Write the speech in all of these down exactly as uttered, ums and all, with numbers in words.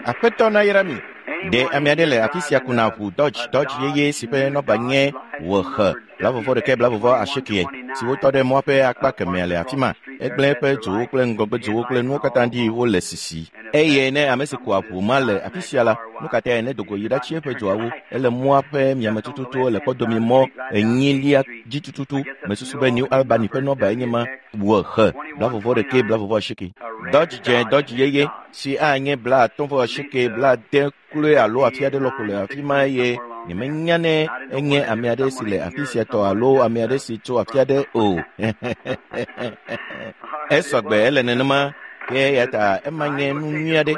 Aƒetɔ nayra mi. Ɖe ame aɖe le afi sia kuna ʋu Dodge Dodge yeye si ƒe nɔba nye wòxe blavɔvɔ ɖeke blavɔvɔ asieke si wotɔ ɖe mɔa ƒe akpa kemea le afi ma. Egblẽ eƒe dzowo kple ŋgɔgbedzowo kple nuwo katã ɖi wole sisi. Eye ne ame si kua ʋu ma le afi sia la, nu ka tae ne dogo yi ɖatsi eƒe dzoawo? Ele mɔa ƒe miame tututu le kpɔdomi mɔ enyilia dzi tututu. Mesusu be New Albany ƒe nɔba enye ma wòxe blavɔvɔ ɖeke blavɔvɔ asieke. Dodge dze Dodge yeye si anye bla atɔ̃ vɔ asieke bla ade kloe alo afi aɖe lɔƒo le afi ma eye nyemenya ne enye ame aɖe si le afi sia tɔ alo ame aɖe si tso afi aɖe o. Esɔgbe ele nenema ke eya ta ema nye nu nyui aɖe.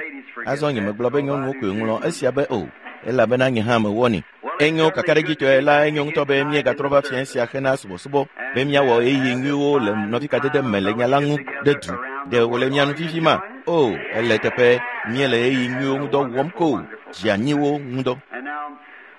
Azɔ nyemegblɔ be nyɔnuwo koe ŋlɔ esia be o, elabena nye hã mewɔnɛ. Enyo kakaɖedzitɔe la enyo ŋutɔ be míegatrɔ va fia sia hena subɔsubɔ be míawɔ ɣeyiɣi nyuiwo le nɔvikadede me le nya la ŋu ɖe du. Ɖe wòle mia nu fifi ma? O, ele teƒe míele ɣeyiɣi nyuiwo ŋudɔ wɔm ko dzianyiwo ŋudɔ.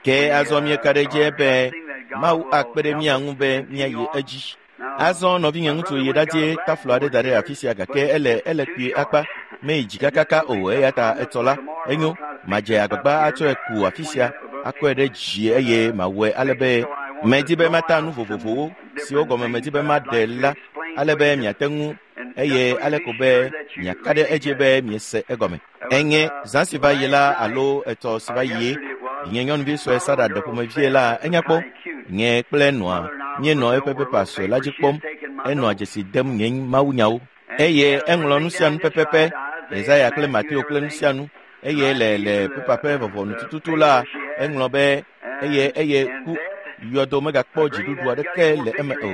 Ke azɔ míeka ɖe edzi be Mawu akpe ɖe mía ŋu be míayi edzi. Azɔ nɔvinye ŋutsu yi ɖadie taflo aɖe da ɖe afi sia gake ele ele kpuie akpa meyi dzi kakaka o eya ta etɔ la enyo madze agbagba atsɔe ku afi sia akɔe ɖe dzi eye mawɔe ale be medi be mata nu vovovowo siwo gɔme medi be maɖe la ale be miate ŋu eye ale ko be miaka ɖe edzi be miese egɔme. Enye zã si va yi la alo etɔ si va yie nye nyɔnuvi sue Sara ɖe ƒomevie la enya kpɔ nye kple nɔa míenɔ eƒe pepa sue la dzi kpɔm enɔa dzesi dem nye mawunyawo eye eŋlɔ nu sia nu pɛpɛpɛ Yesaya kple Mateo kple nu sia nu eye le le pepa ƒe vɔvɔnu tututu la eŋlɔ be eye eye ku yɔdo megakpɔ dziɖuɖu aɖeke le eme o.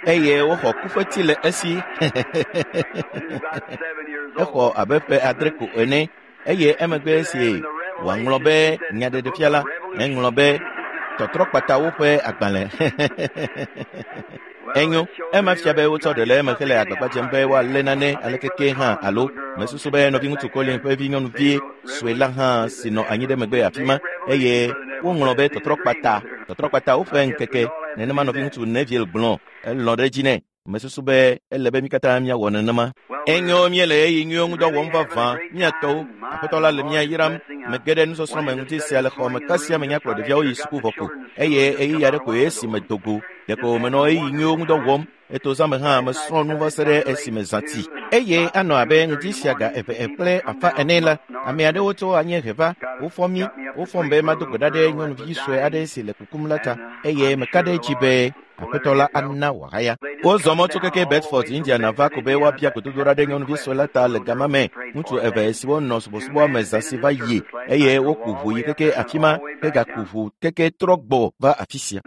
Eye woxɔ kufeti le esi exɔ abe ƒe adre ko ene eye emegbe esi wòaŋlɔ be nyaɖeɖefia la eŋlɔ be tɔtrɔkpatawo ƒe agbalẽ. Enyo ema fia be wotsɔ ɖe le eme hele agbagba dzem be woalé nane alekeke hã alo mesusu be nɔviŋutsu Colin ƒe vi nyɔnuvi sue la hã si nɔ anyi ɖe megbe afi ma eye woŋlɔ be tɔtrɔkpata tɔtrɔkpatawo ƒe ŋkeke nenema nɔviŋutsu Neville gblɔ elɔ̃ ɖe edzi nɛ. Mesusu be ele be mí katã míawɔ nenema. Enyo míele ɣeyiɣi nyuiwo ŋudɔ wɔm vavã míatɔwo. Aƒetɔ la le mía yram. Mege ɖe nusɔsrɔ̃ me ŋuti sia le xɔ me kasia menya kplɔ ɖeviawo yi suku vɔ ko eye ɣeyiɣi aɖe koe esi medo go. Ɖeko menɔ ɣeyiɣi nyuiwo ŋudɔ wɔm. Eto zã me hã mesrɔ̃ nu va se ɖe esime zã ti. Eye anɔ abe ŋdi sia ga eve kple afã ene la, ame aɖewo tso anyiehe va. Wofɔ mí. Wofɔm be mado gbe ɖa ɖe nyɔnuvi sue aɖe si le kukum la ta eye meka ɖe edzi be Aƒetɔ la ana wòahaya. Wozɔ mɔ tso keke Bedford, Indiana va ko be woabia gbedodoɖa ɖe nyɔnuvi sue la ta le gama me. Ŋutsu eve siwo nɔ subɔsubɔa me zã si va yi eye woku ʋu yi keke afi ma hegaku ʋu keke trɔ gbɔ va afi sia.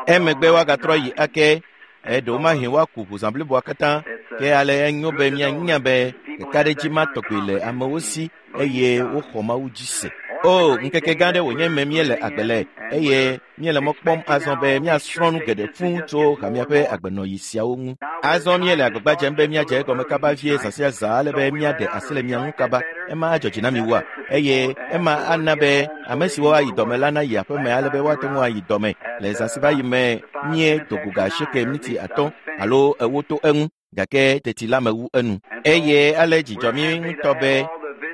Emegbe woagatrɔ yi ake. Eɖewomahi woaku ʋu zã bliboa katã ke ale enyo be míanya be kakaɖedzi ma tɔgbi le amewo si eye woxɔ Mawu dzi se. O, ŋkeke gã ɖe wònye me míele agbe le eye míele mɔ kpɔm azɔ be míasrɔ̃ nu geɖe fũu tso hamea ƒe agbenɔɣi siawo ŋu. Azɔ míele agbagba dzem be míadze egɔme kaba vie zã sia zã ale be míaɖe asi le mia ŋu kaba. Ema adzɔ dzi na mi wua? Eye ema ana be ame siwo ayi dɔme la nayi aƒeme ale be woate ŋu ayi dɔme le zã si va yi me míedo go ga asieke miniti atɔ̃ alo ewo to eŋu gake teti la mewu enu. Eye ale dzidzɔ mí ŋutɔ be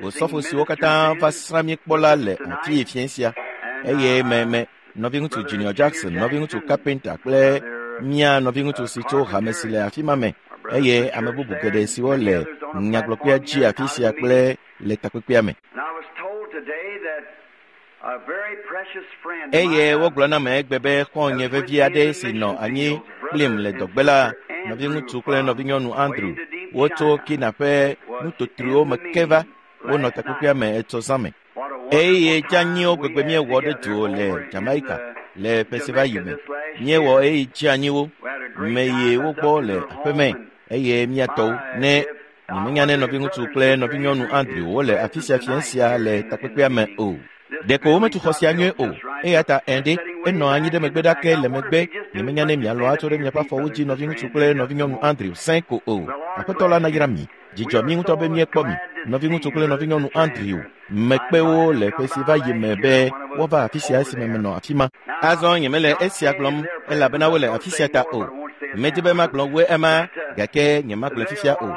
osɔfo siwo katã va srã mí kpɔ la le afi fiẽ sia eye me me nɔviŋutsu Junior Jackson, nɔviŋutsu Carpenter kple mía nɔviŋutsu si tso hame si le afi ma me eye ame bubu geɖe siwo le nyagblɔkpea dzi afi sia kple le takpekpea me. Eye wogblɔ na me egbe be xɔ̃nye vevi aɖe si nɔ anyi kplim le dɔgbe la, nɔviŋutsu kple nɔvinyɔnu Andrew, wotso Kina ƒe nutotroewo me ke va wonɔ takpekpea me etsɔ zã me. Eye dzanyiwo gbegbe míewɔ ɖe du le Jamaica le ƒe si va yi me. Míewɔ ɣeyiɣi dzanyiwo meyi wo gbɔ le aƒeme eye míatɔwo ne nyemenya ne nɔviŋutsu kple nɔvinyɔnu Andrew wole afi sia fiẽ sia le takpekpea me o. Ɖeko wometu xɔ sia nyuie o eya ta ɛ̃ enɔ anyi ɖe megbe ɖake le megbe nyemenya ne mialɔ atsɔ ɖe miaƒe afɔwo dzi nɔviŋutsu kple nɔvinyɔnu Andrew sẽ ko o. Aƒetɔ la nayra mi. Dzidzɔ mí ŋutɔ be míekpɔ mi. Nɔviŋutsu kple nɔvinyɔnu Andrew mekpe wo le ƒe si va yi me be woava afi sia esime menɔ afi ma. Azɔ nyemele esia gblɔm elabena wole afi sia ta o. Medi be magblɔ woe ema gake nyemagblɔe fifia o.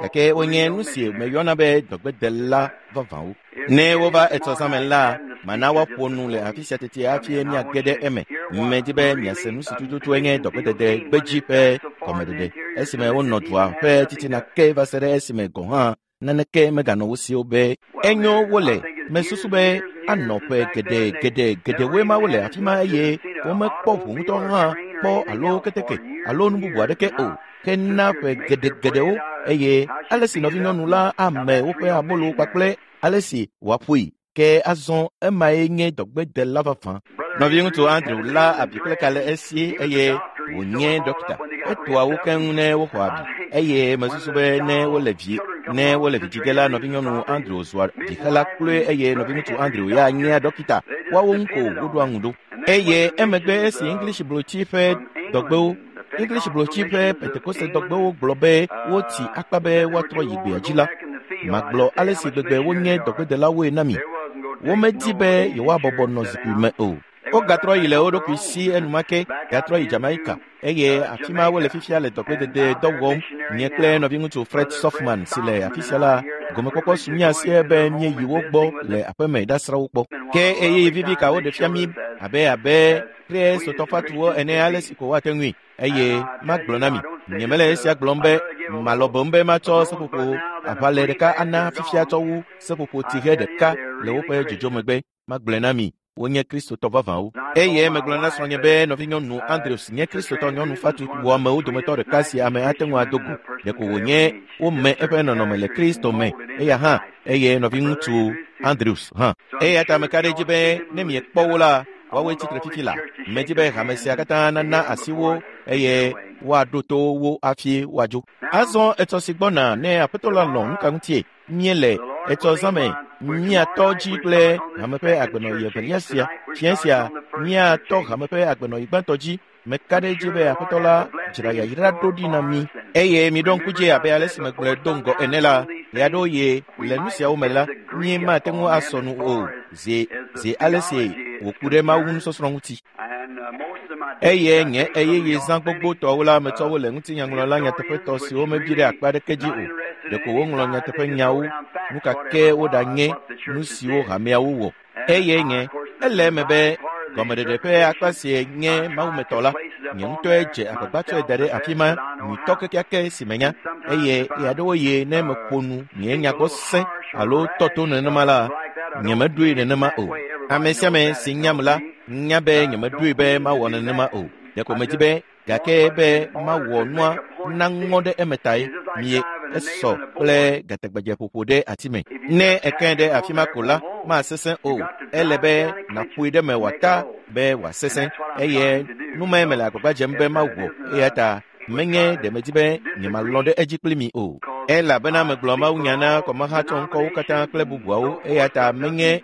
Gake wonye nu si meyɔna be dɔgbedela vavãwo. Ne wova etsɔ zãme la, mana woaƒo nu le afi sia tete hafi míage ɖe eme. Medi be miase nu si tututue nye dɔgbedede gbedzi ƒe gɔmeɖeɖe esime wonɔ dua ƒe titina ke va se ɖe esime gɔ̃ hã naneke meganɔ wo si o be enyo wole. Mesusu be anɔ ƒe geɖe geɖe geɖewoe ma wole afi ma eye womekpɔ ʋu ŋutɔ hã kpɔ alo keteke alo nu bubu aɖeke o. Ke na ƒe geɖe geɖewo eye ale si nɔvinyɔnu la ame woƒe abolo kpakple ale si wòaƒoe ke azɔ emae nye dɔgbedela vavã. Nɔviŋutsu Andrew la abi kple ka le esi eye wònye dɔkita. Etoa wo keŋ ne woxɔ abi eye mesusu be ne wole vi ne wole vidzĩ ge la nɔvinyɔnu Andrew zua vixela kloe eye nɔviŋutsu Andrew ya nyea dɔkita. Woawo ŋu ko woɖoa ŋu ɖo. Eye emegbe esi English blotsi ƒe dɔgbewo English blotsi ƒe Pentekoste dɔgbewo gblɔ be wotsi akpa be woatrɔ yi gbea dzi la, magblɔ ale si gbegbe wonye dɔgbedelawoe na mi. Womedi be yewoabɔbɔ nɔ zikpui me o. Wogatrɔ yi le wo ɖokui si enumake gatrɔ yi Jamaica eye afi ma wole fifia le dɔgbedede dɔ wɔm. Nye kple nɔviŋutsu Fred Sothmann si le afi sia la, gomekpɔkpɔ su mía sie be míeyi wo gbɔ le aƒeme ɖasrã wo kpɔ. Ke ɣeyiɣi vivi ka woɖe fia mí abe abe kristotɔfatuwo ene ale si ko woate ŋui. Eye magblɔ na mi, nyemele esia gblɔm be malɔ̃ boŋ be matsɔ seƒoƒo aʋalɛ ɖeka ana fifia tsɔ wu seƒoƒo tsihe ɖeka le woƒe dzodzo megbe. Magblɔe na mi, wonye kristotɔ vavãwo. Eye megblɔ na srɔ̃nye be nɔvinyɔnu Andrews nye kristotɔ nyɔnu fatu wɔamewo dometɔ ɖeka si ame ate ŋu ado go. Ɖeko wònye wome eƒe nɔnɔme le Kristo me eya hã eye nɔviŋutsu Andrews hã. Eya ta meka ɖe edzi be ne miekpɔ wo la, woawoe tsitre fifi la. Medi be hame sia katã nana asi wo eye woaɖo to wo hafi woadzo. Azɔ etsɔ si gbɔna ne Aƒetɔ la lɔ̃ nu ka ŋutie míele etsɔ zãme míatɔ dzi kple hame ƒe agbenɔɣi evelia sia. Fiẽ sia míatɔ hame ƒe agbenɔɣi gbãtɔ dzi. Meka ɖe edzi be Aƒetɔ la dzra yayra ɖo ɖi na mí. Eye miɖo ŋku dzi abe ale si megblɔe do ŋgɔ ene la, ɣeaɖewoɣi le nu siawo me la, míemate ŋu asɔ nu o zi zi ale si wòku ɖe Mawu nusɔsrɔ̃ ŋuti. Eye nye ɣeyiɣi zã gbogbotɔwo la metsɔ wo le ŋutinyaŋlɔla nyateƒetɔ siwo mebi ɖe akpa aɖeke dzi o. Ɖeko woŋlɔ nyateƒenyawo, nu ka ke woɖanye nu siwo hameawo wɔ. Eye nye, ele eme be gɔmeɖeɖe ƒe akpa si nye mawumetɔ la, nye ŋutɔe dze agbagba tsɔe da ɖe afi ma nyuitɔ kekeake si menya. Eye ɣeaɖewoɣi ne meƒo nu nye nyagbɔ sẽ alo tɔ to nenema la, nyemeɖoe nenema o. Ame sia ame si nyam la nya be nyemeɖoe be mawɔ nenema o. Ɖeko medi be gake be mawɔ nua naŋɔ ɖe eme tae mie esɔ kple gatagbadzeƒoƒo ɖe ati me. Ne eke ɖe afi ma ko la, masesẽ o. Ele be nàƒoe ɖe me wòata be wòasesẽ eye nu mae mele agbagba dzem be mawɔ eya ta menye ɖe medi be nyemalɔ̃ ɖe edzi kpli mi o. Elabena megblɔ mawunya na kɔmahatsɔŋkɔwo katã kple bubuawo eya ta menye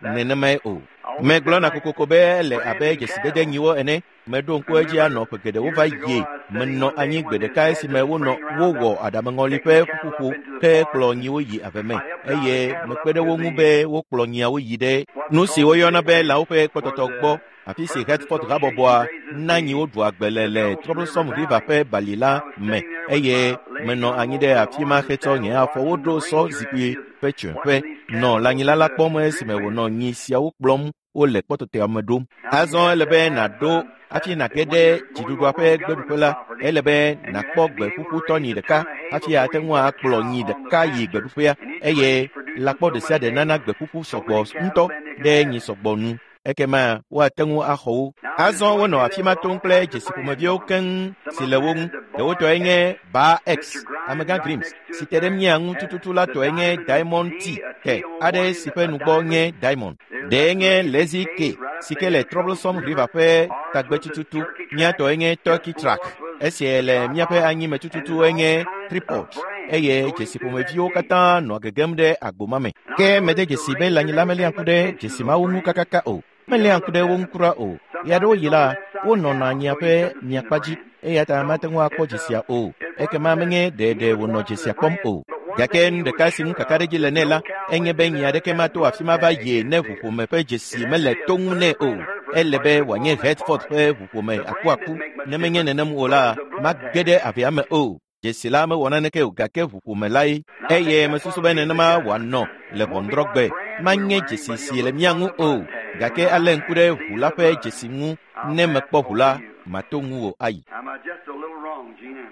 nenemae o. Megblɔna kokoko be ele abe dzesidede nyiwo ene. Meɖo ŋku edzi anɔ ƒe geɖewo va yie. Menɔ anyi gbe ɖeka esime wonɔ wowɔ aɖameŋɔli ƒe ƒuƒoƒo ke kplɔ nyiwo yi ave me eye mekpe ɖe wo ŋu be wokplɔ nyiawo yi ɖe nu si woyɔna be lãwo ƒe kpɔtɔtɔ gbɔ afi si Hertford habɔbɔa na nyiwo ɖua gbe le le Troublesome River ƒe bali la me eye menɔ anyi ɖe afi ma hetsɔ nye afɔwo ɖo sɔ zikpui ƒe tsiẽƒe nɔ lãnyila la kpɔm esime wònɔ nyi siawo kplɔm wole kpɔtɔtɔa me ɖom. Azɔ ele be nàɖo hafi nàge ɖe dziɖuɖua ƒe gbeɖuƒe la, ele be nàkpɔ gbe ƒuƒu tɔnyi ɖeka hafi ate ŋu akplɔ nyi ɖeka yi gbeɖuƒea eye lãkpɔ ɖe sia ɖe nana gbe ƒuƒu sɔgbɔ ŋutɔ ɖe nyi sɔgbɔ nu. Ekema woate ŋu axɔ wo. Azɔ wonɔ afi ma tom kple dzesi ƒomeviwo keŋ si le wo ŋu. Ɖewo tɔe nye Bar X, Amegã Grims, si te ɖe mía ŋu tututu la tɔe nye Diamond T, T aɖe si ƒe nugbɔ nye Diamond. Ɖee nye Lazy K, si ke le Troublesome River ƒe tagbe tututu. Mía tɔe nye Turkey Track. Esia le míaƒe anyime tututu enye Tripod eye dzesi ƒomeviwo katã nɔa gegem ɖe agbo ma me. Ke mede dzesi be lãnyila meléa ŋku ɖe dzesi mawo ŋu kakaka o. Meléa ŋku ɖe wo ŋu kura o. Ɣeaɖewoɣi la, wonɔna nyia ƒe miakpa dzi eya ta mate ŋu akpɔ dzesia o. Ekema menye ɖeɖe wònɔ dzesia kpɔm o. Gake nu ɖeka si ŋu kakaɖedzi le nɛ la, enye be nyi aɖeke mato afi ma va yie ne ʋuƒome ƒe dzesi mele to ŋu nɛ o. Ele be wòanye Hertford ƒe ʋuƒome akuaku. Ne menye nenem o la, mage ɖe avea me o. Dzesi la mewɔ naneke o gake ʋuƒome lae. Eye mesusu be nenema wòanɔ le ʋɔnudrɔ̃gbe. Manye dzesi si le mía ŋu o gake alé ŋku ɖe ʋu la ƒe dzesi ŋu. Ne mekpɔ ʋu la, mato ŋuwò ayi.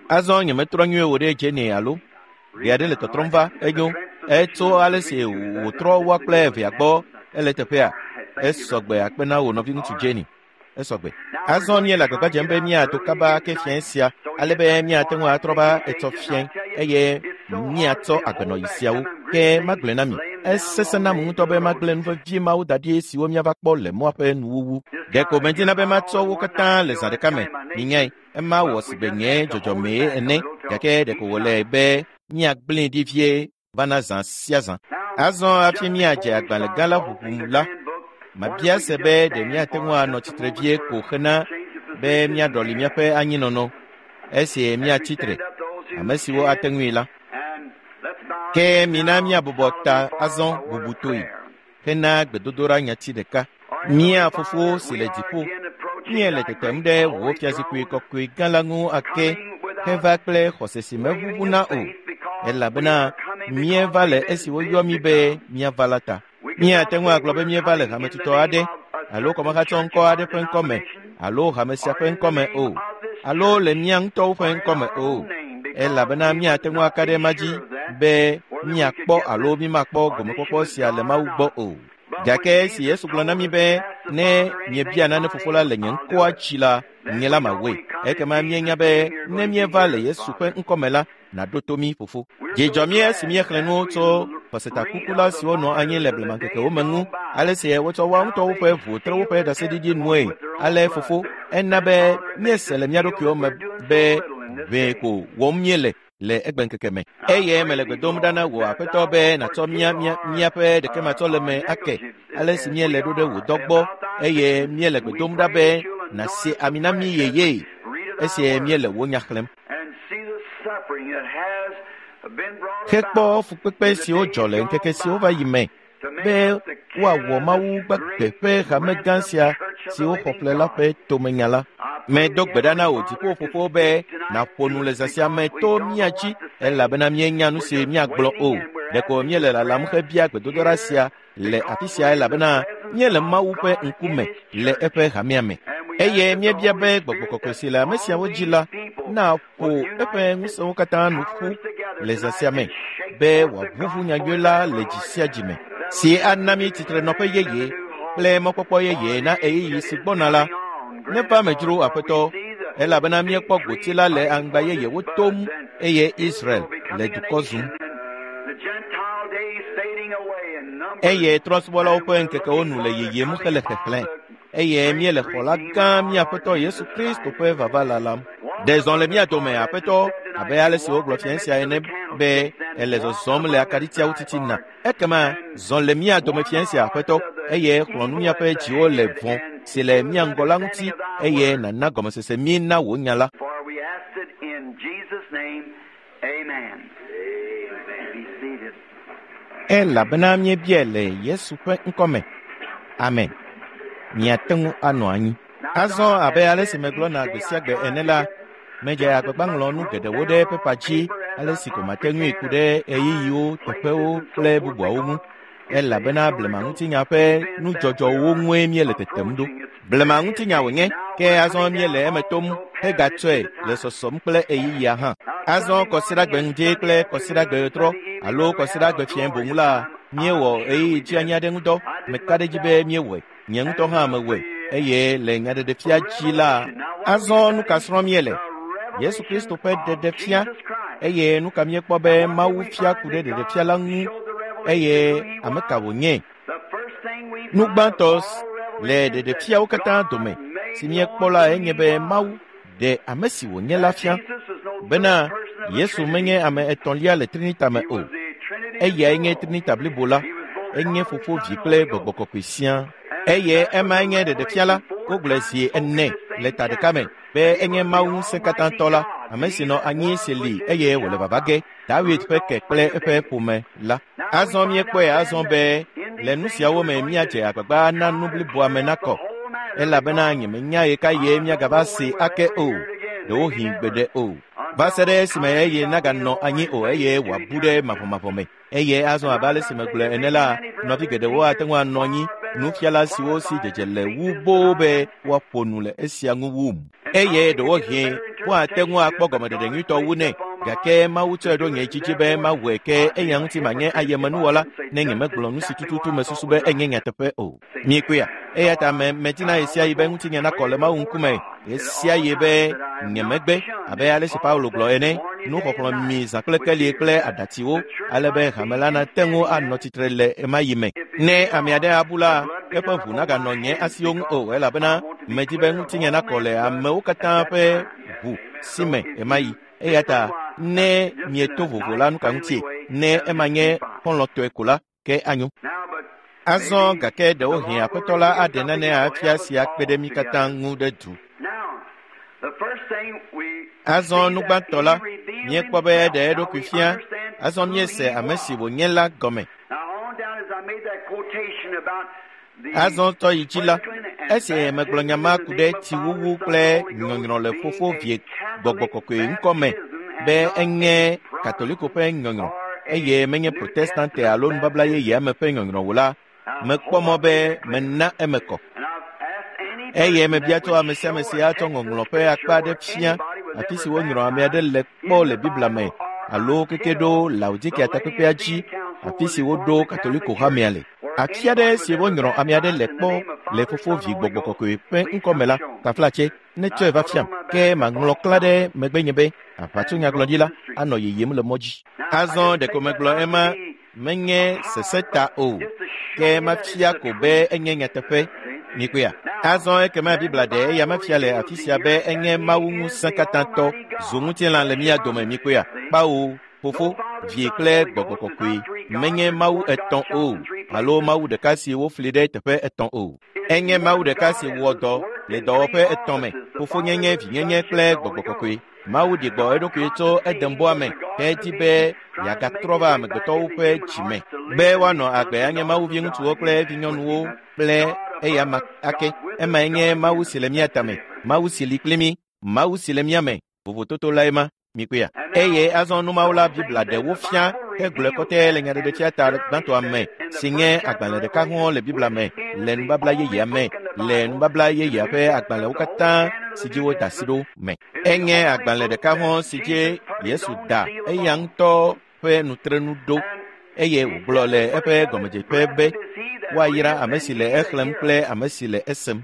Azɔ nyemetrɔ nyuie wò ɖe Jenny alo ɖe aɖe le tɔtrɔm va enyo. Etso ale si wòtrɔ woa kple evea gbɔ ele teƒea. Esɔgbe akpe na wò nɔviŋutsu Jenny. Esɔgbe. Azɔ míele agbagba dzem be míado kaba ke fiẽ sia ale be míate ŋu atrɔ va etsɔ fiẽ eye míatsɔ agbenɔyi siawo. Ke magblɔe na mi, esesẽ nam ŋutɔ be magblẽ nu vevie mawo da ɖi siwo míava kpɔ le mɔa ƒe nuwuwu. Ɖeko medina be matsɔ wo katã le zã ɖeka me. Minyae, ema wɔ sigbe nye dzɔdzɔmee ene gake ɖeko wòle be míagblẽe ɖi vie va na zã sia zã. Azɔ hafi míadze agbalẽ gã la ʋuʋum la, mabia se be ɖe míate ŋu anɔ tsitre vie ko xena be míaɖɔli míaƒe anyinɔnɔ esi míatsi tre, ame siwo ate ŋui la. Ke mina míabɔbɔ ta azɔ bubutoe hena gbedodoɖa nyati ɖeka. Mía Fofo si le dziƒo, míele tetem ɖe wò fiazikpui kɔkɔe gã la ŋu ake heva kple xɔse si meʋuʋuna o, elabena míeva le esi woyɔ mí be míava la ta. Míate ŋu agblɔ be míeva le hametutɔ aɖe alo kɔmehatsɔ ŋkɔ aɖe ƒe ŋkɔme alo hame sia ƒe ŋkɔme o, alo le mía ŋutɔwo ƒe ŋkɔme o, elabena míate ŋu aka ɖe ema dzi be míakpɔ alo mímakpɔ gomekpɔkpɔ sia le Mawu gbɔ o. Gake esi Yesu gblɔ na mí be ne miebia nane Fofo la le nye ŋkɔa dzi la, nye la mawɔe. Ekema míenya be ne míeva le Yesu ƒe ŋkɔme la, nàɖo to mí Fofo. Dzi dzɔ mí esi míexlẽ nu tso xɔsetakukula siwo nɔ anyi le blemaŋkekewo me ŋu, ale si wotsɔ woa ŋutɔwo ƒe ʋu tre woƒe ɖaseɖiɖi nue. Ale Fofo, ena be míese le mía ɖokuiwo me be ʋee ko wɔm míele le egbeŋkeke me. Eye mele gbe dom ɖa na wò Aƒetɔ be nàtsɔ mía mía míaƒe ɖekematsɔleme ake ale si míele ɖo ɖe wò dɔ gbɔ eye míele gbe dom ɖa be nàse ami na mí yeye esi míele wò nya xlẽm. Hekpɔ fukpekpe siwo dzɔ le ŋkeke siwo va yi me be woawɔ Mawu gbagbe ƒe hame gã sia si woxɔ ƒle la ƒe tomenya la. Medo gbe ɖa na wò dziƒo Fofo be nàƒo nu le zã sia me to mía dzi elabena míenya nu si míagblɔ o. Ɖeko míele lalam hebia gbedodoɖa sia le afi sia elabena míele Mawu ƒe ŋkume le eƒe hamea me. Eye míebia be Gbɔgbɔ Kɔkɔe si le ame siawo dzi la naƒo eƒe ŋusẽwo katã nu ƒu le zã sia me be wòaʋuʋu nyanyui la le dzi sia dzi me, si ana mí tsitrenɔƒe yeye kple mɔkpɔkpɔ yeye na ɣeyiɣi si gbɔna la. Neva me dzro Aƒetɔ, elabena míekpɔ gboti la le aŋgba yeyewo tom eye Israel le dukɔ zum. Eye trɔ̃subɔlawo ƒe ŋkekewo nu le yiyim hele xexlẽ eye míele xɔla gã mía Aƒetɔ Yesu Kristo ƒe vava lalam. Ɖe zɔ le mía dome, Aƒetɔ, abe ale si wogblɔ fiẽ sia ene be ele zɔzɔm le akaɖitiawo titina. Ekema zɔ le mía dome fiẽ sia, Aƒetɔ, eye xlɔ̃ nu míaƒe dziwo le vɔ̃ si le mía ŋgɔ la ŋuti eye nàna gɔmesese mí na wò nya la. For we ask it in Jesus' name, amen. Be seated. Elabena míebiae le Yesu ƒe ŋkɔme. Amen. Miate ŋu anɔ anyi. Azɔ abe ale si megblɔna gbe sia gbe ene la, medze agbagba ŋlɔ nu geɖewo ɖe pepa dzi ale si ko mate ŋui ku ɖe ɣeyiɣiwo, teƒewo kple bubuawo ŋu. Elabena blema ŋutinya ƒe nudzɔdzɔwo ŋue míele tetem ɖo. Blema ŋutinya wònye, ke azɔ míele eme tom hegatsɔe le sɔsɔm kple ɣeyiɣia hã. Azɔ kɔsiɖagbe ŋdi kple kɔsiɖagbe ɣetrɔ alo kɔsiɖagbe fiẽ boŋ la, míewɔ ɣeyiɣi dzianyi aɖe ŋudɔ. Meka ɖe edzi be míewɔe. Nye ŋutɔ hã mewɔe. Eye le nyaɖeɖefia dzi la, azɔ nu ka srɔ̃m míele? Yesu Kristo ƒe ɖeɖefia eye nu ka míekpɔ be Mawu fia ku ɖe ɖeɖefia la ŋu eye ame ka wònye? Nu gbãtɔ le ɖeɖefiawo katã dome si míekpɔ la enye be Mawu ɖe ame si wònye la fia bena Yesu menye ame etɔ̃lia le Trinita me o. Eyae nye Trinita blibo la, enye Fofo, Vi kple Gbɔgbɔ Kɔkɔe siaa. Eye emae nye ɖeɖefia la, wogblɔe zi ene le ta ɖeka me be enye Mawu ŋusẽkatãtɔ la, ame si nɔ anyi si li eye wòle vava ge, David ƒe ke kple eƒe ƒome la. Azɔ míekpɔe azɔ be le nu siawo me míadze agbagba na nu bliboa me nakɔ. Elabena nyemenya ɣe ka ɣie míagava se ake o, ɖewohĩ gbeɖe o. Va se ɖe esime eye naganɔ anyi o eye wòabu ɖe mavɔmavɔ me. Eye azɔ abe ale si megblɔe ene la, nɔvi geɖewo ate ŋu anɔ anyi, nufiala siwo si dzedze le wu boo be woaƒo nu le esia ŋu wum. Eye ɖewohĩ woate ŋu akpɔ gɔmeɖeɖe nyuitɔ wu nɛ, gake Mawu tsɔe ɖo nye dzidzi be mawɔe ke eya ŋuti manye ayemenuwɔla ne nyemegblɔ nu si tututu mesusu be enye nyateƒe o. Miekpɔea? Eya ta me medina ɣe sia ɣi be ŋutinye nakɔ le Mawu ŋkume ɣe sia ɣi be nyemegbe abe ale si Paulo gblɔ ene, nuxɔxlɔ̃ mi zã kple keli kple aɖatsiwo ale be hame la nate ŋu anɔ tsitre le ɣemaɣi me. Ne ame aɖe abu la, eƒe ʋu naganɔ nye asiwo ŋu o elabena medi be ŋutinye nakɔ le amewo katã ƒe ʋu si me ɣemaɣi. Eya ta ne mieto vovo la nu ka ŋutie? Ne ema nye xɔlɔ̃tɔe ko la, ke anyo. Azɔ gake ɖewohĩ Aƒetɔ la aɖe nane afia sia kpe ɖe mí katã ŋu ɖe du. Azɔ nugbãtɔ la, míekpɔ be eɖe eɖokui fia. Azɔ míese ame si wònye la gɔme. Azɔ tɔ yi dzi la, esi megblɔ nya ma ku ɖe tsiwuwu kple nyɔnyrɔ le Fofo Vie Gbɔgbɔ Kɔkɔe ŋkɔ me be enye Katoliko ƒe nyɔnyrɔ eye menye Protestante alo nubabla yeyea me ƒe nyɔnyrɔ o la, mekpɔ mɔ be mena eme kɔ. Eye mebia tso ame sia ame si atsɔ ŋɔŋlɔ ƒe akpa aɖe fia afi si wonyrɔ ame aɖe le kpɔ le Biblia me alo keke ɖo Laodikea takpekpea dzi afi si woɖo Katoliko hamea le. Afi aɖe si wonyrɔ ame aɖe le kpɔ le Fofo Vi Gbɔgbɔ Kɔkɔe ƒe ŋkɔ me la, taflatse netsɔe va fiam. Ke maŋlɔ klã ɖe megbenye be aʋatsonyagblɔɖila anɔ yiyim le mɔ dzi. Azɔ ɖeko megblɔ ema menye sese ta o, ke mafia ko be enye nyateƒe. Mikpɔea? Azɔ ekema Biblia ɖe eya mefia le afi sia be enye Mawu ŋusẽkatãtɔ zu ŋutilã le mía dome. Mikpɔea? Kpawo, Fofo, Vie kple Gbɔgbɔ Kɔkɔe menye Mawu etɔ̃ o alo Mawu ɖeka si wofli ɖe teƒe etɔ̃ o. Enye Mawu ɖeka si wɔ dɔ le dɔwɔƒe etɔ̃ me, fofonyenye, vinyenye kple Gbɔgbɔ Kɔkɔe. Mawu ɖi gbɔ eɖokui tso Edembɔa me hedi be yeagatrɔ va amegbetɔwo ƒe dzime be woanɔ agbe anye Mawu viŋutsuwo kple vinyɔnuwo kple eyama ake. Emae nye Mawu si le mía tame, Mawu si li kpli mí, Mawu si le mía me. Vovototo lae ma. Mikpɔea? Eye azɔ numawu la Biblia ɖe wofia hegblɔe kɔtɛ le nyaɖeɖefia ta gbãtɔa me si nye agbalẽ ɖeka hɔ̃ le Biblia me le nubabla yeyea me le nubabla yeyea ƒe agbalẽwo katã si dzi woda asi ɖo me. Enye agbalẽ ɖeka hɔ̃ si dzi Yesu da eya ŋutɔ ƒe nutrenu ɖo eye wògblɔ le eƒe gɔmedzeƒe be woayra ame si le exlẽm kple ame si le esem.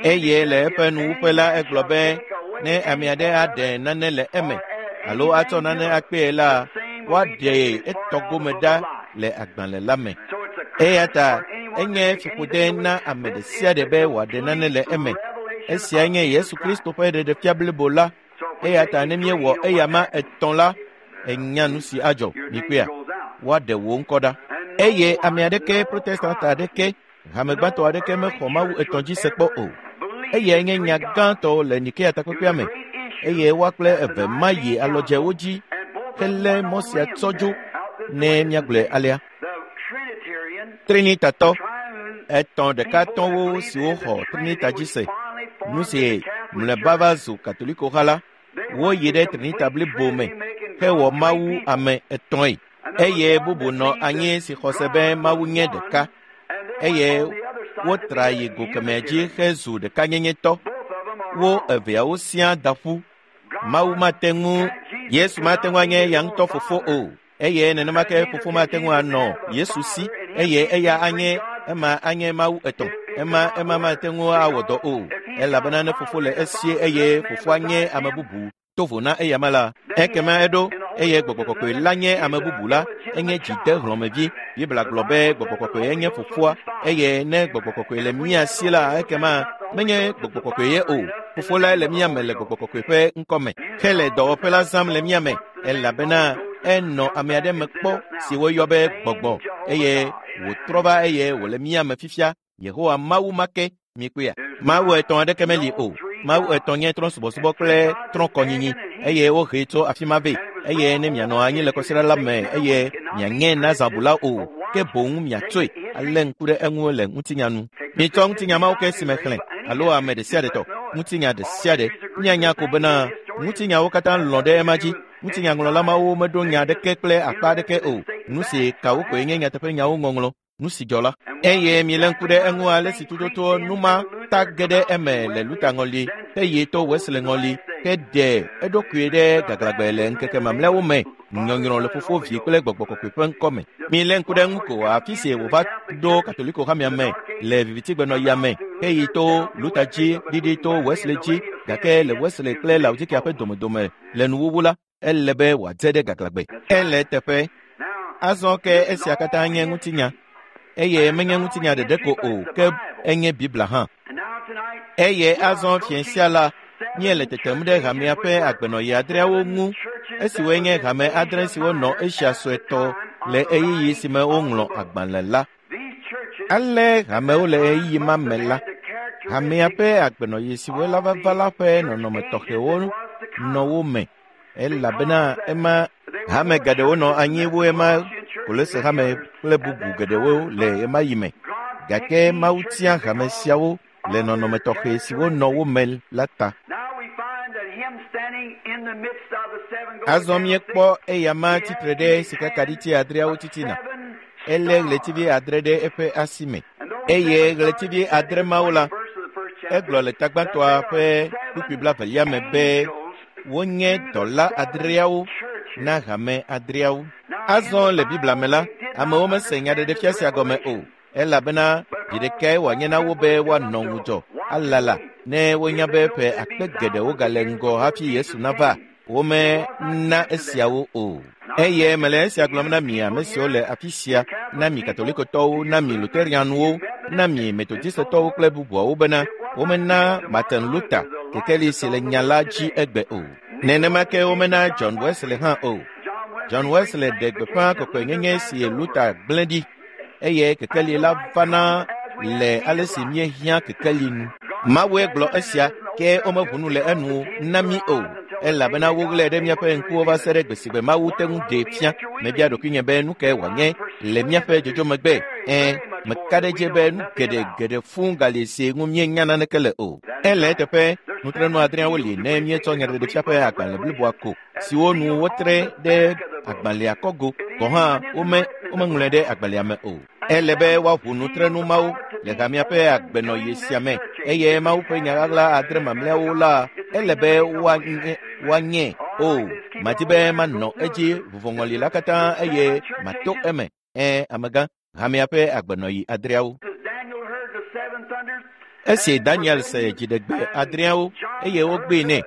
Eye le eƒe nuwuƒe la egblɔ be ne ame aɖe aɖe nane le eme alo atsɔ nane akpee la, woaɖe etɔgome ɖa le agbalẽ la me. Eya ta enye fiƒode na ame ɖe sia ɖe be wòaɖe nane le eme. Esia nye Yesu Kristo ƒe ɖeɖefia blibo la. Eya ta ne míewɔ eyama etɔ̃ la, enya nu si adzɔ. Mikpɔea? Woaɖe wò ŋkɔ ɖa. Eye ame aɖeke, Protestant aɖeke, hame gbãtɔ aɖeke mexɔ Mawu etɔ̃ dzi se kpɔ o. Eyae nye nya gãtɔ le Nikea takpekpea me. Eye woa kple eve ma yi alɔdzewo dzi helé mɔ sia tsɔ dzo ne míagblɔe alea. Trinitatɔ etɔ̃ ɖekatɔwo siwo xɔ Trinita dzi se, nu si mlɔeba va zu Katoliko ha la, woyi ɖe Trinita blibo me hewɔ Mawu ame etɔ̃e. Eye bubu nɔ anyi si xɔ se be Mawu nye ɖeka. Eye wotra yi go kemɛ dzi hezu ɖekanyenyetɔ. Wo eveawo siaa da ƒu. Mawu mate ŋu, Yesu mate ŋu anye eya ŋutɔ fofo o. Eye nenema ke fofo mate ŋu anɔ Yesu si eye eya anye ema anye Mawu etɔ̃. Ema ema mate ŋu awɔ dɔ o. Elabena ne fofo le esie eye fofoa nye ame bubu tovo na eyama la, ekema eɖo eye Gbɔgbɔ Kɔkɔe la nye ame bubu la, enye dzidehlɔ̃mevi. Biblia gblɔ be Gbɔgbɔ Kɔkɔe enye fofoa eye ne Gbɔgbɔ Kɔkɔe le mía si la, ekema menye Gbɔgbɔ Kɔkɔe ye o. Fofo lae le mía me le Gbɔgbɔ Kɔkɔe ƒe ŋkɔ me hele dɔwɔƒe la zãm le mía me elabena enɔ ame aɖe me kpɔ si woyɔ be Gbɔgbɔ eye wòtrɔ va eye wòle mía me fifia. Yehowa Mawu ma ke. Mikpɔea? Mawu etɔ̃ aɖeke meli o. Mawu etɔ̃ nye trɔ̃subɔsubɔ kple trɔ̃kɔnyinyi eye wohee tso afi ma vɛ. Eye ne mianɔ anyi le kɔsiɖa la me eye miaŋe nazãbula o, ke boŋ miatsoe alé ŋku ɖe eŋu le ŋutinya nu. Mitsɔ ŋutinya mawo ke si me xlẽ alo ame ɖe sia ɖe tɔ, ŋutinya ɖe sia ɖe. Míanya ko bena ŋutinyawo katã lɔ̃ ɖe ema dzi. Ŋutinyaŋlɔla mawo meɖo nya aɖeke kple akpa aɖeke o. Nu si kawo koe nye nyateƒenyawo ŋɔŋlɔ, nu si dzɔ la. Eye milé ŋku ɖe eŋu ale si tututu nu ma ta ge ɖe eme le Luther ŋɔli, eye to Wesley ŋɔli, ke ɖe eɖokui ɖe gaglãgbe le ŋkeke mamlɛawo me, nyɔnyrɔ le Fofo, Vi kple Gbɔgbɔ Kɔkɔe ƒe ŋkɔme. Milé ŋku ɖe eŋu ko afi si wòva ɖo Katoliko hamea me le vivitigbenɔɣia me, eye to Luther dzi, ɖiɖi to Wesley dzi, gake le Wesley kple Laodikea ƒe domedome le nuwuwu la, ele be wòadze ɖe gaglãgbe. Ele eteƒe. Azɔ ke esia katã nye ŋutinya. Eye menye ŋutinya ɖeɖe ko o, ke enye Biblia hã. Eye azɔ fiẽ sia la, míele tetem ɖe hamea ƒe agbenɔɣi adreawo ŋu, esiwoe nye hame adre siwo nɔ Asia Suetɔ le ɣeyiɣi si me woŋlɔ agbalẽ la. Ale hamewo le ɣeyiɣi ma me la, hamea ƒe agbenɔɣi siwo la vava la ƒe nɔnɔme tɔxɛwo nɔ wo me, elabena ema hame geɖewo nɔ anyi wu ema Kolose hame kple bubu geɖewo le ɣemaɣi me. Gake Mawu tia hame siawo le nɔnɔme tɔxɛ siwo nɔ wo me la ta. Azɔ míekpɔ eyama tsitre ɖe sikakaɖiti adreawo titina. Elé ɣletivi adre ɖe eƒe asi me. Eye ɣletivi adre mawo la, egblɔ le tagbãtɔa ƒe kpukpui blaevelia me be wonye dɔla adreawo na hame adreawo. Azɔ le Biblia me la, amewo mese nyaɖeɖefia sia gɔme o, elabena vi ɖekae wòanye na wo be woanɔ ŋudzɔ alala ne wonya be ƒe akpe geɖewo gale ŋgɔ hafi Yesu nava. Womena esiawo o. Eye mele esia gblɔm na mi ame siwo le afi sia, na mi Katolikotɔwo, na mi Luterianwo, na mi Metodistetɔwo kple bubuawo bena womena Martin Luther kekeli si le nya la dzi egbe o. Nenema ke womena John Wesley hã o. John Wesley ɖe gbeƒã kɔkɔenyenye si Luther gblẽ ɖi, eye kekeli la vana le ale si míehiã kekeli nu. Mawue gblɔ esia, ke womeʋu nu le enu na mí o, elabena woɣlae ɖe míaƒe ŋkuwo va se ɖe gbe si gbe Mawu te ŋu ɖee fia. Mebia ɖokuinye be nu kae wòanye le míaƒe dzodzo megbe. Ɛ̃, meka ɖe edzi be nu geɖe geɖe fũu gali si ŋu míenya naneke le o. Ele eteƒe, nutrenu adreawo li ne míetsɔ nyaɖeɖefia ƒe agbalẽ bliboa ko, siwo nu wotre ɖe agbalẽa kɔgo gɔ̃ hã wome womeŋlɔe ɖe agbalẽa me o. Ele be woaʋu nutrenu mawo le hamea ƒe agbenɔɣi sia me, eye Mawu ƒe nya ɣaɣla adre mamlɛawo la, ele be woanye woanye o. Madi be manɔ edzi vuvɔŋɔli la katã eye mato eme. Ɛ̃, amegã, hamea ƒe agbenɔɣi adreawo. Esi Daniel se dziɖegbe adreawo eye wogbee nɛ,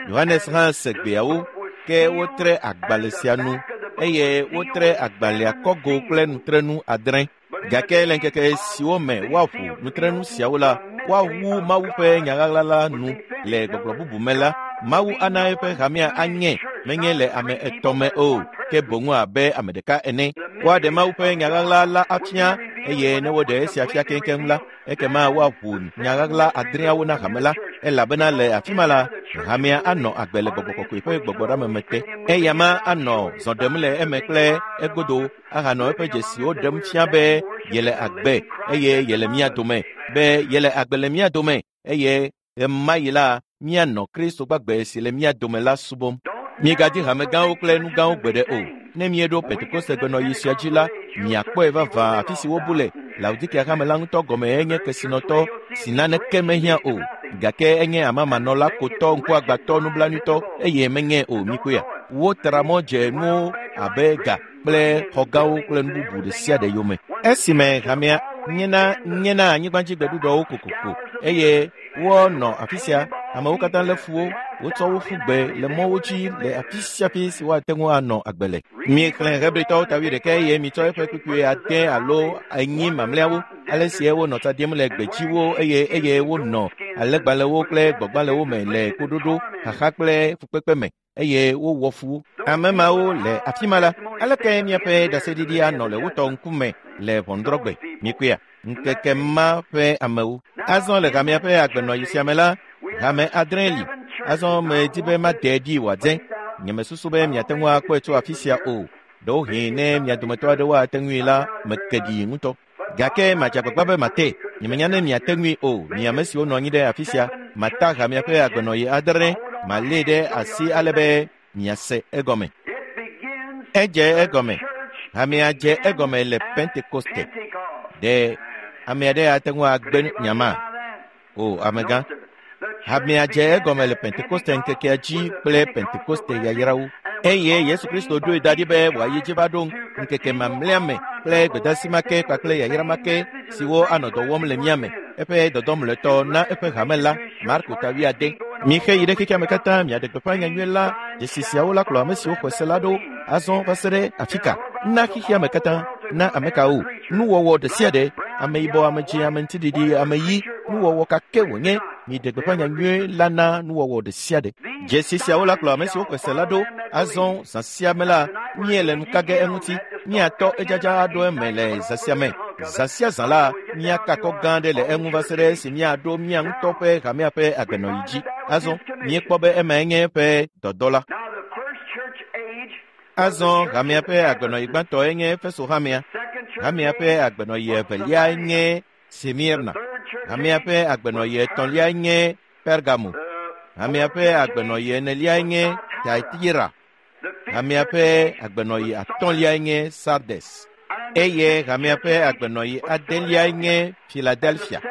Yohanes hã se gbeawo, ke wotre agbalẽ sia nu eye wotre agbalẽa kɔgo kple nutrenu adre. Gake le ŋkeke siwo me woaʋu nutrenu siawo la, woawu Mawu ƒe nya ɣaɣla la nu. Le gbɔgblɔ bubu me la, Mawu ana eƒe hamea anye menye le ame etɔ̃ me o, ke boŋ abe ame ɖeka ene. Woaɖe Mawu ƒe nya ɣaɣla la afia, eye ne woɖe esia fia keŋkeŋ la, ekema woaʋu nya ɣaɣla adreawo na hame la, elabena le afi ma la, hamea anɔ agbe le Gbɔgbɔ Kɔkɔe ƒe gbɔgbɔɖeame te. Eyama anɔ zɔ ɖem le eme kple egodo ahanɔ eƒe dzesiwo ɖem fia be yele agbe eye yele mía dome, be yele agbe le mía dome, eye ɣemaɣi la míanɔ Kristo gbagbe si le mía dome la subɔm. Miegadi hame gãwo kple nu gãwo gbeɖe o. Ne míeɖo Pentekoste gbenɔɣi sia dzi la, miakpɔe vavã afi si wobu le. Laodikea hame la ŋutɔ gɔme enye kesinɔtɔ si naneke mehiã o, gake enye amamanɔla kotɔ, ŋkuagbãtɔ, nublanuitɔ, eye menye o. Mikpɔea? Wotra mɔ dze nuwo abe ga kple xɔgãwo kple nu bubu ɖe sia ɖe yome. Esime hamea nyena nyena anyigbadzigbeɖuɖɔwo kokoko eye wonɔ afi sia, amewo katã lé fu wo, wotsɔ wo ƒu gbe le mɔwo dzi le afi sia afi si woate ŋu anɔ agbe le. Miexlẽ Hebritɔwo ta wuiɖekɛ eye mitsɔ eƒe kpukpui ade alo enyi mamlɛawo, ale sie wonɔ tsa ɖim le gbedziwo eye eye wonɔ alẽgbalẽwo kple gbɔgbalẽwo me le koɖoɖo, xaxa kple fukpekpe me, eye wowɔ fu wo. Ame mawo le afi ma la, aleke míaƒe ɖaseɖiɖi anɔ le wotɔ ŋkume le ʋɔnudrɔ̃gbe? Mikpɔea? Ŋkeke ma ƒe amewo. Azɔ le hamea ƒe agbenɔɣi sia me la, hame adre li. Azɔ medi be made ɖi wòadze. Nyemesusu be miate ŋu akpɔe tso afi sia o. Ɖewohĩ ne mia dometɔ aɖewo ate ŋui la, meke ɖi ŋutɔ. Gake madze agbagba be mate. Nyemenya ne miate ŋui o, mi ame siwo nɔ anyi ɖe afi sia, mata hamea ƒe agbenɔɣi adre, malée ɖe asi ale be miase egɔme. Edze egɔme. Hamea dze egɔme le Pentekoste. Ɖe ame aɖe ate ŋu agbe nyama? O, amegã. Hamea dze egɔme le Pentekoste ŋkekea dzi kple Pentekoste yayrawo. Eye Yesu Kristo ɖoe da ɖi be wòayi dzi va ɖo ŋkeke mamlɛa me kple gbedeasi ma ke kpakple yayra ma ke siwo anɔ dɔ wɔm le mía me. Eƒe dɔdɔ mlɔetɔ na eƒe hame la, Marko ta wuiade. Mixe yi ɖe xexea me katã miaɖe gbeƒã nyanyui la, dzesi siawo la kplɔ ame siwo xɔe se la ɖo azɔ va se ɖe afi ka? Na xexea me katã, na ame kawo? Nuwɔwɔ ɖe sia ɖe, ame yibɔ, ame dzĩ, ame ŋutiɖiɖi, ame ɣi, nuwɔwɔ ka ke wònye, miɖe gbeƒã nyanyui la na nuwɔwɔ ɖe sia ɖe. Dzesi siawo la kplɔ ame siwo xɔe se la ɖo azɔ zã sia me la, míele nu ka ge eŋuti, míatɔ edzadza aɖo eme le zã sia me. Zã sia zã la, míaka akɔ gã aɖe le eŋu va se ɖe esi míaɖo mía ŋutɔ ƒe hamea ƒe agbenɔɣi dzi. Azɔ míekpɔ be emae nye eƒe dɔdɔ la. Azɔ hamea ƒe agbenɔɣi gbãtɔe nye Efeso hamea. Hamea ƒe agbenɔɣi eveliae nye Smirna. Hamea ƒe agbenɔɣi etɔ̃liae nye Pergamo. Hamea ƒe agbenɔɣi eneliae nye Thyatira. Hamea ƒe agbenɔɣi atɔ̃liae nye Sardes. Eye hamea ƒe agbenɔɣi adeliae nye Philadelphia.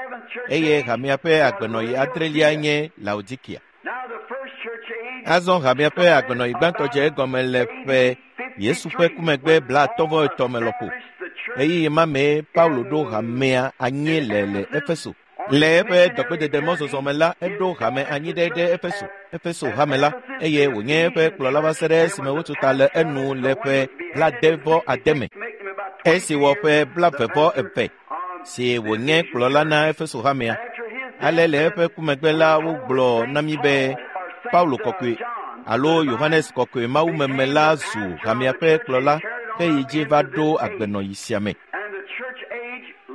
Eye hamea ƒe agbenɔɣi adreliae nye Laodikia. Azɔ hamea ƒe agbenɔɣi gbãtɔ dze egɔme le ƒe Yesu ƒe ku megbe blaatɔ̃ vɔ etɔ̃ me lɔƒo. Ɣeyiɣi ma mee Paulo ɖo hamea anyi le le Efeso. Le eƒe dɔgbedede mɔzɔzɔ me la, eɖo hame anyi ɖe ɖe Efeso, Efeso hame la, eye wònye eƒe kplɔla va se ɖe esime wotu ta le enu le ƒe blaade vɔ ade me. Esi wɔ ƒe blaeve vɔ eve si wònye kplɔla na Efeso hamea. Ale le eƒe ku megbe la, wogblɔ na mí be Paulo kɔkɔe alo Yohanes kɔkɔe mawumeme la zu hamea ƒe kplɔla heyi dzi va ɖo agbenɔɣi sia me.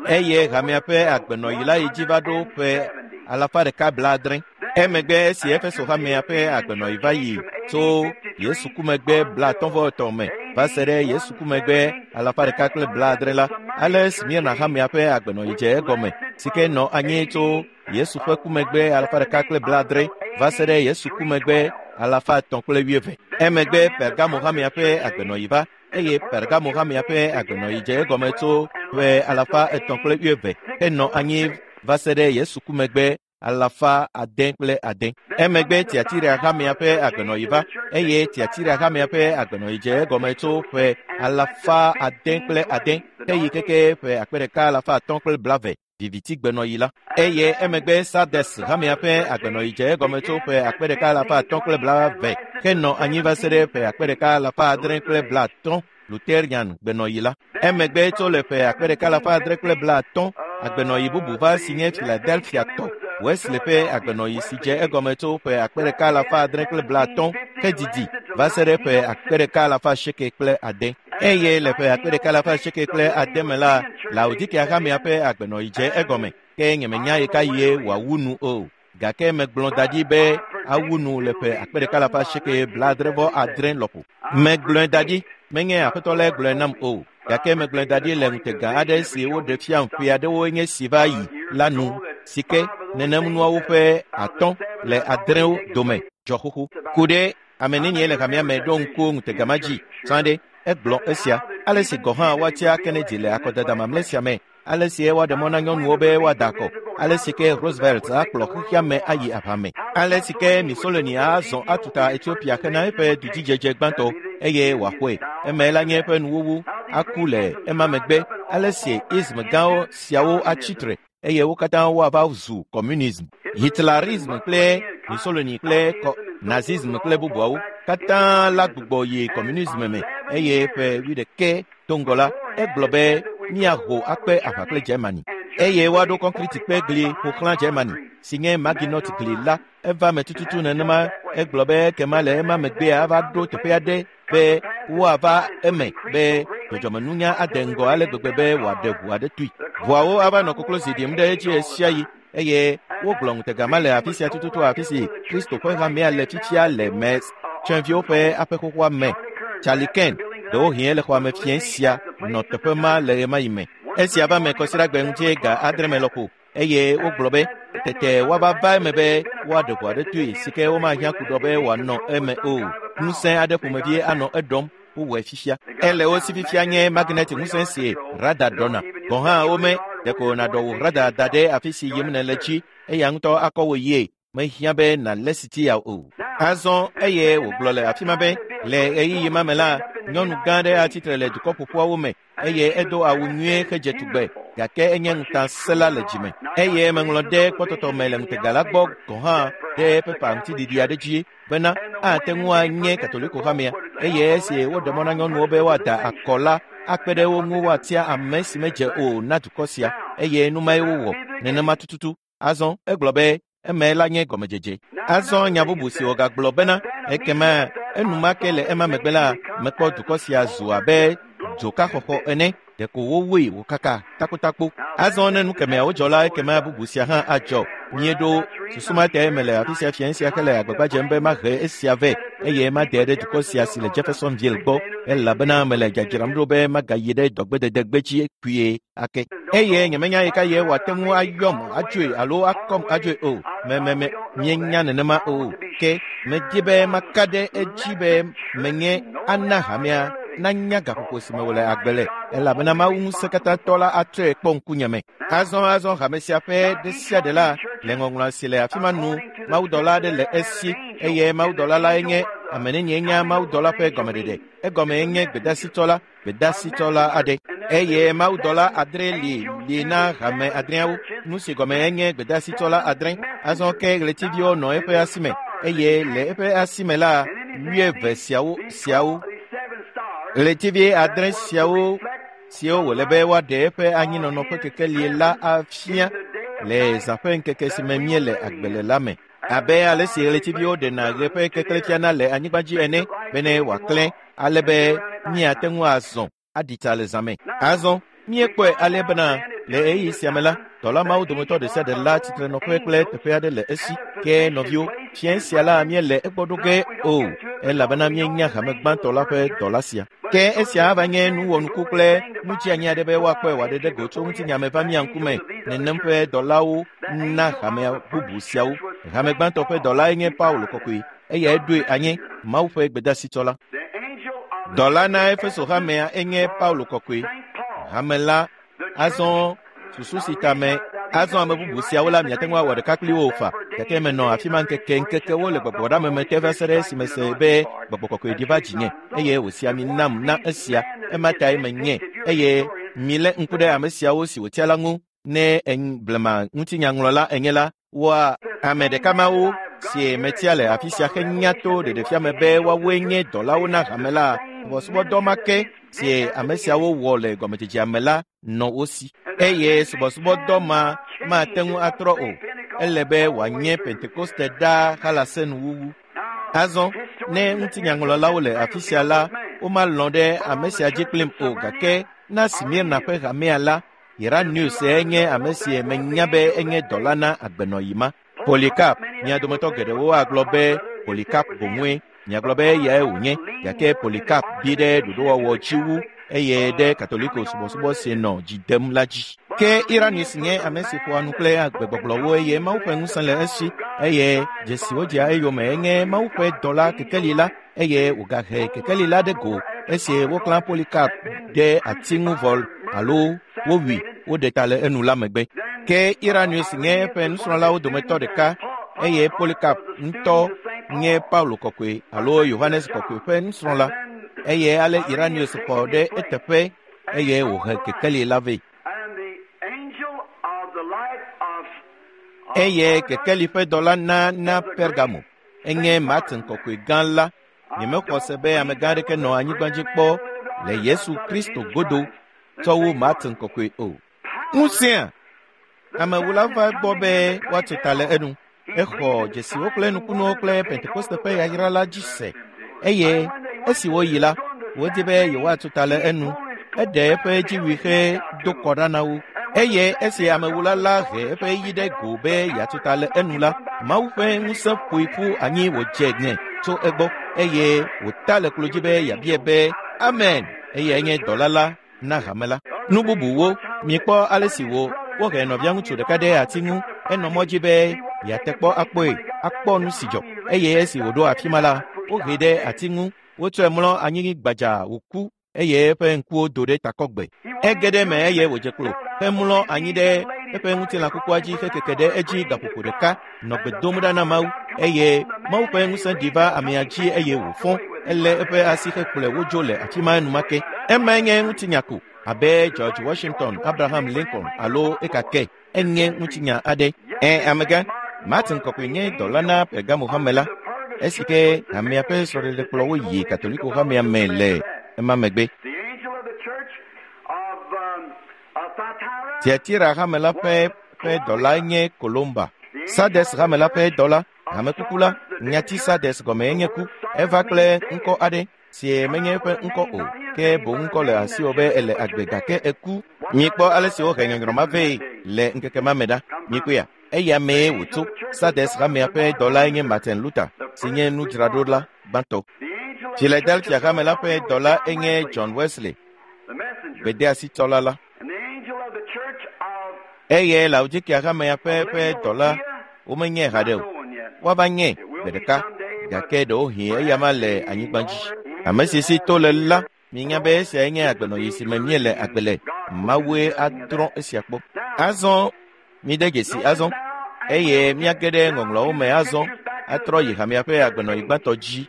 Eye hamea ƒe agbenɔɣi la yi dzi va ɖo ƒe alafa ɖeka blaadre. Emegbe esi Efeso hamea ƒe agbenɔɣi va yi tso Yesu ku megbe blaatɔ̃ vɔ etɔ̃ me va se ɖe Yesu ku megbe alafa ɖeka kple blaadre la, ale Smirna hamea ƒe agbenɔɣi dze egɔme si ke nɔ anyi tso Yesu ƒe ku megbe alafa ɖeka kple blaadre va se ɖe Yesu ku megbe alafa etɔ̃ kple wuieve. Emegbe Pergamo hamea ƒe agbenɔɣi va eye Pergamo hamea ƒe agbenɔɣi dze egɔme tso ƒe alafa etɔ̃ kple wuieve henɔ anyi va se ɖe Yesu ku megbe alafa ade kple ade. Emegbe Tiatira hamea ƒe agbenɔɣi va eye Tiatira hamea ƒe agbenɔɣi dze egɔme tso ƒe alafa ade kple ade heyi keke ƒe akpe ɖeka alafa atɔ̃ kple blave vivitigbenɔɣi la. Eye emegbe Sardes hamea ƒe agbenɔɣi dze egɔme tso ƒe akpe ɖeka alafa atɔ̃ kple blave henɔ anyi va se ɖe ƒe akpe ɖeka alafa adre kple blaatɔ̃ Lutherian gbenɔɣi la. Emegbe tso le ƒe akpe ɖeka alafa adre kple blaatɔ̃ agbenɔɣi bubu va si nye Philadelphia tɔ Wesley ƒe agbenɔɣi si dze egɔme tso ƒe akpe ɖeka alafa adre kple blaatɔ̃ hedidi va se ɖe ƒe akpe ɖeka alafa asieke kple ade. Eye le ƒe akpe ɖeka alafa asieke kple ade me la, Laodikea hamea ƒe agbenɔɣi dze egɔme ke nyemenya ɣekaɣie wòawu nu o. Gake megblɔ da ɖi be awu nu le ƒe akpe ɖeka alafa asieke blaadre vɔ adre lɔƒo. Megblɔe da ɖi, menye aƒetɔ lae gblɔe nam o. Gake megblɔe da ɖi le ŋutega aɖe si woɖe fiam ƒe aɖewoe nye si va yi la nu si ke nenem nuawo ƒe atɔ̃ le adrewo dome dzɔ xoxo. Ku ɖe ame nenie le hamea me ɖo ŋku ŋutega ma dzi tsã ɖe egblɔ esia. Ale si gɔ̃ hã woatia Kennedy le akɔdada mamlɛ sia me, ale si woaɖe mɔ na nyɔnuwo be woada akɔ, ale si ke Roosevelt akplɔ xexea me ayi aʋa me, ale si ke Mussolini azɔ atuta Ethiopia hena eƒe dudzidzedze gbãtɔ eye wòaxɔe. Eme la nye eƒe nuwuwu aku le ema megbe. Ale si ism gãwo siawo atsi tre eye wo katã woava zu communism, Hitlerism kple Mussolini kple Nazism kple bubuawo katã la gbugbɔ yi communism me eye ƒe wuiɖekɛ do ŋgɔ la, egblɔ be míaho akpe aʋa kple Germany eye woaɖo kɔnkriti kpe gli ƒo xlã Germany si nye Maginot gli la. Eva me tututu nenema. Egblɔ be kema le ema megbea ava ɖo teƒe aɖe be woava eme be dzɔdzɔmenunya ade ŋgɔ ale gbegbe be wòaɖe ʋu aɖe tui. Ʋuawo ava nɔ koklozi ɖim ɖe edzi ɣesiaɣi eye wogblɔ ŋutega ma le afi sia tututu afi si Kristo ƒe hamea le fifia le Mes tsɔeviwo ƒe aƒe xoxoa me. Charlie Ken, ɖewohĩ ele xɔa me fiẽ sia, nɔ teƒe ma le ɣemaɣi me. Esia va me kɔsiɖagbe ŋuti ga adre me lɔƒo eye wogblɔ be tete woava va eme be woaɖe ʋu aɖe toe si ke womahiã ku ɖɔ be wòanɔ eme o. Ŋusẽ aɖe ƒomevie anɔ eɖɔm wowɔe fifia. Ele wo si fifia nye magnet ŋusẽ si rada ɖɔna. Gɔ̃ hã wome ɖeko nàɖɔ wò rada da ɖe afi si yim nèle dzi eya ŋutɔ akɔ wò yie. Mehiã be nàlé sitia o. Azɔ eye wògblɔ le afi ma be le ɣeyiɣi ma me la, nyɔnu gã aɖe atsitre le dukɔ ƒoƒuawo me eye edo awu nyuie hedze tugbe gake enye ŋutasẽla le dzime. Eye meŋlɔ ɖe kpɔtɔtɔ me le ŋutega la gbɔ gɔ̃ hã ɖe pepa ŋutiɖiɖi aɖe dzi bena ate ŋu anye Katoliko hamea eye esi woɖe mɔ na nyɔnuwo be woada akɔ la akpe ɖe wo ŋu woatia ame si medze o na dukɔ sia eye nu mae wowɔ nenema tututu. Azɔ egblɔ be eme la nye gɔmedzedze. Azɔ nya bubu si wògagblɔ bena ekema enumake le ema megbe la mekpɔ dukɔ sia zu abe dzokaxɔxɔ ene ɖeko wowoe wòkaka takotakpo. Azɔ ne nu kemeawo dzɔ la ekema bubu sia hã adzɔ. Míeɖo susu ma tae mele afi sia fiẽ sia hele agbagba dzem be mahe esia vɛ eye made ɖe dukɔ sia si le Jeffersonville gbɔ elabena mele dzadzram ɖo be magayi ɖe dɔgbedede gbedzi kpuie ake. Eye nyemenya yi ka ye wòate ŋu ayɔm adzoe alo akɔm adzoe o. Mememe míenya nenema o. Ke medi be maka ɖe edzi be menye ana hamea nanya gaƒoƒo si me wòle agbe le elabena Mawu ŋusẽkatãtɔ la atrɔe kpɔ ŋkunye me. Azɔ azɔ hame sia ƒe ɖe sia ɖe la le ŋɔŋlɔ si le afi ma nu mawudɔla aɖe le esi eye mawudɔla lae nye ame nenie nye mawudɔla ƒe gɔmeɖeɖe. Egɔme nye gbedasitɔla gbedasitɔla aɖe eye mawudɔla adre li li na hame adreawo. Nu si gɔme nye gbedasitɔla adre. Azɔ ke ɣletiviwo nɔ eƒe asi me eye le eƒe asi me la wuieve siawo siawo ɣletivi adre siawo siwo wòle be woaɖe eƒe anyinɔnɔ ƒe kekeli la afia le zã ƒe ŋkeke si me míele agbe le la me. Abe ale si ɣletiviwo ɖena ɣe ƒe keklẽ fiana le anyigba dzi ene bene wòaklẽ ale be míate ŋu azɔ aɖi tsa le zã me. Azɔ míekpɔe ale bena le ɣeyiɣi sia me la dɔla mawo dometɔ ɖe sia ɖe la tsitrenɔƒe kple teƒe aɖe le esi. Ke nɔviwo, fiẽ sia la míele egbɔ ɖo ge o elabena míenya hame gbãtɔ la ƒe dɔla sia. Ke esia ava nye nuwɔnuku kple nudzianyi aɖe be woakpɔe wòaɖe ɖe go tso ŋutinya me va mía ŋkume nenem ƒe dɔlawo na hamea bubu siawo. Hame gbãtɔ ƒe dɔlae nye Paulo kɔkɔe eyae ɖoe anye Mawu ƒe gbedasitsɔla. Dɔla na Efeso hamea enye Paulo kɔkɔe. Hame la azɔ susu si ta me azɔ ame bubu siawo la miate ŋu awɔ ɖeka kpli wo fa gake menɔ afi ma ŋkeke ŋkekewo le gbɔgbɔɖame me te va se ɖe esime se be gbɔgbɔ kɔkɔe ɖi va dzinye eye wòsi ami nam na esia ema tae menye eye milé ŋku ɖe ame siawo si wòtia la ŋu ne blema ŋutinyaŋlɔla enye la woa ame ɖeka mawo si metia le afi sia henya to ɖeɖefia me be woawoe nye dɔlawo na hame la subɔsubɔdɔ ma ke si ame siawo wɔ le gɔmedzedzea me la nɔ wo si eye subɔsubɔdɔ ma mate ŋu atrɔ o. Ele be wòanye Pentekoste ɖaa halase nuwuwu. Azɔ ne ŋutinyaŋlɔlawo le afi sia la womalɔ̃ ɖe ame sia dzi kplim o gake na Smirna ƒe hamea la Irenaeus enye ame si menya be enye dɔla na agbenɔyi ma. Polycarp, mia dometɔ geɖewo agblɔ be Polycarp boŋue. Miagblɔ be eyae wònye gake Polycarp bi ɖe ɖoɖowɔwɔ dzi wu eye ɖe Katoliko subɔsubɔ si nɔ dzi dem la dzi. Ke Irenaeus nye ame si ƒoa nu kple agbegbɔgblɔwo eye Mawu ƒe ŋusẽ le esi eye dzesiwo dzea eyome enye Mawu ƒe dɔla kekeli la eye wògahe kekeli la ɖe go esi woklã Polycarp ɖe ati ŋu vɔ alo wowui woɖe ta le enu la megbe. Ke Irenaeus nye eƒe nusrɔ̃lawo dometɔ ɖeka eye Polycarp ŋutɔ nye Paulo kɔkɔe alo Yohanes kɔkɔe ƒe nusrɔ̃la eye ale Irenaeus xɔ ɖe eteƒe eye wòhe kekeli la vɛ. Eye kekeli ƒe dɔla na na Pergamo enye Martin kɔkɔe gã la. Nyemexɔ se be amegã aɖeke nɔ anyigba dzi kpɔ le Yesu Kristo godo tsɔ wu Martin kɔkɔe o. Ŋusẽa amewula va gbɔ be woatso ta le enu. Exɔ dzesiwo kple nukunuwo kple Pentekoste ƒe yayra la dzi se eye esi woyi la wodi be yewoatso ta le enu. Eɖe eƒe dziwui he do kɔ ɖa na wo eye esi amewula la he eƒe yi ɖe go be yeatso ta le enu la Mawu ƒe ŋusẽ ƒoe ƒu anyi wòdze ŋe tso egbɔ eye wòta le klo dzi be yeabia be amen eye enye dɔla la na hame la. Nu bubuwo Mikpɔ ale si wo wohe nɔvia ŋutsu ɖeka ɖe ati ŋu enɔ mɔ dzi be yeate kpɔ akpɔe akpɔ nu si dzɔ eye esi wòɖo afi ma la wohe ɖe ati ŋu wotsɔe mlɔ anyi gbadza wòku eye eƒe ŋkuwo do ɖe takɔgbe. Ege ɖe eme eye wòdze klo hemlɔ anyi ɖe eƒe ŋutilã kukua dzi hekeke ɖe edzi gaƒoƒo ɖeka nɔ gbe dom ɖa na Mawu eye Mawu ƒe ŋusẽ ɖi va amea dzi eye wòfɔ elé eƒe asi hekplɔe wodzo le afi ma enumake. Emae nye ŋutinya ko abe George Washington, Abraham Lincoln alo ekake enye ŋutinya aɖe. Ẽ amegã, Martin Kɔkɔe nye dɔla na Pergamo hame la esi ke hamea ƒe srɔ̃ɖeɖe kplɔ wo yi Katoliko hamea me le ema megbe. The angel of the church of, um, of Thyatira Tiatira hame la ƒe ƒe dɔlae nye Kolomba. Sardes hame la ƒe dɔla, hamekuku la, nyati Sardes gɔme enye ku. Eva kple ŋkɔ aɖe si menye eƒe ŋkɔ o, ke boŋ ŋkɔ le asiwò be ele agbe gake eku. Mikpɔ ale si wohe nyɔnyrɔ ma vɛ le ŋkeke ma me ɖa. Mikpɔea, eya mee wòtso. Sardes hamea ƒe dɔlae nye Martin Luther si nye nudzraɖola gbãtɔ. The angel of the Philadelphia hame la ƒe dɔla enye John Wesley, the messenger, gbedeasitsɔla la. and the angel of the church of Eye Laodikea hamea ƒe ƒe dɔla womenye haɖe o. known yet. Woava nye gbe ɖeka gake ɖewohĩ eya ma le anyigba dzi. Ame si si to le la, minya be esiae nye agbenɔyi si me míele agbe le. Mawue adrɔ̃ esia kpɔ. Azɔ mide dzesi azɔ eye míage ɖe ŋɔŋlɔawo me azɔ atrɔ yi hamea ƒe agbenɔyi gbãtɔ dzi.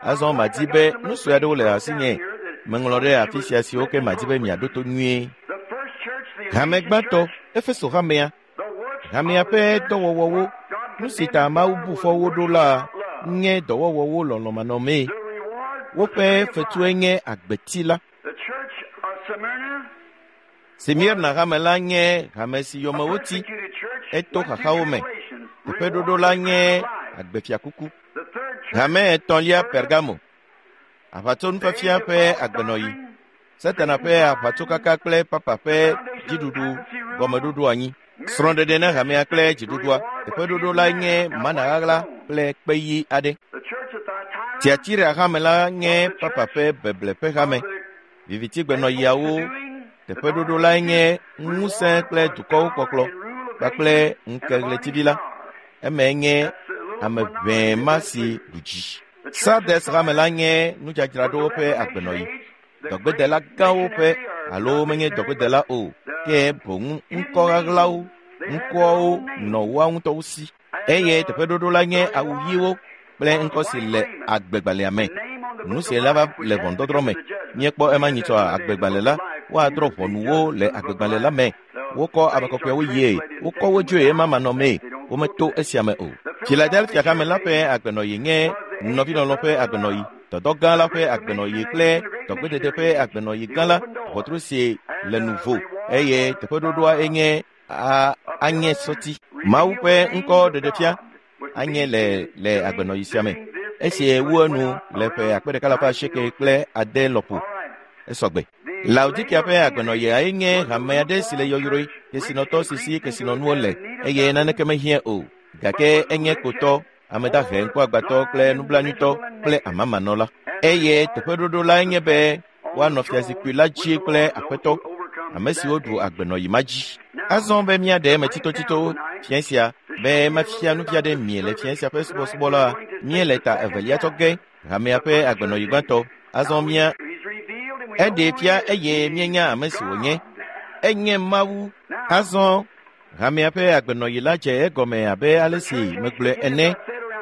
Azɔ madi be nu sue aɖewo le asinye meŋlɔ ɖe afi sia siwo ke madi be miaɖo to nyuie. The first church, the Hame gbãtɔ, Efeso hamea, the works hamea ƒe dɔwɔwɔwo, nu si ta Mawu bu fɔ wo ɖo la nye dɔwɔwɔwo lɔlɔ̃manɔmee. the reward Woƒe fetue nye agbeti la. the church of Smyrna, Smirna hame la nye hame si yome woti persecuted church, eto went through xaxawo me. tribulations, Teƒeɖoɖo la nye agbefiakuku. The third church, Hame etɔ̃lia Pergamo, aʋatsonufiafia ƒe agbenɔyi, Satana ƒe aʋatsokaka kple papa ƒe dziɖuɖu gɔmeɖoɖo anyi. Srɔ̃ɖeɖe na hamea kple dziɖuɖua. Teƒeɖoɖo la nye mana ɣaɣla kple kpe ɣi aɖe. the church of Thyatira, Tiatira hame la nye papa ƒe beble ƒe hame. Vivitigbenɔyiawo teƒeɖoɖo lae nye ŋusẽ kple dukɔwo kpɔkplɔ kpakple ŋkeɣletivi la. Emae nye ame ʋɛe ma si ɖu dzi. Sardes hame la nye nudzadzraɖowo ƒe agbenɔyi. Dɔgbedela gãwo ƒe alo menye dɔgbedela o, ke boŋ ŋkɔ ɣaɣlawo, ŋkɔawo nɔ woa ŋutɔwo si. Eye teƒeɖoɖo la nye awu ɣiwo kple ŋkɔ si le agbegbalẽa me. Nu si la va le ʋɔnudɔdrɔ̃ me. Míekpɔ ema nyitsɔ agbegbalẽ la, woadrɔ̃ ʋɔnuwo le agbegbalẽ la me. Wokɔ ame kɔkɔewo yie, wokɔ wo dzoe ema manɔmee, wometo esia me o. Philadelphia hame la ƒe agbenɔyi nye nɔvilɔlɔ̃ ƒe agbenɔyi, dɔdɔ gã la ƒe agbenɔyi kple dɔgbedede ƒe agbenɔyi gã la, ʋɔtru si le nuvo eye teƒeɖoɖoa enye a anye sɔti. Mawu ƒe ŋkɔ ɖeɖefia anye le le agbenɔyi sia me. Esi wu enu le ƒe akpe ɖeka alafa asieke kple ade lɔƒo esɔgbe. Laodikea ƒe agbenɔyia nye hame aɖe si le yɔyrɔe, kesinɔtɔ si si kesinɔnuwo le eye naneke mehiã o. Gake enye kotɔ, ame dahe, ŋkuagbãtɔ kple nublanuitɔ kple amamanɔla. Eye teƒeɖoɖo lae nye be woanɔ fiazikpui la dzi kple aƒetɔ, ame siwo ɖu agbenɔyi ma dzi. Azɔ be míaɖe eme tsitotsito fia sia be mafia nu fia ɖe mie le fia sia ƒe subɔsubɔ la, míele ta evelia tsɔ ge hamea ƒe agbenɔyi gbãtɔ. Azɔ mía he's revealed and we eɖee fia eye míenya ame si wònye. Enye Mawu. Azɔ hamea ƒe agbenɔyi la dze egɔme abe ale si megblɔe ene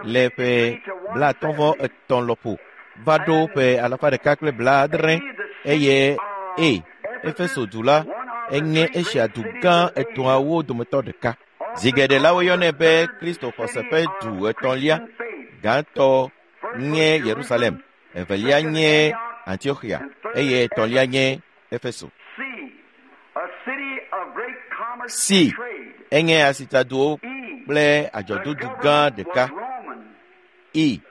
le ƒe blaatɔ̃ vɔ etɔ̃ lɔƒo va ɖo ƒe alafa ɖeka kple blaadre eye e Efeso du la enye Asia du gã etɔ̃awo dometɔ ɖeka. Zi geɖe la woyɔnɛ be Kristo xɔse ƒe du etɔ̃lia. Gãtɔ nye Yerusalem, evelia nye Antiochia eye etɔ̃lia nye Efeso. C, a city of great commerce C. and trade. Enye asitsaduwo E, kple the adzɔdodu gã government ɖeka. was Roman. I.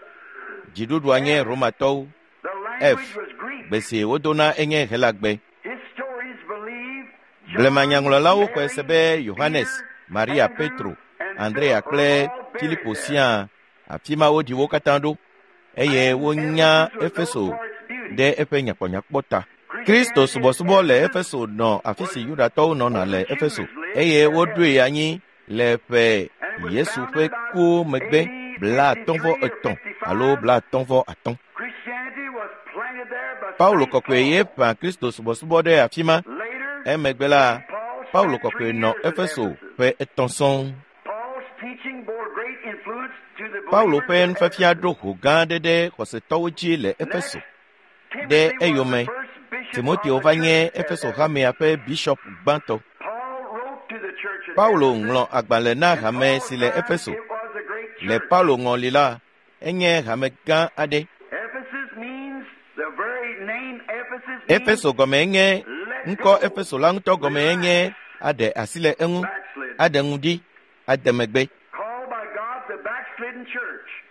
Dziɖuɖua nye Romatɔwo. The F. language was Greek. Gbe si wodona enye Helagbe. Historians believe Blemanyaŋlɔlawo xɔe se be Yohanes, Maria, Petro, Andrea kple Filipo siaa afi ma woɖi wo katã ɖo eye wonya Efeso ɖe eƒe nyakpɔnyakpɔ ta. Kristo subɔsubɔ le Efeso nɔ afi si Yudatɔwo nɔna le Efeso eye woɖoe anyi le ƒe Yesu ƒe ku megbe blaatɔ̃ vɔ etɔ̃ alo blaatɔ̃ vɔ atɔ̃. Paulo kɔkɔe ye ƒã Kristo subɔsubɔ ɖe afi ma. Emegbe la, Paulo kɔkɔe nɔ Efeso ƒe etɔ̃ sɔŋ. Paulo ƒe nufiafia ɖo ho gã aɖe ɖe xɔsetɔwo dzi le Efeso. Ɖe eyome, Timoteo va nye Efeso hamea ƒe bishɔp gbãtɔ. Paulo ŋlɔ agbalẽ na hame si le Efeso. Le Paulo ŋɔli la, enye hame gã aɖe. Efeso gɔme nye ŋkɔ Efeso la ŋutɔ gɔme nye aɖe asi le eŋu, aɖe ŋu ɖi, ade megbe.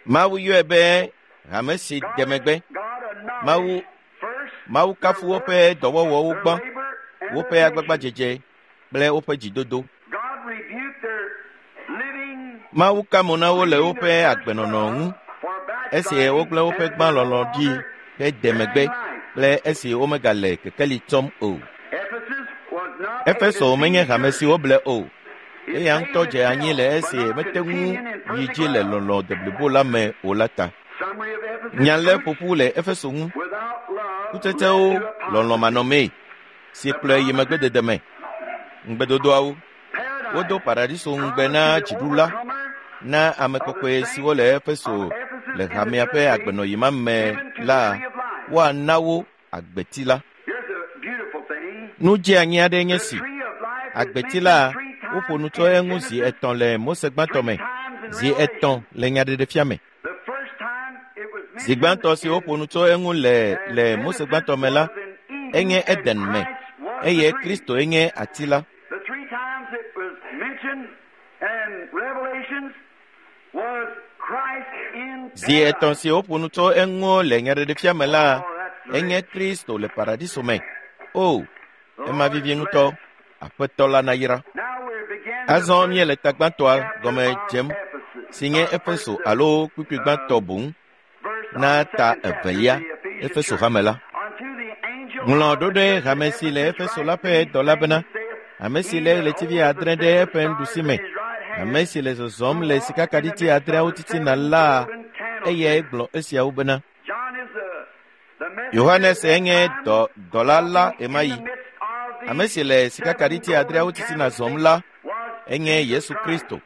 Mawu yɔe be hame si de megbe. Mawu Mawu kafu woƒe dɔwɔwɔwo gbã, woƒe agbagbadzedze kple woƒe dzidodo. Mawu ka mo na wo le woƒe agbenɔnɔ ŋu esi wogblẽ woƒe gbãlɔlɔ ɖi hede megbe kple esi womegale kekeli tsɔm o. Efeso menye hame si woble o. Eya ŋutɔ dze anyi le esi mete ŋu yi dzi le lɔlɔ deblibo la me o la ta. Nya lé ƒoƒu le Efeso ŋu. Kutsetsewo lɔlɔ manɔmee si kplɔe yi megbedede me. Ŋugbedodoawo. Wodo paradiso ŋugbe na dziɖula na ame kɔkɔe siwo le Efeso le hamea ƒe agbenɔyi ma me la woana wo agbeti la. Nu dzeanyi aɖe nye si. Agbeti la woƒo nu tso eŋu zi etɔ̃ le Mose gbãtɔ me, zi etɔ̃ le Nyaɖeɖefia me. Zi gbãtɔ si woƒo nu tso eŋu le le Mose gbãtɔ me la, enye Eden me, eye Kristo enye ati la. Zi etɔ̃ si woƒo nu tso eŋu le Nyaɖeɖefia me la, enye Kristo le paradiso me. O, ema vivi ŋutɔ. Aƒetɔ la nayra. Azɔ míele ta gbãtɔa gɔme dzem si nye Efeso alo kpukpui gbãtɔ boŋ na ta evelia Efeso hame la. Ŋlɔ ɖo ɖe hame si le Efeso la ƒe dɔla bena, ame si lé ɣletivi adre ɖe eƒe nuɖusi me, ame si le zɔzɔm le sikakaɖiti adreawo titina la, eyae gblɔ esiawo bena. Yohanes enye dɔ, dɔla la ɣemaɣi. Ame si le sikakaɖiti adreawo titina zɔm la, enye Yesu Kristo,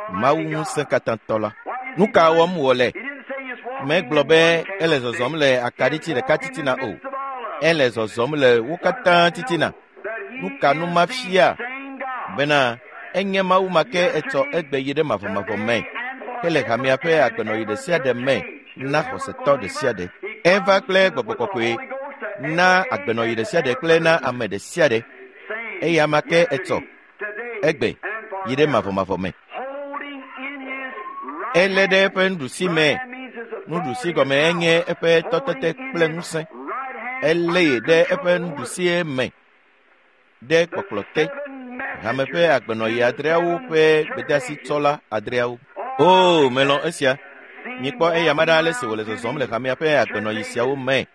Mawu ŋusẽkatãtɔ la. Nu ka wɔm wòle? Megblɔ be ele zɔzɔm le akaɖiti ɖeka titina o. Ele zɔzɔm le wo katã titina. Nu ka nu ma fia? Bena enye Mawu ma ke etsɔ egbe yi ɖe mavɔmavɔ me, hele hamea ƒe agbenɔyi ɖe sia ɖe me na xɔsetɔ ɖe sia ɖe. Eva kple gbɔgbɔ kɔkɔe na agbenɔyi ɖe sia ɖe kple na ame ɖe sia ɖe. Eya ma ke etsɔ egbe yi ɖe mavɔmavɔ me. Elé ɖe eƒe nuɖusi me. Nuɖusi gɔme enye eƒe tɔtete kple ŋusẽ. Elée ɖe eƒe nuɖusie me ɖe kpɔkplɔ te. Hame ƒe agbenɔyi adreawo ƒe gbedeasitsɔla adreawo. Oo, melɔ̃ esia. Mikpɔ eya ma ɖa ale si wòle zɔzɔm le hamea ƒe agbenɔyi siawo me.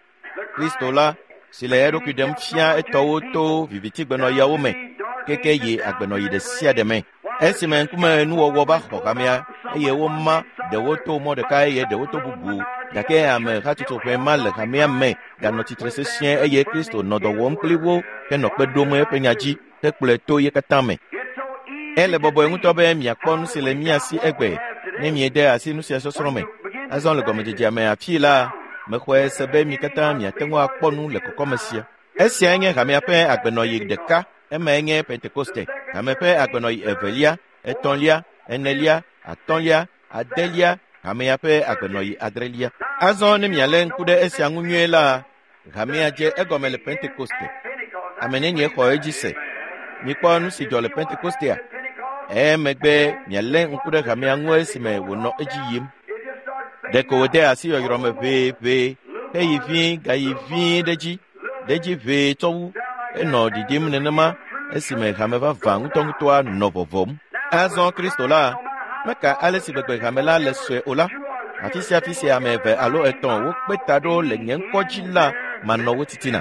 Kristo la si le eɖokui ɖem fia etɔwo to vivitigbenɔyiawo me keke yi agbenɔyi ɖe sia ɖe me. Esime ŋkume nuwɔwɔ va xɔ hamea eye woma ɖewo to mɔ ɖeka eye ɖewo to bubu gake ame hatsotso ƒe ma le hamea me ganɔ tsitre sesĩe eye Kristo nɔ dɔ wɔm kpli wo henɔ kpe ɖom eƒe nya dzi hekplɔe to ye katã me. Ele bɔbɔe ŋutɔ be miakpɔ nu si le mía si egbe ne miede asi nu sia sɔsrɔ̃ me. Azɔ le gɔmedzedzea me afii la, mexɔe se be mi katã miate ŋu akpɔ nu le kɔkɔme sia. Esiae nye hamea ƒe agbenɔyi ɖeka, emae nye Pentekoste. Hame ƒe agbenɔyi evelia, etɔ̃lia, enelia, atɔ̃lia, adelia, hamea ƒe agbenɔyi adrelia. Azɔ ne mialé ŋku ɖe esia ŋu nyuie la, hamea dze egɔme le Pentekoste. Ame nenie xɔ edzi se? Mikpɔ nu si dzɔ le Pentekostea. Emegbe mialé ŋku ɖe hamea ŋu esime wònɔ edzi yim. Ɖeko wòde asi yɔyrɔ me ʋeeʋee heyi vie gayi vie ɖe dzi, ɖe dzi ʋee tsɔ wu. Enɔ ɖiɖim nenema esime hame vavã ŋutɔŋutɔa nɔ vɔvɔm. Azɔ Kristo la meka ale si gbegbe hame la le sue o la, afi sia afi sia ame eve alo etɔ̃ wokpe ta ɖo le nye ŋkɔ dzi la manɔ wo titina.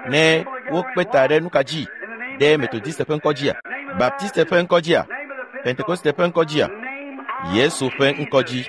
Ne wokpe ta ɖe nu ka dzi? Ɖe Metodiste ƒe ŋkɔ dzia? Baptiste ƒe ŋkɔ dzia? Pentekoste ƒe ŋkɔ dzia? Yesu ƒe ŋkɔ dzi.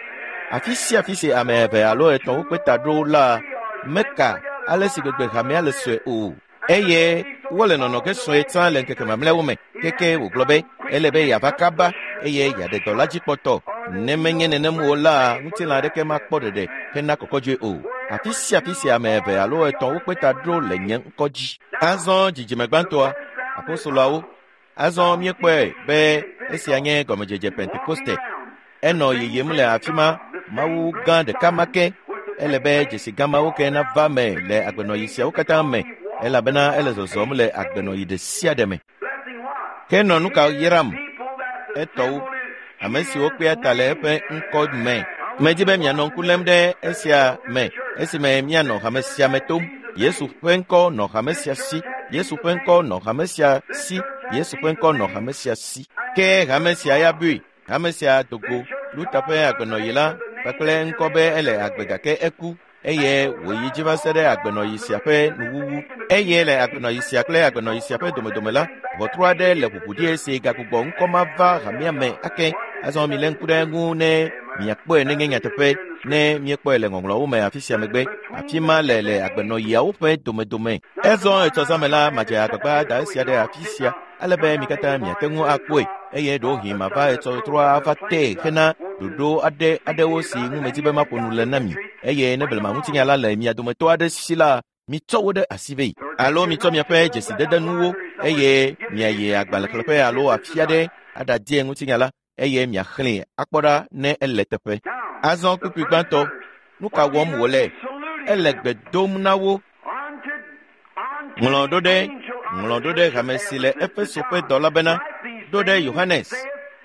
Afi sia afi si ame eve alo etɔ̃ wokpe ta ɖo la, meka ale si gbegbe hamea le sue o. Eye wole nɔnɔ ge sue tsã le ŋkeke mamlɛawo me. Keke wògblɔ be ele be yeava kaba eye yeaɖe dɔ la dzi kpɔtɔ. Ne menye nenem o la, ŋutilã aɖeke makpɔ ɖeɖe hena kɔkɔdzoe o. Afi sia afi si ame eve alo etɔ̃ wokpe ta ɖo le nye ŋkɔ dzi. Azɔ dzidzime gbãtɔa, apostoloawo. Azɔ míekpɔe be esia nye gɔmedzedze Pentekoste. Enɔ yiyim le afi ma, Mawu gã ɖeka ma ke. Ele be dzesi gã mawo ke nava me le agbenɔɣi siawo katã me, elabena ele zɔzɔm le agbenɔɣi ɖe sia ɖe me. Ke nɔ nu ka yram? Etɔwo, ame siwo kpea ta le eƒe ŋkɔ me. Medi be mianɔ ŋku lém ɖe esia me esime mianɔ hame sia me tom. Yesu ƒe ŋkɔ nɔ hame sia si. Yesu ƒe ŋkɔ nɔ hame sia si. Yesu ƒe ŋkɔ nɔ hame sia si. Ke hame sia ya bui, hame sia dogo. Luther ƒe agbenɔɣi la kpakple ŋkɔ be ele agbe gake eku eye wòyi dzi va se ɖe agbenɔɣi sia ƒe nuwuwu. Eye le agbenɔɣi sia kple agbenɔɣi sia ƒe domedome la, ʋɔtru aɖe le ʋuʋu ɖi esi gagbugbɔ ŋkɔ ma va hamea me ake. Azɔ milé ŋku ɖe eŋu ne miakpɔe nenye nyateƒe ne miekpɔe le ŋɔŋlɔawo me afi sia megbe. Afi ma le le agbenɔɣiawo ƒe domedome. Ezɔ etsɔ zã me la, madze agbagba da esia ɖe afi sia ale be mi katã miate ŋu akpɔe eye ɖewohĩ mava etsɔ trɔa ava tee hena ɖoɖo aɖe aɖewo si ŋu medi be maƒo nu le na mi. Eye ne blema ŋutinya la le mia dometɔ aɖe si la, mitsɔ wo ɖe asi vɛ alo mitsɔ miaƒe dzesidedenuwo eye miayi agbalẽxlẽƒe alo afi aɖe aɖadie ŋutinya la eye miaxlẽe akpɔ ɖa ne ele teƒe. Azɔ kpukpui gbãtɔ, nu ka wɔm wòle? Ele gbe dom na wo. Ŋlɔ ɖo ɖe, ŋlɔ ɖo ɖe hame si le Efeso ƒe dɔla bena, ɖo ɖe Yohanes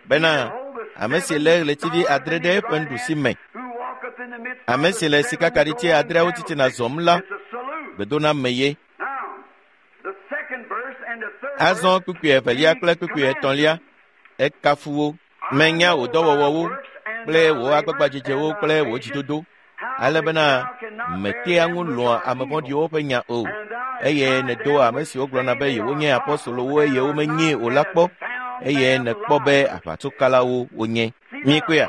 bena, ame si lé ɣletivi adre ɖe eƒe nuɖusi me, ame si le sikakaɖiti adreawo titina zɔm la, gbedoname ye. Azɔ kpukpui evelia kple kpukpui etɔ̃lia, ekafu wo. Menya wò dɔwɔwɔwo kple wò agbagbadzedzewo kple wò dzidodo, ale bena mètea ŋu lɔ̃a ame vɔ̃ɖiwo ƒe nya o, eye nèdo ame siwo gblɔna be yewonye apostolowo eye womenyee o la kpɔ, eye nèkpɔ be aʋatsokalawo wonye. Míekpɔea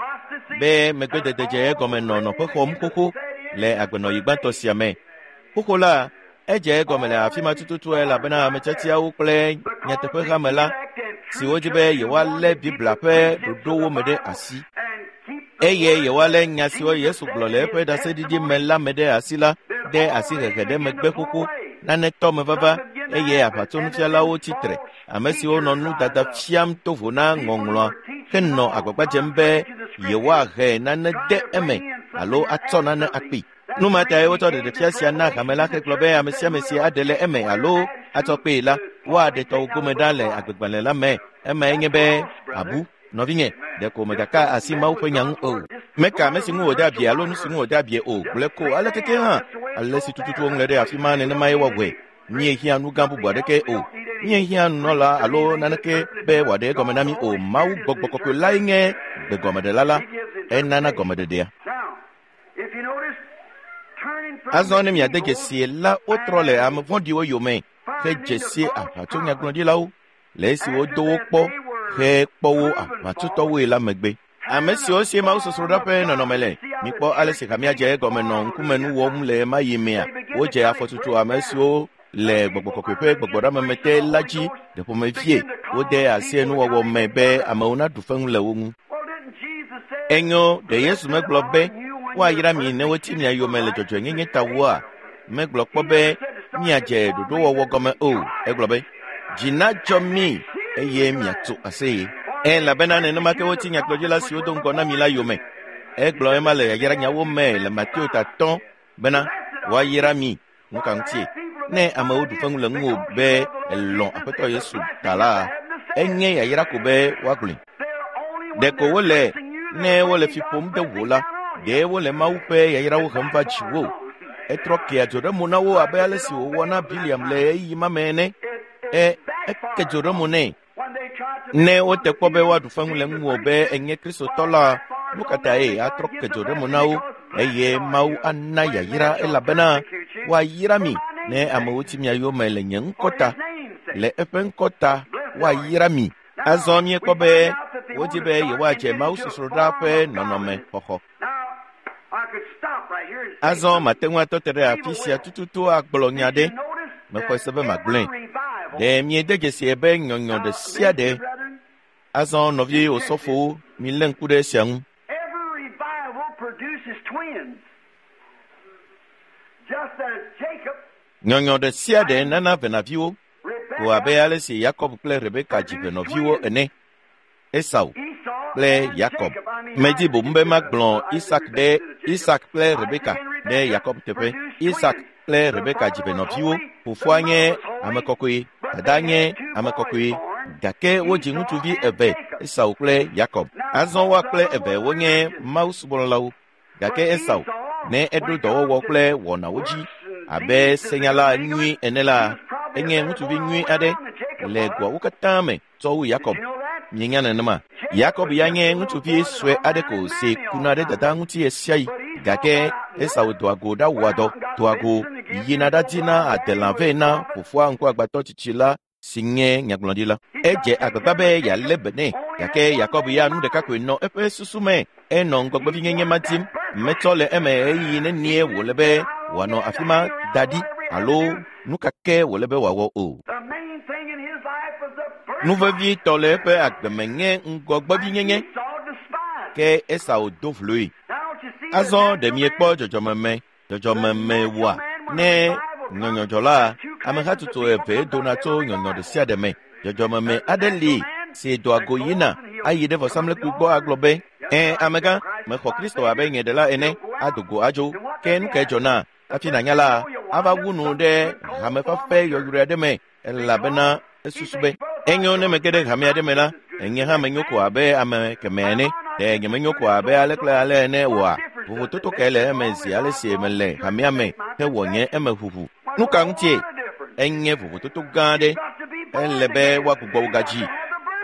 be megbedede dze egɔme nɔ nɔƒe xɔm xoxo le agbenɔɣi gbãtɔ sia me. Xoxo la, edze egɔme le afi ma tututu elabena ame tiatiawo kple nyateƒehame la siwo dzi be yewoalé Biblia ƒe ɖoɖowo me ɖe asi eye yewoalé nya siwo Yesu gblɔ le eƒe ɖaseɖiɖi me la me ɖe asi la de asi hehe ɖe megbe xoxo. Nane tɔ me vava eye aʋatsonufialawo tsi tre, ame siwo nɔ nu dada fiam to vo na ŋɔŋlɔa henɔ agbagba dzem be yewoahe nane de eme alo atsɔ nane akpee. Nu ma tae wotsɔ ɖeɖefia sia na hame la hegblɔ be ame sia ame si aɖe le eme alo atsɔ kpee la, woaɖe tɔwò gome ɖa le agbegbalẽ la me. Emae nye be abu. Nɔvinye, ɖeko mègaka asi Mawu ƒe nya ŋu o. Meka ame si ŋu wòde abie alo nu si ŋu wòde abie o, gblɔe ko aleke ke hã. Ale si tututu woŋlɔe ɖe afi ma nenemae woawɔe. Míehiã nu gã bubu aɖeke o. Míehiã nunɔla alo naneke be wòaɖe egɔme na mí o. Mawu gbɔgbɔ kɔkɔe lae nye gbegɔmeɖela la. Enana gɔmeɖeɖea. Azɔ ne miade dzesi la, wotrɔ le ame vɔ̃ɖiwo yome hedze si aʋatsonyagblɔɖilawo le esi wodo wo kpɔ hekpɔ wo aʋatsotɔwoe la megbe. Ame siwo si mawusosroɖa ƒe nɔnɔme le, mikpɔ ale si hamea dze egɔme nɔ ŋkumenu wɔm le ema yi mea. Wodze afɔtutu ame siwo le gbɔgbɔ kɔkɔe ƒe gbɔgbɔɖameme te la dzi ɖe ƒomevie. Wode asi enuwɔwɔ me be amewo naɖu feŋu le wo ŋu. Enyo, ɖe Yesu megblɔ be woayra mi ne woti mia yome le dzɔdzɔenyenye ta woa? Megblɔ kpɔ be miadze ɖoɖowɔwɔ gɔme o. Egblɔ be dzi nadzɔ mi eye miatso aseye. Elabena nenema ke woti nyagblɔɖila siwo do ŋgɔ na mi la yome. Egblɔ ema le yayranyawo me le Mateo ta atɔ̃ bena woayra mi. Nu ka ŋutie? Ne amewo ɖu feŋu le ŋuwò be èlɔ̃ Aƒetɔ Yesu ta la, enye yayra ko be woagblɔe. Ɖeko wole ne wole fi ƒom ɖe wò la, ɖe wole Mawu ƒe yayrawo hem va dziwò. Etrɔ kea dzo ɖe mo na wo abe ale si wòwɔ na Biliam le ɣeyiɣi ma me ene. E, eke dzo ɖe mo nɛ. Ne wote kpɔ be woaɖu feŋu le ŋuwò be enye Kristotɔ la, nu ka tae atrɔ ke dzo ɖe mo na wo eye Mawu ana yayra elabena woayra mi Ne amewo ti mia yome le nye ŋkɔ ta, le eƒe ŋkɔ ta woayra mi. Azɔ míekpɔ be wodzi be yewoadze mawusosroɖa ƒe nɔnɔme xɔxɔ. Azɔ mate ŋu atɔ te ɖe afi sia tututu agblɔ nya ɖe. Mexɔe se be magblɔe. Ɖe miede dzesi be nyɔnyɔ ɖe sia ɖe. Azɔ nɔvi osɔfowo, milé ŋku ɖe esia ŋu. Nyɔnyɔ ɖe sia ɖe nana venaviwo ko abe ale si Yakob kple Rebeka dzi venɔviwo ene. Esau kple Yakob. Medzi boŋ be magblɔ Isak ɖe Isak kple Rebeka ɖe Yakob teƒe. Isak kple Rebeka dzi venɔviwo. Fofoa nye ame kɔkɔe, dada nye ame kɔkɔe. Gake wodzi ŋutsuvi eve, Esau kple Yakob. Azɔ woa kple eve wonye mawusubɔlawo. Gake Esau, ne eɖo dɔwɔwɔ kple wɔnawo dzi abe senyala nyui ene la, enye ŋutsuvi nyui aɖe le goawo katã me tsɔ wu Yakob. Mienya nenema. Yakob ya nye ŋutsuvi sue aɖe ko si kuna ɖe dada ŋuti ɣesiaɣi. Gake Esau doa go ɖawɔa dɔ, doa go yina ɖadina adelã vɛ na fofoa ŋkuagbãtɔ tsitsi la si nye nyagblɔɖila. Edze agbagba be yealé be nɛ, gake Yakob ya nu ɖeka koe nɔ eƒe susu me. Enɔ ŋgɔgbevinyenye ma dim. Metsɔ le eme ɣeyiɣi nenie wòle be wòanɔ afi ma da ɖi alo nu ka ke wòle be wòawɔ o. Nu vevitɔ le eƒe agbeme nye ŋgɔgbevinyenye, ke Esau do vloe. Azɔ ɖe miekpɔ dzɔdzɔmeme, dzɔdzɔmeme wɔa? Ne nyɔnyɔdzɔla, amehatsotso eve dona tso nyɔnyɔ ɖe sia ɖe me. Dzɔdzɔmeme aɖe li si doa go yina ayi ɖe vɔsamlekpui gbɔ agblɔ be, "Ẽ, amegã, mexɔ Kristo abe nye ɖela ene," ado go adzo. Ke nu kae dzɔna? Hafi nànya la, ava wu nu ɖe hamefafe yɔyrɔe aɖe me, elabena esusu be, enyo ne mege ɖe hame aɖe me la, enye hã menyo ko abe ame kemɛ ene. Ɖe nyemenyo ko abe ale kple ale ene oa? Vovototo kae le eme zi ale si mele hamea me hewɔ nye eme ʋuʋu? Nu ka ŋutie? Enye vovototo gã aɖe. Ele be woagbugbɔ wò gadzi.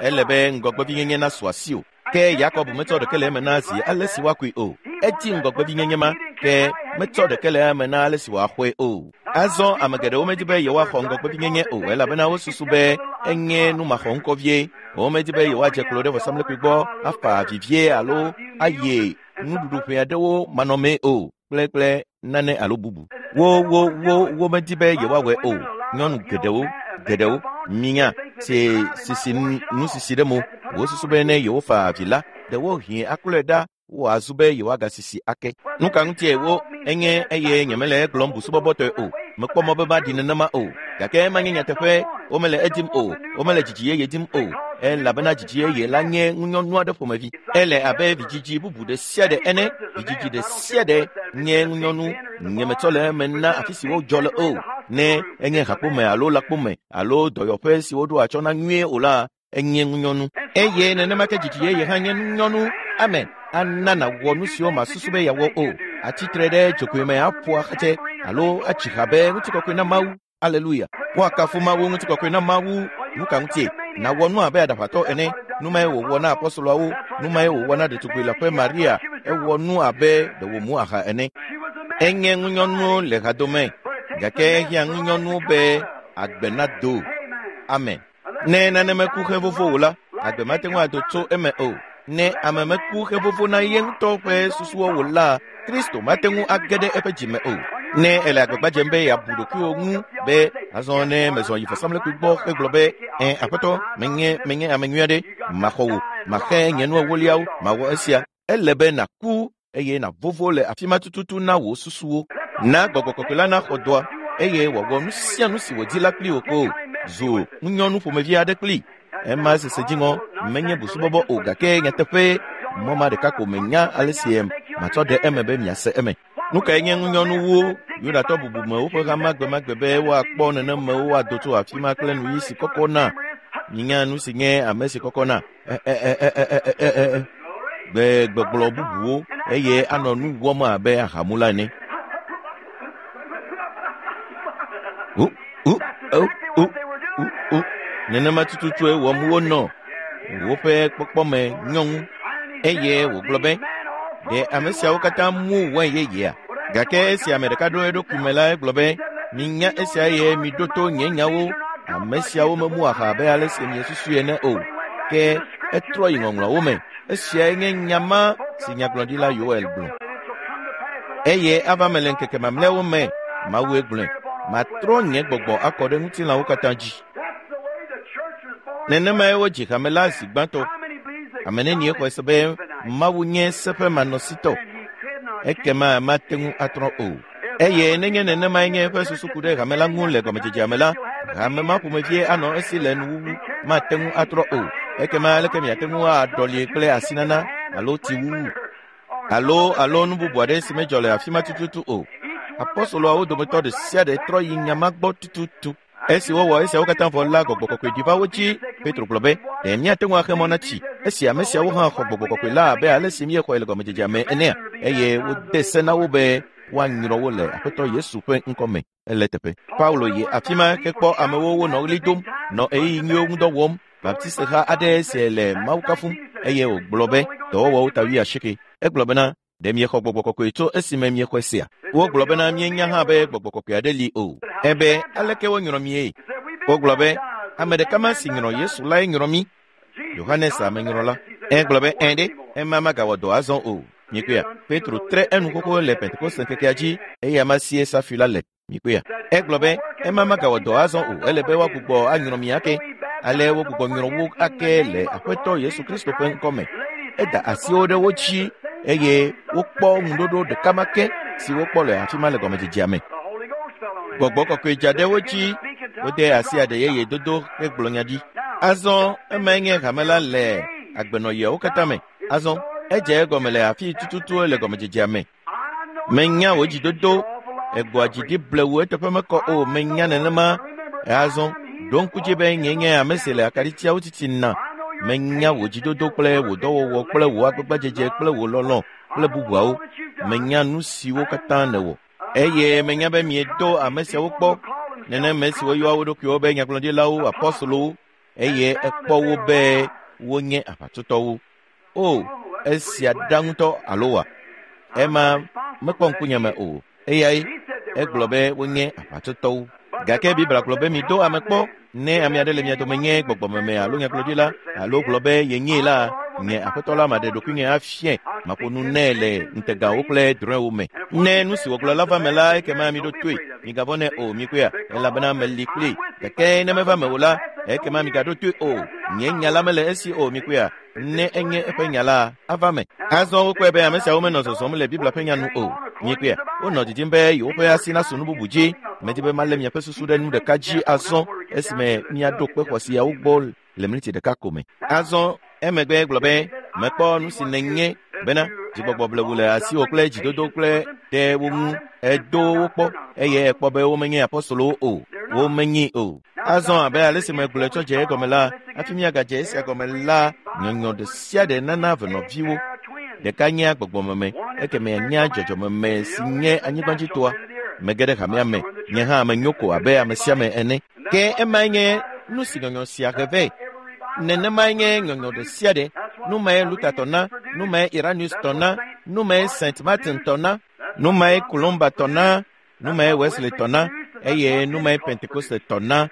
Ele be ŋgɔgbevinyenye nasu asiwò. Ke Yakob metsɔ ɖeke le eme na zi ale si woakui o. Edi ŋgɔgbevinyenye ma, ke metsɔ ɖeke le eme na ale si wòaxɔe o. Azɔ ame geɖewo medi be yewoaxɔ ŋgɔgbevinyenye o, elabena wosusu be enye numaxɔŋkɔ vie. Womedi be yewoadze klo ɖe vɔsamlekpui gbɔ afa vivie alo ayi nuɖuɖuƒe aɖewo manɔmee o, kple kple nane alo bubu. Wo wo wo womedi be yewoawɔe o. Nyɔnu geɖewo geɖewo minya si sisi nusisi ɖe mo. Wosusu be ne yewofa avi la, ɖewohĩ aklɔe ɖa woazu be yewoagasisi ake. Nu ka ŋutie wo enye eye nyemele egblɔm busubɔbɔtɔe o. Mekpɔ mɔ be maɖi nenema o. Gake manye nyateƒe, womele edim o, womele dzidzi yeye dim o, elabena dzidzi yeye la nye ŋunyɔnu aɖe ƒomevi. Ele abe vidzidzi bubu ɖe sia ɖe ene. Vidzidzi ɖe sia ɖe nye ŋunyɔnu. Nyemetsɔ le eme na afi si wodzɔ le o. Ne enye hakpome alo lãkpome alo dɔyɔƒe si woɖo atsyɔ̃ na nyuie o la, enye ŋunyɔnu. Eye nenema ke dzidzi yeye hã nye ŋunyɔnu. Amen. Ana nàwɔ nu siwo màsusu be yeawɔ o. Atsitre ɖe dzogoe me aƒo axatsɛ alo atsi ha be ŋutikɔkɔe na Mawu. Aleluya. Woakafu Mawu, ŋutikɔkɔe na Mawu. Nu ka ŋutie? Nàwɔ nu abe aɖaʋatɔ ene. Nu mae wòwɔ na apɔstoloawo. Nu mae wòwɔ na ɖetugbui leaƒe Maria. Ewɔ nu abe ɖe wòmu aha ene. Enye ŋunyɔnu le hadome, gake ehiã ŋunyɔnu be agbe nado. Amen. Ne nane meku xevovo o la, agbe mate ŋu ado tso eme o. Ne ame meku xevovo na ye ŋutɔ ƒe susuwo o la, Kristo mate ŋu age ɖe eƒe dzime o. Ne ele agbagba dzem be yeabu ɖokuiwò ŋu be azɔ ne mezɔ yi vɔsamlekpui gbɔ hegblɔ be, "Ẽ, aƒetɔ, menye menye ame nyui aɖe, maxɔ wò, maxe nye nu ewoliawo, mawɔ esia." Ele be nàku eye nàvovo le afi ma tututu na wò susuwo. Na gbɔgbɔ kɔkɔe la naxɔ dɔa eye wòawɔ nu sia nu si wòdi la kpli wò ko. Zu ŋunyɔnu ƒomevi aɖe kpli. Ema sese dziŋɔ menye busubɔbɔ o, gake nyateƒe mɔ ma ɖeka ko menya ale si matsɔ ɖe eme be miase eme. Nu kae nye ŋunyɔnuwo? Yudatɔ bubumewo ƒe hama gbemagbe be woakpɔ nenemewo woado tso afi ma kple nuyi si kɔkɔ na. Minya nu si nye ame si kɔkɔ na. E e e e e e e e gbe gbɔgblɔ bubuwo eye anɔ nu wɔm abe ahamula ene. U u u u u u nenema tututue wɔm wonɔ. Woƒe kpɔkpɔme nyɔŋu eye wògblɔ be, ɖe ame siawo katã mu wain yeyea? Gake esi ame ɖeka ɖo eɖokui me la, egblɔ be, Minya esia eye miɖo to nye nyawo. Ame siawo memu aha abe ale si miesusui ene o. Ke etrɔ yi ŋɔŋlɔawo me. Esiae nye nya ma si nyagblɔɖila Yoel gblɔ. Eye ava me le ŋkeke mamlɛawo me, Mawue gblɔe, matrɔ nye gbɔgbɔ akɔ ɖe ŋutilãwo katã dzi. Nenemae wodzi hame la zi gbãtɔ. Ame nenie xɔe se be Mawu nye seƒe manɔsitɔ. Ekema mate ŋu atrɔ o. Eye nenye nenemae nye eƒe susu ku ɖe hame la ŋu le gɔmedzedzea me la, hame ma ƒomevie anɔ esi le nuwuwu mate ŋu atrɔ o. Ekema aleke miate ŋu aɖɔli kple asinana alo tsiwuwu alo alo nu bubu aɖe si medzɔ le afi ma tututu o. Apɔstoloawo dometɔ ɖe sia ɖe trɔ yi nya ma gbɔ tututu. Esi wowɔ esiawo katã vɔ la, gbɔgbɔ kɔkɔe ɖi va wo dzi. Petro gblɔ be, ɖe míate ŋu axe mɔ na tsi esi ame siawo hã xɔ gbɔgbɔ kɔkɔe la abe ale si míexɔe le gɔmedzedzea me enea? Eye wode se na wo be woanyrɔ wo le Aƒetɔ Yesu ƒe ŋkɔ me. Ele teƒe. Paulo yi afi ma hekpɔ amewo wonɔ ɣli dom, nɔ ɣeyiɣi nyuiwo ŋudɔ wɔm. Baptisteha aɖe si le Mawu kafum eye wògblɔ be dɔwɔwɔwo ta wuiasieke. Egblɔ bena, ɖe miexɔ gbɔgbɔ kɔkɔe tso esime miexɔe sea? Wogblɔ bena míenya hã be gbɔgbɔ kɔkɔe aɖe li o. Ebe aleke wonyrɔ mie? Wogblɔ be ame ɖeka ma si nyrɔ Yesu lae nyrɔ mí. Yohanes amenyrɔla. Egblɔ be ẽ ɖe, ema magawɔ dɔ azɔ o. Mikpɔea, Petro tre enu xoxo le Pentekoste ŋkekea dzi eye ama sie safi la le. Mikpɔea, egblɔ be ema magawɔ dɔ azɔ o. Ele be woagbugbɔ anyrɔ mi ake. Ale wogbugbɔ nyrɔ wo ake le Aƒetɔ Yesu Kristo ƒe ŋkɔ me. Eda asiwo ɖe wo dzi eye wokpɔ ŋuɖoɖo ɖeka ma ke si wokpɔ le afi ma le gɔmedzedzea me. Gbɔgbɔ kɔkɔe dza ɖe wo dzi, wode asi aɖe yeye dodo hegblɔ nya ɖi. Azɔ emae nye hame la le agbenɔɣiawo katã me. Azɔ edze egɔme le afi tututu le gɔmedzedzea me. Menya wò dzidodo, egbɔa dzi ɖi blewu eteƒe mekɔ o. Menya nenema. Azɔ ɖo ŋku dzi be nye nye ame si le akaɖitiawo titina. Menya wò dzidodo kple wò dɔwɔwɔ kple wò agbagbadzedze kple wò lɔlɔ̃ kple bubuawo. Menya nu siwo katã nèwɔ. Eye menya be miedo ame siawo kpɔ, nenema si woyɔa wo ɖokuiwo be nyagblɔɖilawo, apɔstolowo, eye ekpɔ wo be wonye aʋatsotɔwo. O, esia ɖa ŋutɔ alo wa? Ema mekpɔ ŋkunye me o. Eyae egblɔ be wonye aʋatsotɔwo. Gake Biblia gblɔ be mido ame kpɔ. Ne ame aɖe le mia dome nye gbɔgbɔmeme alo nyagblɔɖila alo gblɔ be yenyee la, nye Aƒetɔ la maɖe ɖokuinye afiae, maƒo nu nɛ le ŋutegawo kple drɔ̃ewo me. Ne nu si wògblɔ la va me la, ekema miɖo toe, migavɔ̃ nɛ o, mikpɔea, elabena meli kplii. Gake ne meva me o la, ekema migaɖo toe o. Nye nya la mele esi o, mikpɔea, ne enye eƒe nya la, ava me. Azɔ wokpɔe be ame siawo menɔ zɔzɔm le Biblia ƒe nya nu o. Mikpɔea, wonɔ didim be yewoƒe asi nasu nu bubu dzi. Medi be malé miaƒe susu ɖe nu ɖeka dzi azɔ esime miaɖo kpe xɔasiawo gbɔ le miniti ɖeka ko me. Azɔ emegbe gblɔ be mekpɔ nu si nènye bena dzigbɔgbɔ blewu le asiwò kple dzidodo kple ɖe wo ŋu. Edo wo kpɔ eye ekpɔ be womenye apɔstolowo o, womenyi o. Azɔ abe ale si megblɔe tsɔ dze egɔme la, hafi míagadze esia gɔme la, nyɔnyɔ ɖe sia ɖe nana venɔviwo. Ɖeka nyea gbɔgbɔmeme, ekemɛ nyea dzɔdzɔmeme si nye anyigbadzitoa. Mege ɖe hamea me, nye hã menyo ko abe ame sia ame ene. Ke emae nye nu si nyɔnyɔ sia he vɛ. Nenemae nye nyɔnyɔ ɖe sia ɖe. Nu mae Luther tɔ na, nu mae Irenaeus tɔ na, nu mae Saint Martin tɔ na, nu mae Columba tɔ na, nu mae Wesley tɔ na, eye nu mae Pentekoste tɔ na.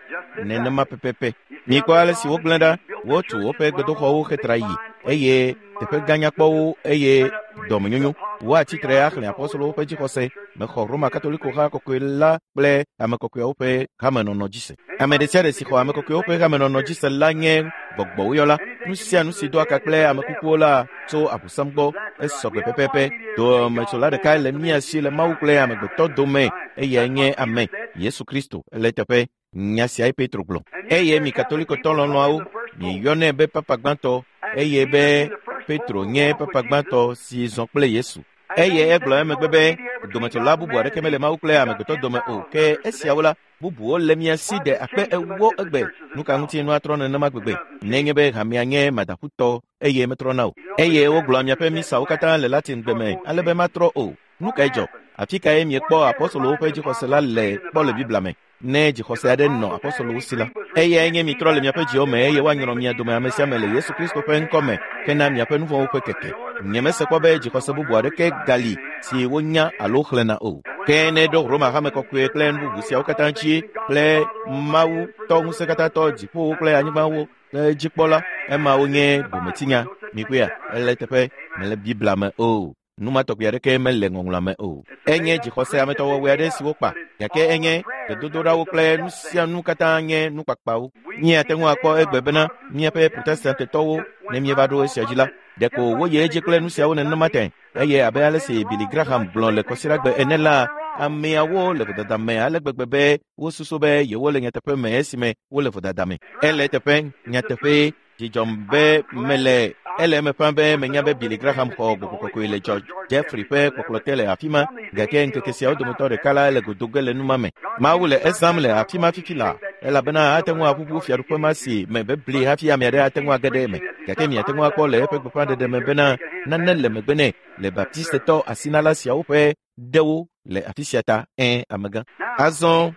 Nenema pɛpɛpɛ. Mikpɔ ale si wogblẽ ɖa, wotu woƒe gbedoxɔwo hetra yi, eye teƒe gã nyakpɔwo eye dɔmenyonyo. Woatsitre axlẽ apɔstolowo ƒe dzixɔse. Mexɔ Roma Katoliko ha kɔkɔe la kple ame kɔkɔeawo ƒe hamenɔnɔ dzi se. Ame ɖe sia ɖe si xɔ ame kɔkɔewo ƒe hamenɔnɔ dzi se la nye gbɔgbɔwoyɔla. Nu sia nu si do aka kple ame kukuwo la tso Abosam gbɔ esɔgbe pɛpɛpɛ. Dometsola ɖeka le mía si le Mawu kple amegbetɔ dome, eyae nye ame Yesu Kristo. Ele teƒe. Nya siae Petro gblɔ. Eye mi Katolikotɔ lɔlɔ̃awo, mieyɔnɛ be Papa gbãtɔ, eye be Petro nye Papa gbãtɔ si zɔ kple Yesu. Eye egblɔ emegbe be dometsola bubu aɖeke mele Mawu kple amegbetɔ dome o. Ke esiawo la, bubuwo le mia si ɖe akpe ewo egbe. Nu ka ŋuti nua trɔ nenema gbegbe? Nenye be hamea nye madaƒutɔ eye metrɔna o. Eye wogblɔa miaƒe misawo katã le Latin gbe me ale be matrɔ o. Nu kae dzɔ? Afi kae miekpɔ apɔstolowo ƒe dzixɔse la le kpɔ le Biblia me? Ne dzixɔse aɖe nɔ apɔstolowo si la, eyae nye mitrɔ le miaƒe dziwo me eye woanyrɔ mia dome ame sia ame le Yesu Kristo ƒe ŋkɔ me hena miaƒe nu vɔ̃wo ƒe keke. Nyemese kpɔ be dzixɔse bubu aɖeke gali si wonya alo xlẽna o. Ke ne ɖo Roma hame kɔkɔe kple nu bubu siawo katã dzi kple Mawu tɔ ŋusẽkatãtɔ dziƒowo kple anyigbawo kple dzikpɔla, emawo nye bometinya. Mikpɔea, ele teƒe mele Biblia me o. Numa tɔgbi aɖeke mele ŋɔŋlɔa me o. Enye dzixɔse ametɔwɔwɔe aɖe si wokpa, gake enye gbedodoɖawo kple nu sia nu katã nye nukpakpawo. Míate ŋu akpɔ egbe bena míaƒe Protestantetɔwo ne míeva ɖo esia dzi la, ɖeko woyi edzi kple nu siawo nenema tẽ. Eye abe ale si Billy Graham gblɔ le Kɔsiɖagbe ene la, ameawo le vodada me ale gbegbe be wosusu be yewole nyateƒe me esime wole vodada me. Ele teƒe nyateƒe dzidzɔm be mele ele eme ƒã be menya be Billy Graham xɔ gbɔgbɔ kɔkɔe le George Jeffrey ƒe kpɔkplɔ te le afi ma, gake ŋkeke siawo dometɔ ɖeka la le godo ge le numa me. Mawu le ezãm le afi ma fifi la, elabena ate ŋu aʋuʋu fiaɖuƒe ma si me bebli hafi ame aɖe ate ŋu age ɖe eme. Gake miate ŋu akpɔ le eƒe gbeƒãɖeɖe me bena nane le megbe nɛ le Baptistetɔ asinala siawo ƒe ɖewo le afi sia ta. Ẽ, amegã. Azɔ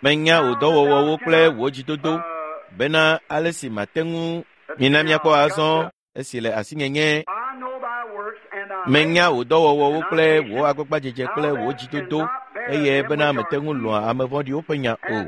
menya wò dɔwɔwɔwo kple wò dzidodo bena ale si mate ŋu mina miakpɔ azɔ esi le asinye nye menya wò dɔwɔwɔwo kple wò agbagbadzedze kple wò dzidodo eye bena mete ŋu lɔ̃a ame vɔ̃ɖiwo ƒe nya o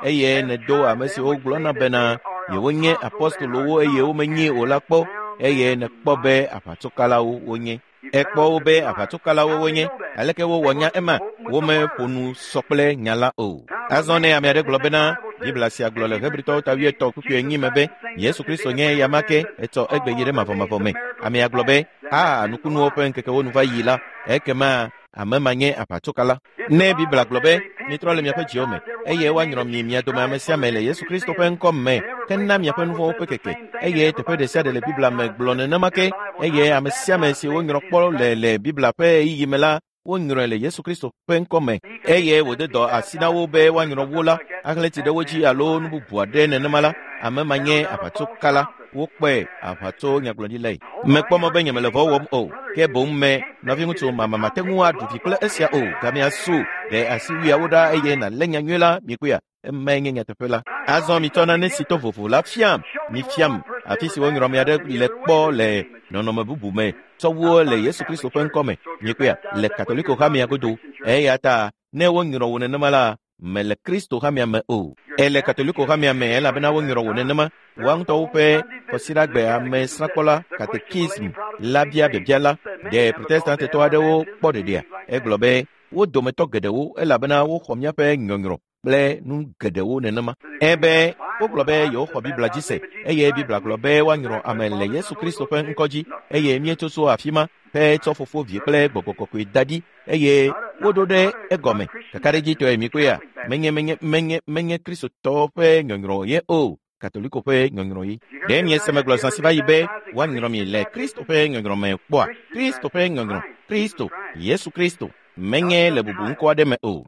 eye nèdo ame siwo gblɔna bena yewonye apostolowo eye womenye o la kpɔ eye nèkpɔ be aʋatsokalawo wonye. Ekpɔ wo be aʋatsokalawo wonye. Aleke wowɔ nya ema? Womeƒo nu sɔ kple nya la o. Azɔ ne ame aɖe gblɔ bena Biblia sia gblɔ le Hebritɔwo ta wuietɔ̃ kpukpui enyi me be Yesu Kristo nye eya ke etsɔ egbe yi ɖe mavɔmavɔ me. Amea gblɔ be aa nukunuwo ƒe ŋkekewo nu va yi la, ekema ame ma nye aʋatsokala. Ne Biblia gblɔ be mitrɔ le miaƒe dziwo me eye woanyrɔ mi mia dome ame sia ame le Yesu Kristo ƒe ŋkɔ me hena miaƒe nu vɔ̃wo ƒe keke eye teƒe ɖe sia ɖe le Biblia me gblɔ nenema ke eye ame sia ame si wonyrɔ kpɔ le le Biblia ƒe ɣeyiɣi me la wonyrɔe le Yesu Kristo ƒe ŋkɔ me eye wòde dɔ asi na wo be woanyrɔ wo la ahlẽ tsi ɖe wo dzi alo nu bubu aɖe nenema la, ame ma nye aʋatsokala. Wokpɔe aʋatso nyagblɔɖilae. Mekpɔ mɔ be nyemele vɔ wɔm o, ke boŋ me nɔviŋutsu mama mate ŋu aɖu vi kple esia o. Gamea su ɖe asiwuiawo ɖa eye nàlé nyanyui la mikpɔea. Emae nye nyateƒe la. Azɔ mitsɔ nane si to vovo la fiam. Mifiam afi si wonyrɔ ame aɖe le kpɔ le nɔnɔme bubu me tsɔ wu le Yesu Kristo ƒe ŋkɔ me. Mikpɔea le Katoliko hamea godo. Eya ta ne wonyrɔ wò nenema la, mele Kristo hamea me o. Ele Katoliko hamea me elabena wonyrɔ wò nenema. Woa ŋutɔwo ƒe kɔsiɖagbe amesrãkpɔla katekism la bia biabia la ɖe Protestantetɔ aɖewo kpɔ ɖeɖea. Egblɔ be wo dometɔ geɖewo elabena woxɔ míaƒe nyɔnyrɔ kple nu geɖewo nenema. Ebe wogblɔ be yewoxɔ Biblia dzi se eye Biblia gblɔ be woanyrɔ ame le Yesu Kristo ƒe ŋkɔ dzi eye míetso tso afi ma hetsɔ fofo vi kple gbɔgbɔ kɔkɔe da ɖi eye woɖo ɖe egɔme. Kakaɖedzitɔe mikpɔea, menye menye menye menye Kristotɔwo ƒe nyɔnyrɔ ye o, Katoliko ƒe nyɔnyrɔ ye. Ɖe miese megblɔ zã si va yi be woanyrɔ mi le Kristo ƒe nyɔnyrɔ me kpɔa? Kristo ƒe nyɔnyrɔ, Kristo, Yesu Kristo, menye le bubu ŋkɔ aɖe me o.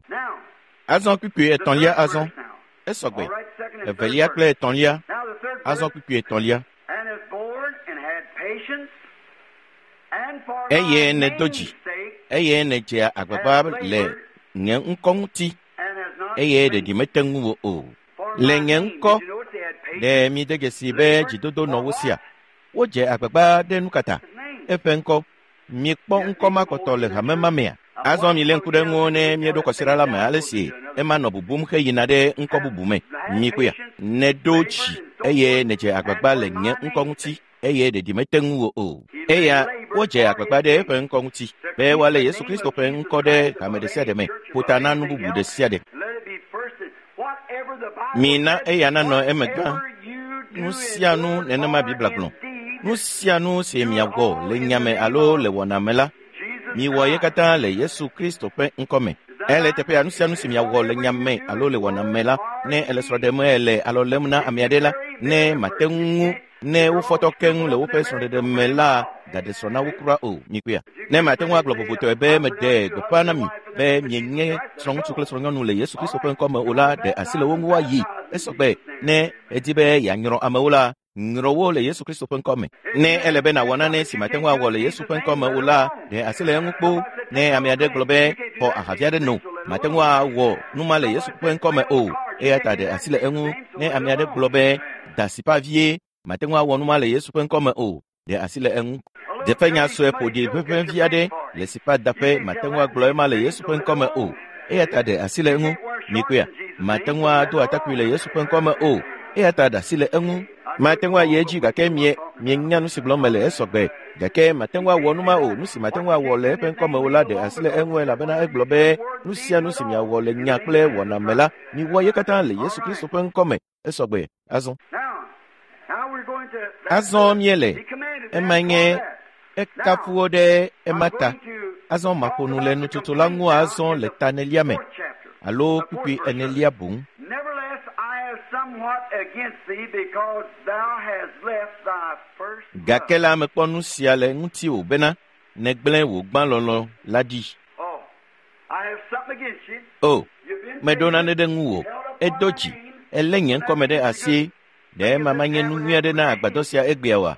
Azɔ kpukpui etɔ̃lia azɔ esɔgbe evelia kple etɔ̃lia azɔ kpukpui etɔ̃lia. Eye nèdo dzi eye nèdzea agbagba le nye ŋkɔ ŋuti eye ɖeɖi mete ŋu wò o. Le nye ŋkɔ ɖe miede dzesi be dzidodo nɔ wo sia. Wodze agbagba ɖe nu katã eƒe ŋkɔ. Miekpɔ ŋkɔ ma kpɔtɔ le hame ma mea? Azɔ milé ŋku ɖe ŋu ne míeɖo kɔsiɖa la me ale si ema nɔ bubum heyina ɖe ŋkɔ bubu me. Mikpɔea, nèɖo dzi eye nèdze agbagba le nye ŋkɔ ŋuti eye ɖeɖi mete ŋu wò o. Eya wodze agbagba ɖe eƒe ŋkɔ ŋuti be woalé Yesu Kristo ƒe ŋkɔ ɖe hame ɖe sia ɖe me ƒo ta na nu bubu ɖe sia ɖe. Mina eya nanɔ eme gbã. Nu sia nu nenema Biblia gblɔ. Nu sia nu si miawɔ le nya me alo le wɔna me la, miwɔ ye katã le Yesu Kristo ƒe ŋkɔ me. Ele teƒea nu sia nu si miawɔ le nya me alo le wɔna me la, ne ele srɔ̃ɖe me ele alɔ lém na ame aɖe la, ne mate ŋu ne wofɔtɔ keŋ le woƒe srɔ̃ɖeɖe me la, gaɖe srɔ̃ na wo kura o. Mikpɔea, ne mate ŋu agblɔ vovotɔe be meɖe gbeƒã na mi be mienye srɔ̃ŋutsu kple srɔ̃nyɔnu le Yesu Kristo ƒe ŋkɔ me o la, ɖe asi le wo ŋu woayi. Esɔgbe ne edi be yeanyrɔ amewo la, nyrɔ wo le Yesu Kristo ƒe ŋkɔ me. Ne ele be nàwɔ nane si mate ŋu awɔ le Yesu ƒe ŋkɔ me o la, ɖe asi le eŋu kpo. Ne ame aɖe gblɔ be xɔ ahavi aɖe no, mate ŋu awɔ nu ma le Yesu ƒe ŋkɔ me o, eya ta ɖe asi le eŋu. Ne ame aɖe gblɔ be da asi ƒe avie, mate ŋu awɔ nu ma le Yesu ƒe ŋkɔ me o, ɖe asi le eŋu. Dzeƒenya sue ƒoɖi ʋeʋẽ vi aɖe le siƒadaƒe mate ŋu agblɔ ema le Yesu ƒe ŋkɔme o. Eya ta ɖe asi le eŋu. Mikpɔea, mate ŋu ado atakpui le Yesu ƒe ŋkɔme o. Eya ta ɖe asi le eŋu. Mate ŋu ayi edzi gake mie mienya nu si gblɔm mele esɔgbe. Gake mate ŋu awɔ nu ma o. Nu si mate ŋu awɔ le eƒe ŋkɔme o la ɖe asi le eŋu elabena egblɔ be nu sia nu si miawɔ le nya kple wɔna me la, miwɔ ye katã le Yesu Kristo ƒe ŋkɔme. Esɔgbe. Azɔ. Azɔ míele. Ema nye ekafu wo ɖe ema ta. Azɔ maƒo nu le nutsotso la ŋu azɔ le ta enelia me alo kpukpui enelia boŋ. Gake la mekpɔ nu sia le ŋutiwò bena nègblẽ wò gbãlɔlɔ̃ la ɖi. O, meɖo nane ɖe ŋuwò. Edo dzi, elé nye ŋkɔme ɖe asi. Ɖe ema manye nu nyui aɖe na agbadɔ sia egbea oa?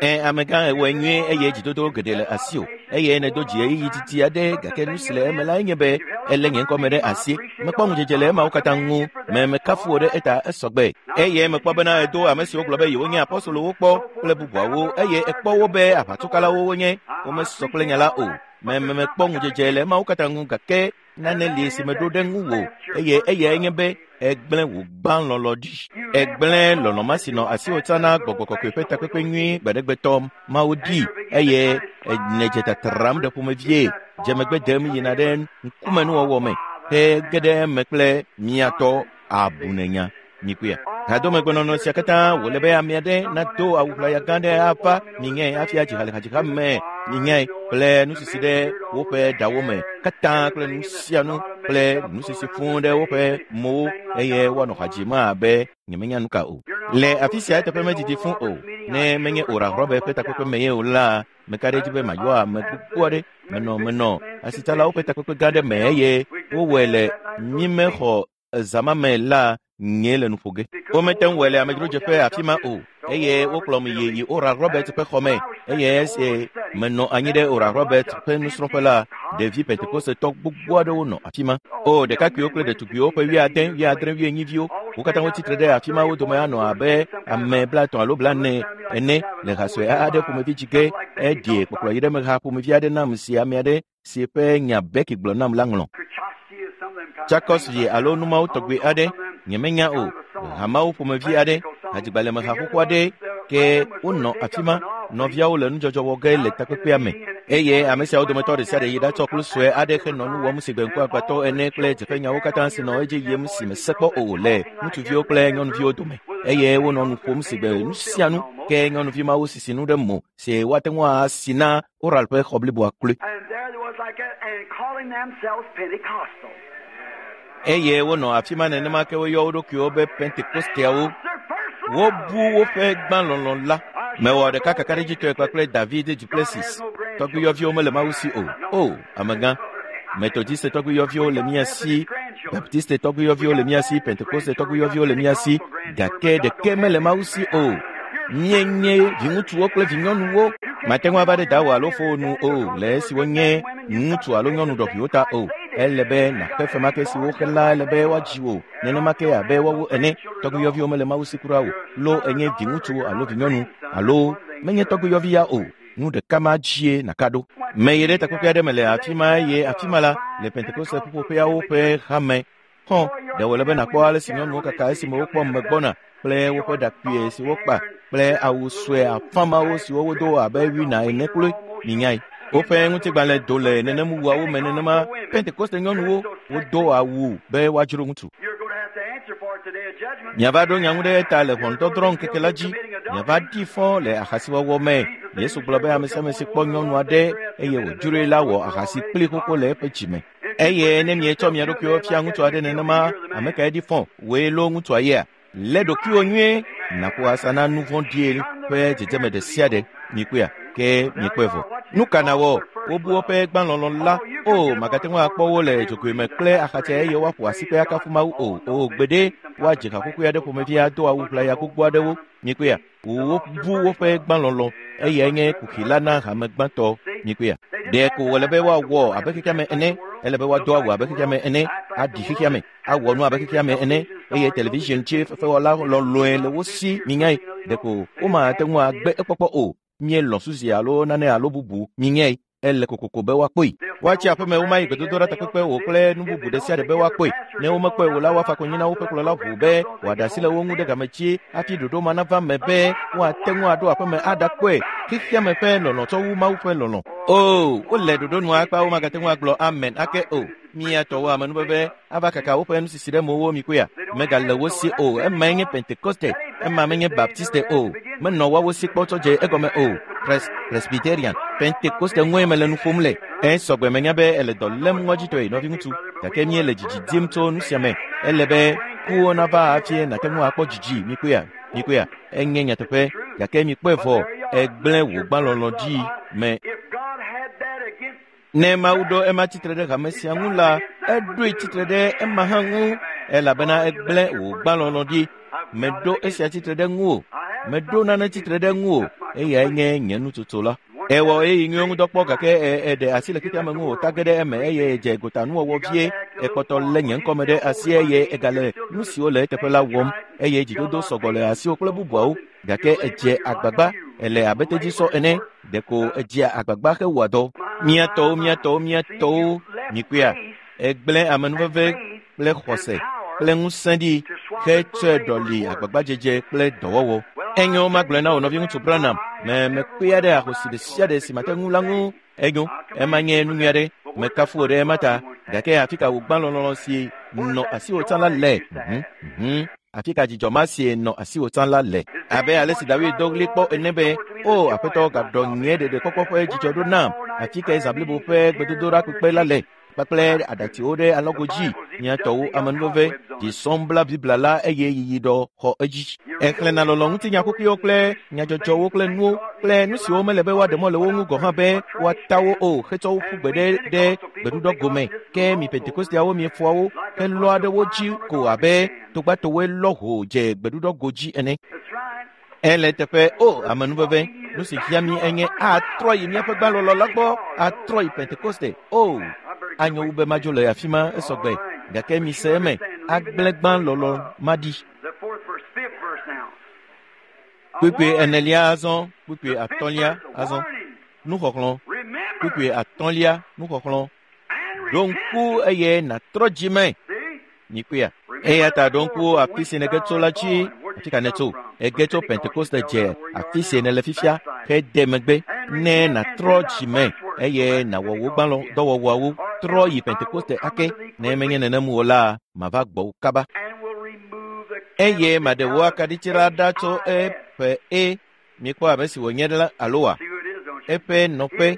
Ẽ, amegã ewɔe nyuie eye dzidodo geɖe le asiwò eye nèdo dzi ɣeyiɣi didi aɖe gake nu si le eme lae nye be elé nye ŋkɔme ɖe asi. Mekpɔ ŋudzedze le emawo katã ŋu. Me mekafu wò ɖe eta esɔgbe. Eye mekpɔ bena edo ame siwo gblɔ be yewonye apɔstolowo kpɔ kple bubuawo eye ekpɔ wo be aʋatsokalawo wonye. Womesɔ kple nya la o. Me me mekpɔ ŋudzedze le emawo katã ŋu gake nane li si meɖo ɖe ŋuwò eye eyae nye be egblẽ wò gbãlɔlɔ̃ ɖi. Egblẽ lɔlɔ̃ ma si nɔ asiwò tsã na gbɔgbɔ kɔkɔe ƒe takpekpe nyui gbaɖegbetɔ Mawu ɖi eye nèdze tatram ɖe ƒomevie dze megbe dem yina ɖe ŋkumenuwɔwɔ me he ge ɖe eme kple miatɔ abunenya. Mikpɔea, hadomegbenɔnɔ sia katã wòle be ame aɖe nado awu ʋlaya gã aɖe ava minyae hafi adzi ha le hadziha me minyae kple nusisi ɖe woƒe ɖawo me katã kple nu sia nu kple nusisi fũu ɖe woƒe mowo eye woanɔ ha dzim abe nyemenya nu ka o. Le afi sia eteƒe medidi fũu o. Ne menye Oral Robert ƒe takpekpe me ye o la, meka ɖe edzi be mayɔ ame gbogbo aɖe. Menɔ menɔ asitsalawo ƒe takpekpe gã aɖe me eye wowɔe le mímexɔ zama me la nye le nu ƒo ge. Womete ŋu wɔe le amedzrodzeƒe afi ma o eye wokplɔm yi yi Oral Robert ƒe xɔ me eye esi menɔ anyi ɖe Oral Robert ƒe nusrɔ̃ƒe la, ɖevi Pentekosetɔ gbogbo aɖewo nɔ afi ma. O, ɖekakpuiwo kple ɖetugbiwo ƒe wuiade, wuiadre, wuienyiviwo, wo katã wotsitre ɖe afi ma. Wo dome anɔ abe ame blaetɔ̃ alo blaene ene le ha sue aɖe ƒomevi dzi ge. Eɖie kpɔkplɔ yi ɖe me ha ƒomevi aɖe nam si ame aɖe si ƒe nya Becky gblɔ nam la ŋlɔ. Tsakɔsvi alo numawo tɔgbi aɖe, nyemenya o, hamawo ƒomevi aɖe, hadzigbalẽmeha xoxo aɖe ke wonɔ afi ma. Nɔviawo le nudzɔdzɔ wɔ ge le takpekpea me eye ame siawo dometɔ ɖe sia ɖe yi ɖatsɔ kplu sue aɖe henɔ nu wɔm si gbe ŋkuagbãtɔ ene kple dzeƒenyawo katã si nɔ edzi yim si mese kpɔ o le ŋutsuviwo kple nyɔnuviwo dome eye wonɔ nu ƒom si gbe nu sia nu ke nyɔnuvi mawo sisi nu ɖe mo si woate ŋu asi na Oral ƒe xɔ bliboa kloe. Eye wonɔ afi ma nenema ke woyɔ wo ɖokuiwo be Pentekosteawo. Wobu woƒe gbãlɔlɔ̃ la. Mewɔ ɖeka kakaɖedzitɔe kpakple David Duplessis. Tɔgbuiyɔviwo mele Mawu si o. O, amegã. Metodiste tɔgbuiyɔviwo le mía si, Baptiste tɔgbuiyɔviwo le mía si, Pentekoste tɔgbuiyɔviwo le mía si, gake ɖeke mele Mawu si o. Míenye viŋutsuwo kple vinyɔnuwo. Mate ŋu ava ɖe dawò alo fowò nu o le esi wonye ŋutsu alo nyɔnu ɖɔʋiwo ta o. Ele be nàxe fe ma ke si woxe la ele be woadzi wò nenema ke abe woawo ene. Tɔgbuiyɔviwo mele Mawu si kura o. Lo enye viŋutsu alo vinyɔnu alo menye tɔgbuiyɔvi ya o. Nu ɖeka ma dzie nàka ɖo. Meyi ɖe takpekpe aɖe me le afi ma eye afi ma la le Pentekoste ƒuƒoƒeawo ƒe hame. Xɔ, ɖe wòle be nàkpɔ ale si nyɔnuwo kaka esime wokpɔ me gbɔna kple woƒe ɖakpuie si wokpa kple awu sue afãmawo siwo wodo abe wina ene kloe. Minyae. Woƒe ŋutigbalẽ do le nenem wuawo me nenema. Pentekoste nyɔnuwo wodo awu be woadzro ŋutsu. Miava ɖo nya ŋu ɖe eta le ʋɔnudɔdrɔ̃ ŋkeke la dzi. Miava ɖi fɔ le ahasiwɔwɔ me. Yesu gblɔ be ame sia ame si kpɔ nyɔnu aɖe eye wòdzroe la wɔ ahasi kpli xoxo le eƒe dzime. Eye ne mietsɔ mia ɖokuiwo fia ŋutsu aɖe nenema, ame kae ɖi fɔ? Wòe loo ŋutsua yea? Lé ɖokuiwò nyuie nàƒo asa na nu vɔ̃ɖie ƒe dzedzeme ɖe sia ɖe. Mikpɔea? Ke miekpɔe vɔ. Nu ka nawɔ? Wobu woƒe gbãlɔlɔ̃ la. O, màgate ŋu akpɔ wo le dzogoe me kple axatse eye woaƒo asikpe akafu Mawu o. O, gbeɖe, woadze haƒoƒoe aɖe ƒomevi ado awu ʋlaya gbogbo aɖewo. Mikpɔea? Wobu woƒe gbãlɔlɔ̃ eyae nye kuxi la na hame gbãtɔ. Mikpɔea? Ɖe ko wòle be woawɔ abe xexea me ene. Ele be woado awu abe xexea me ene, aɖi xexea me, awɔ nu abe xexea me ene eye television dzi fefewɔla lɔlɔe le wo si. Minyae, ɖeko womate ŋu agbe ekpɔkpɔ o. Mielɔ̃ Susi alo nane alo bubu minyae. Ele kokoko be woakpɔe. Woatsi aƒeme womayi gbedodoɖa takpekpe o kple nu bubu ɖe sia ɖe be woakpɔe. Ne womekpɔe o la, woafa konyi na woƒe kplɔla ʋuu be wòaɖe asi le wo ŋu ɖe game dzi hafi ɖoɖo ma nava me be woate ŋu aɖo aƒeme aɖakpɔe. Xexeame ƒe lɔlɔ̃ tsɔ wu Mawu ƒe lɔlɔ̃. O, wole ɖoɖo nua akpa womagate ŋu agblɔ amen ake o. Mía tɔwo amenuveve ava kaka woƒe nusisi ɖe mowo mi koea. Megale wo si o. Emae nye Pentekoste. Ema menye Baptiste o. Menɔ woawo si kpɔ tsɔ dze egɔme o. Pres Presbyterian. Pentekoste ŋue mele nu ƒom le. Esɔgbe menya be ele dɔ lém ŋɔdzitɔe nɔviŋutsu. Gake míele dzidzi dim tso nu sia me. Ele be kuwo nava hafi nàte ŋu akpɔ dzidzi mi koea. Mi koea. Enye nyateƒe. Gake mikpɔe vɔ egblẽ wò gbãlɔlɔ̃ dzi me. Ne Mawu ɖo ema tsitre ɖe hame sia ŋu la, eɖoe tsitre ɖe ema hã ŋu elabena egblẽ wò gbãlɔlɔ̃ ɖi. Meɖo esia tsitre ɖe ŋu o. Meɖo nane tsitre ɖe ŋu o. Eyae nye nye nutsotso la. Ewɔ ɣeyiɣi nyuiwo ŋudɔ kpɔ gake eɖe asi le xexea me ŋu wòta ge ɖe eme eye edze gotanuwɔwɔ vie. Ekpɔtɔ lé nye ŋkɔme ɖe asi eye egale nu siwo le eteƒe la wɔm eye dzidodo sɔgbɔ le asiwò kple bubuawo. Gake edze agbagba ele abe tedzisɔ ene. Ɖeko edzea agbagba hewɔa dɔ. Mía tɔwo, mía tɔwo, mía tɔwo, mikpɔea, egblẽ amenuveve kple xɔse kple ŋusẽ ɖi hetsɔe ɖɔli agbagbadzedze kple dɔwɔwɔ. Enyo magblɔe na wò nɔviŋutsu Branham, me mekpea ɖe ahosi ɖe sia ɖe si mate ŋu la ŋu. Enyo, ema nye nu nyui aɖe. Mekafu wò ɖe ema ta. Gake afi ka wò gbãlɔlɔ̃ si nɔ asiwò tsã la le? Mhm, mhm. Afi ka dzidzɔ ma si nɔ asiwò tsã la le? Abe ale si David do ɣli kpɔ ene be, o Aƒetɔ gaɖɔ nye ɖeɖekpɔkpɔ ƒe dzidzɔ ɖo nam. Afi kae zã blibo ƒe gbedodoɖa kpekpe la le? Kpakple aɖatsiwo ɖe alɔgo dzi. Mía tɔwo amenuveve dzi bla Biblia la eye yiyiɖɔ xɔ edzi. Exlẽna lɔlɔ̃ ŋutinya kukuiwo kple nyadzɔdzɔwo kple nuwo kple nu siwo mele be woaɖe mɔ le wo ŋu gɔ̃ hã be woata wo o hetsɔ wo ƒu gbe ɖe ɖe gbeɖuɖɔ gome. Ke mi Pentekosteawo miefɔa wo helɔa ɖe wo dzi ko abe togbatowoe lɔ ho dze gbeɖuɖɔ go dzi ene. Ele teƒe o amenuveve nu si fia mi enye atrɔ yi míaƒe gbãlɔlɔ la gbɔ atrɔ yi Pentekoste o. Anyo wu be madzo le afi ma esɔgbe gake mise eme agblẽ gbãlɔlɔ maɖi. Kpukpui enelia azɔ, kpukpui atɔ̃lia azɔ. Nuxɔxlɔ̃. Kpukpui atɔ̃lia nuxɔxlɔ̃. Ɖo ŋku eye nàtrɔ dzi me. Mikpɔea. Eya ta ɖo ŋku afi si nège tso la dzi. Afi ka nètso? Ege tso Pentekoste dze afi si nèle fifia hede megbe ne nàtrɔ dzi me eye nàwɔ wò gbãlɔ dɔwɔwɔawo. Trɔ yi Pentekoste ake. Ne menye nenem o la, mava gbɔwò kaba. Eye maɖe wò akaɖiti la ɖa tso eƒe e. Mikpɔ ame si wònye la alo wa? Eƒe nɔƒe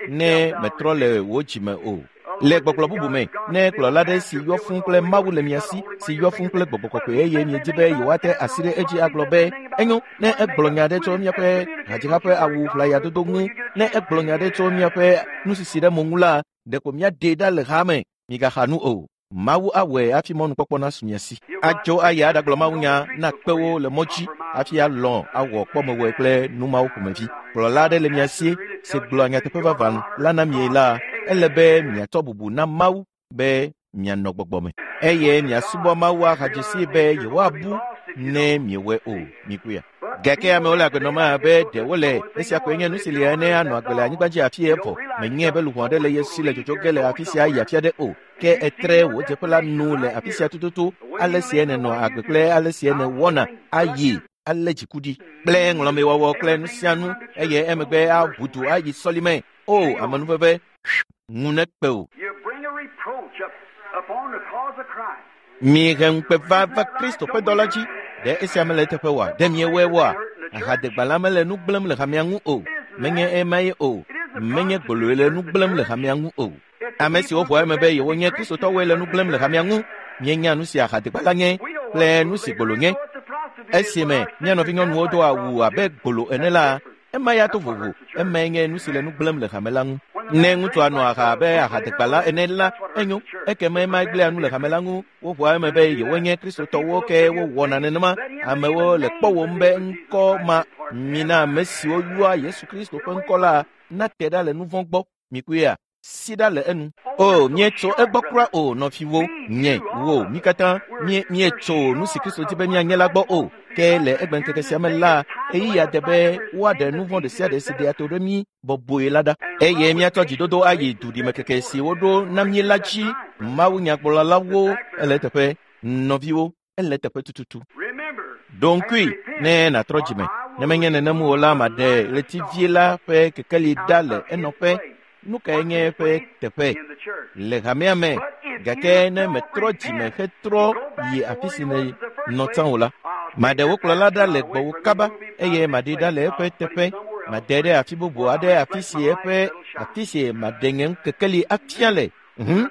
ne metrɔ le wò dzime o. Le gbɔgblɔ bubu me, ne kplɔla ɖe si yɔ fũu kple Mawu le mia si, si yɔ fũu kple gbɔgbɔ kɔkɔe eye miedi be yewoate asi ɖe edzi agblɔ be, enyo, ne egblɔ nya ɖe tso míaƒe hadziha ƒe awu ʋlayadodo ŋu, ne egblɔ nya ɖe tso míaƒe nusisi ɖe mo ŋu la, ɖeko míaɖee ɖa le ha me. Migaxa nu o. Mawu awɔe hafi mɔnukpɔkpɔ nasu mia si. Atso ayi aɖagblɔ mawunya na kpewo le mɔ dzi hafi alɔ̃ awɔ kpɔmewɔe kple nu mawo ƒomevi. Kplɔla aɖe le mia si si gblɔa nyateƒe vavã la na mi la, ele be miatsɔ bubu na Mawu be mianɔ gbɔgbɔ me eye miasubɔ Mawu ahadze sii be yewoabu ne miewɔe o. Mikpɔea. Gake amewo le agbe nɔm abe ɖe wole esia koe nye nu si li ene anɔ agbe le anyigba dzi afi evɔ. Menyae be luʋɔ aɖe le ye si le dzodzo ge le afi sia ayi afi aɖe o. Ke etre wò dzeƒe la nu le afi sia tututu ale si nènɔ agbe kple ale si nèwɔna ayi ale dziku ɖi kple ŋlɔmewɔwɔ kple nu sia nu eye emegbe aʋu du ayi sɔlime. O amenuveve ŋu nekpe o. Mihe ŋukpe va va Kristo ƒe dɔ la dzi. Ɖe esia mele eteƒe oa? Ɖe miewɔe oa? Ahadegbalẽa mele nu gblẽm le hamea ŋu o. Menye emae o. Menye gboloe le nu gblẽm le hamea ŋu o. Ame siwo ʋua eme be yewonye Kristotɔwoe le nu gblẽm le hamea ŋu. Míenya nu si ahadegbalẽa nye kple nu si gbolo nye. Esime mía nɔvinyɔnuwo do awu abe gbolo ene la, ema ya to vovo. Emae nye nu si le nu gblẽm le hame la ŋu. Ne ŋutsua nɔ aha abe ahadegbalẽ ene la, enyo. Ekema ema gblẽa nu le hame la ŋu. Woʋua eme be yewonye Kristotɔwo ke wowɔna nenema. Amewo le kpɔwòm be ŋkɔ ma mina ame siwo yɔa Yesu Kristo ƒe ŋkɔ la nate ɖa le nu vɔ̃ gbɔ. Mikpɔea, si ɖa le enu. O, míetso egbɔ kura o, nɔviwo, nye, wo, mí katã mí míetso nu si Kristo di be míanye la gbɔ o. Ke le egbeŋkeke sia me la, ɣeyiɣia de be woaɖe nu vɔ̃ ɖe sia ɖe si ɖea to ɖe mí bɔbɔe la ɖa. Eye míatsɔ dzidodo ayi duɖimekeke si woɖo na mí la dzi. Mawunyagblɔlawo ele eteƒe, nɔviwo, ele eteƒe tututu. Ɖo ŋkui ne nàtrɔ dzime. Ne menye nenem o la, maɖe ɣletivie la ƒe kekeli ɖa le enɔƒe. Nu kae nye eƒe teƒe le hamea me? Gake ne metrɔ dzime hetrɔ yi afi si nènɔ tsã o la, maɖe wò kplɔla ɖa le gbɔwò kaba eye maɖee ɖa le eƒe teƒe. Made ɖe afi bubu aɖe afi si eƒe afi si maɖe nye kekeli afia le. Hum,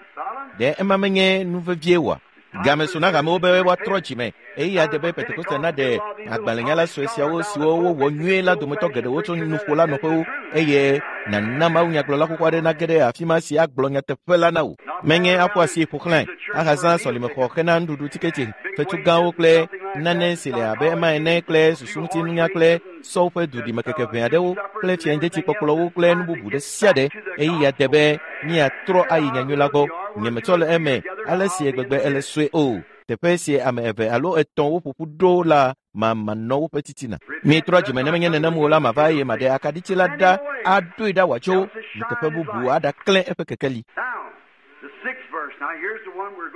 ɖe ema menye nu vevie oa? Game su na hamewo be woatrɔ dzime. Ɣeyiɣia de be Pentekoste naɖe agbalẽnyala sue siawo siwo wowɔ nyuie la dometɔ geɖewo tso nuƒola nɔƒewo eye nàna mawunyagblɔla xoxo aɖe nage ɖe afi ma si agblɔ nyateƒe la na wò. Menye aƒu asi ƒo xlãe, ahazã sɔlimexɔ hena nuɖuɖu tiketi, fetu gãwo kple nane si le abe ema ene kple susuŋutinunya kple sɔwo ƒe duɖimekeke ʋɛ aɖewo kple fiaŋdetsikpɔkplɔwo kple nu bubu ɖe sia ɖe. Ɣeyiɣia de be míatrɔ ayi nyanyui la gbɔ. Nyemetsɔ le eme ale si gbegbe ele sue o. Teƒe si ame eve alo etɔ̃ woƒoƒu ɖo la mamanɔ woƒe titina. Mitrɔ dzime ne menye nenem o la, mava eye maɖe akaɖiti la ɖa aɖoe ɖa wòatso yi teƒe bubu aɖaklẽ eƒe kekeli.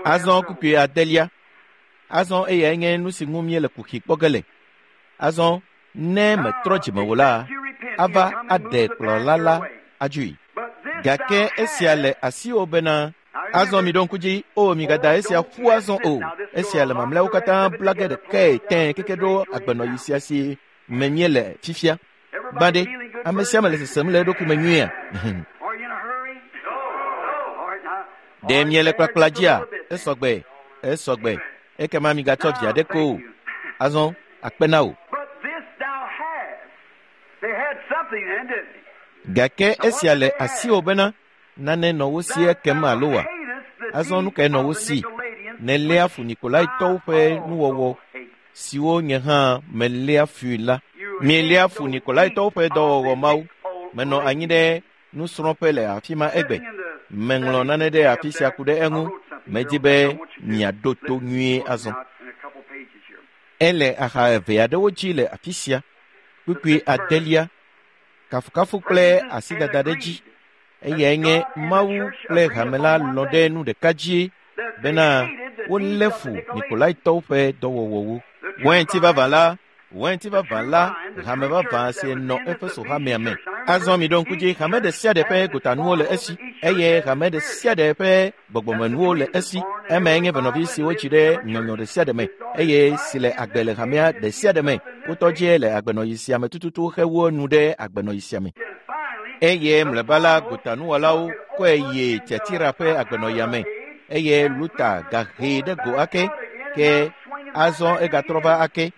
Azɔ kpukpui adelia. Azɔ eyae nye nu si ŋu míele kuxi kpɔ ge le. Azɔ ne metrɔ dzime o la, ava aɖe kplɔla la adzoe. Gake esia le asiwò bena azɔ miɖo ŋku dzi o migada esia ƒu azɔ o. Esia le mamlɛawo katã bla ge ɖekae tẽe keke ɖo agbenɔɣi sia si me míele fifia. Gbã ɖe, ame sia ame le sesem le eɖokui me nyuiea? Ɖe miele kplakpla dzia? Esɔgbe, esɔgbe. Ekema migatsɔ vi aɖeke o. Azɔ akpe na wò. Gake esia le asiwò bena nane nɔ wo si ekem alo wa? Azɔ nu kae nɔ wo si? Nèléa fu Nikolaitɔwo ƒe nuwɔwɔ siwo nye hã meléa fui la. Mieléa fu Nikolaitɔwo ƒe dɔwɔwɔ mawo. Menɔ anyi ɖe nusrɔ̃ƒe le afi ma egbe. Meŋlɔ nane ɖe afi sia ku ɖe eŋu. Medi be miaɖo to nyuie azɔ. Ele axa eve aɖewo dzi le afi sia. Kpukpui adelia, kafukafu kple asidada ɖe dzi. Eyae nye Mawu kple hame la lɔ̃ ɖe nu ɖeka dzi bena wolé fu Nikolaitɔwo ƒe dɔwɔwɔwo. Wainti vavã la, wainti vavã la, hame vavã si nɔ Efeso hamea me. Azɔ miɖo ŋku dzi, hame ɖe sia ɖe ƒe gotanuwo le esi eye hame ɖe sia ɖe ƒe gbɔgbɔmenuwo le esi. Emae nye venɔvi si wotsi ɖe nyɔnyɔ ɖe sia ɖe me eye si le agbe le hamea ɖe sia ɖe me. Wotɔ dzie le agbenɔɣi sia me tututu hewu nu ɖe agbenɔɣi sia me. Eye mlɔeba la, gotanuwɔlawo kɔe yi Tiatira ƒe agbenɔɣia me eye Luta gahee ɖe go ake ke azɔ egatrɔ va ake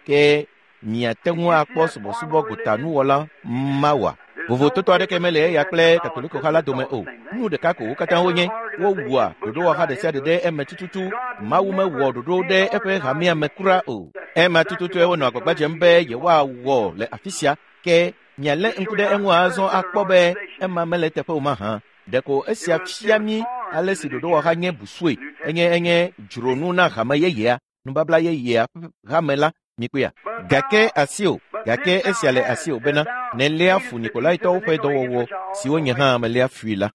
ke miate ŋu akpɔ subɔsubɔ gotanuwɔla mawa. Vovototo aɖeke mele eya kple Katoliko ha la dome o. Nu ɖeka ko wo katã wonye. Wowua ɖoɖowɔha ɖe sia ɖe ɖe eme tututu. Mawu mewɔ ɖoɖo ɖe eƒe hamea me kura o. Ema tututue wonɔ agbagba dzem be yewoawɔ le afi sia. Ke mialé ŋku ɖe eŋu azɔ akpɔ be ema mele teƒe o mahã. Ɖeko esia fia mí ale si ɖoɖowɔha nye busue. Enye enye dzronu na hame yeyea, nubabla yeyea ƒe hame la mikpɔea. Gake asiwò, gake esia le asiwò bena nèléa fu Nikolaitɔwo ƒe dɔwɔwɔ siwo nye hã meléa fui la.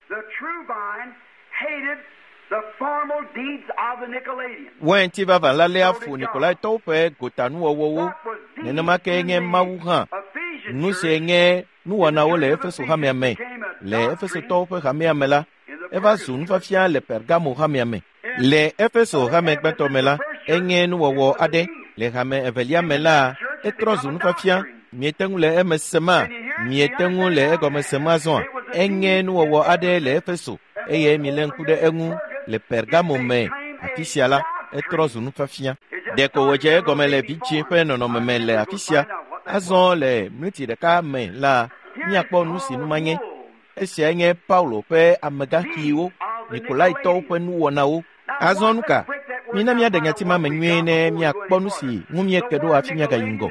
Wainti vavã la léa fu Nikolaitɔwo ƒe gotanuwɔwɔwo. Nenema ke nye Mawu hã. Nu sie nye nuwɔnawo le Efeso hamea me. Le Efesotɔwo ƒe hamea me la, eva zu nufiafia le Pergamo hamea me. Le Efeso hame gbãtɔ me la, enye nuwɔwɔ aɖe. Le hame evelia me la, etrɔ zu nufiafia. Miete ŋu le eme sema? Miete ŋu le egɔme sem azɔa? Enye nuwɔwɔ aɖe le Efeso eye milé ŋku ɖe eŋu le Pergamo me. Afi sia la, etrɔ zu nufiafia. Ɖeko wòdze egɔme le vidzĩ ƒe nɔnɔme me le afi sia. Azɔ le miniti ɖeka me la, míakpɔ nu si numa nye. Esiae nye Paulo ƒe amegãxiwo, Nikolaitɔwo ƒe nuwɔnawo. Azɔ nu ka? Mina míaɖe nyati ma me nyuie ne míakpɔ nu si ŋu míeke ɖo hafi míagayi ŋgɔ.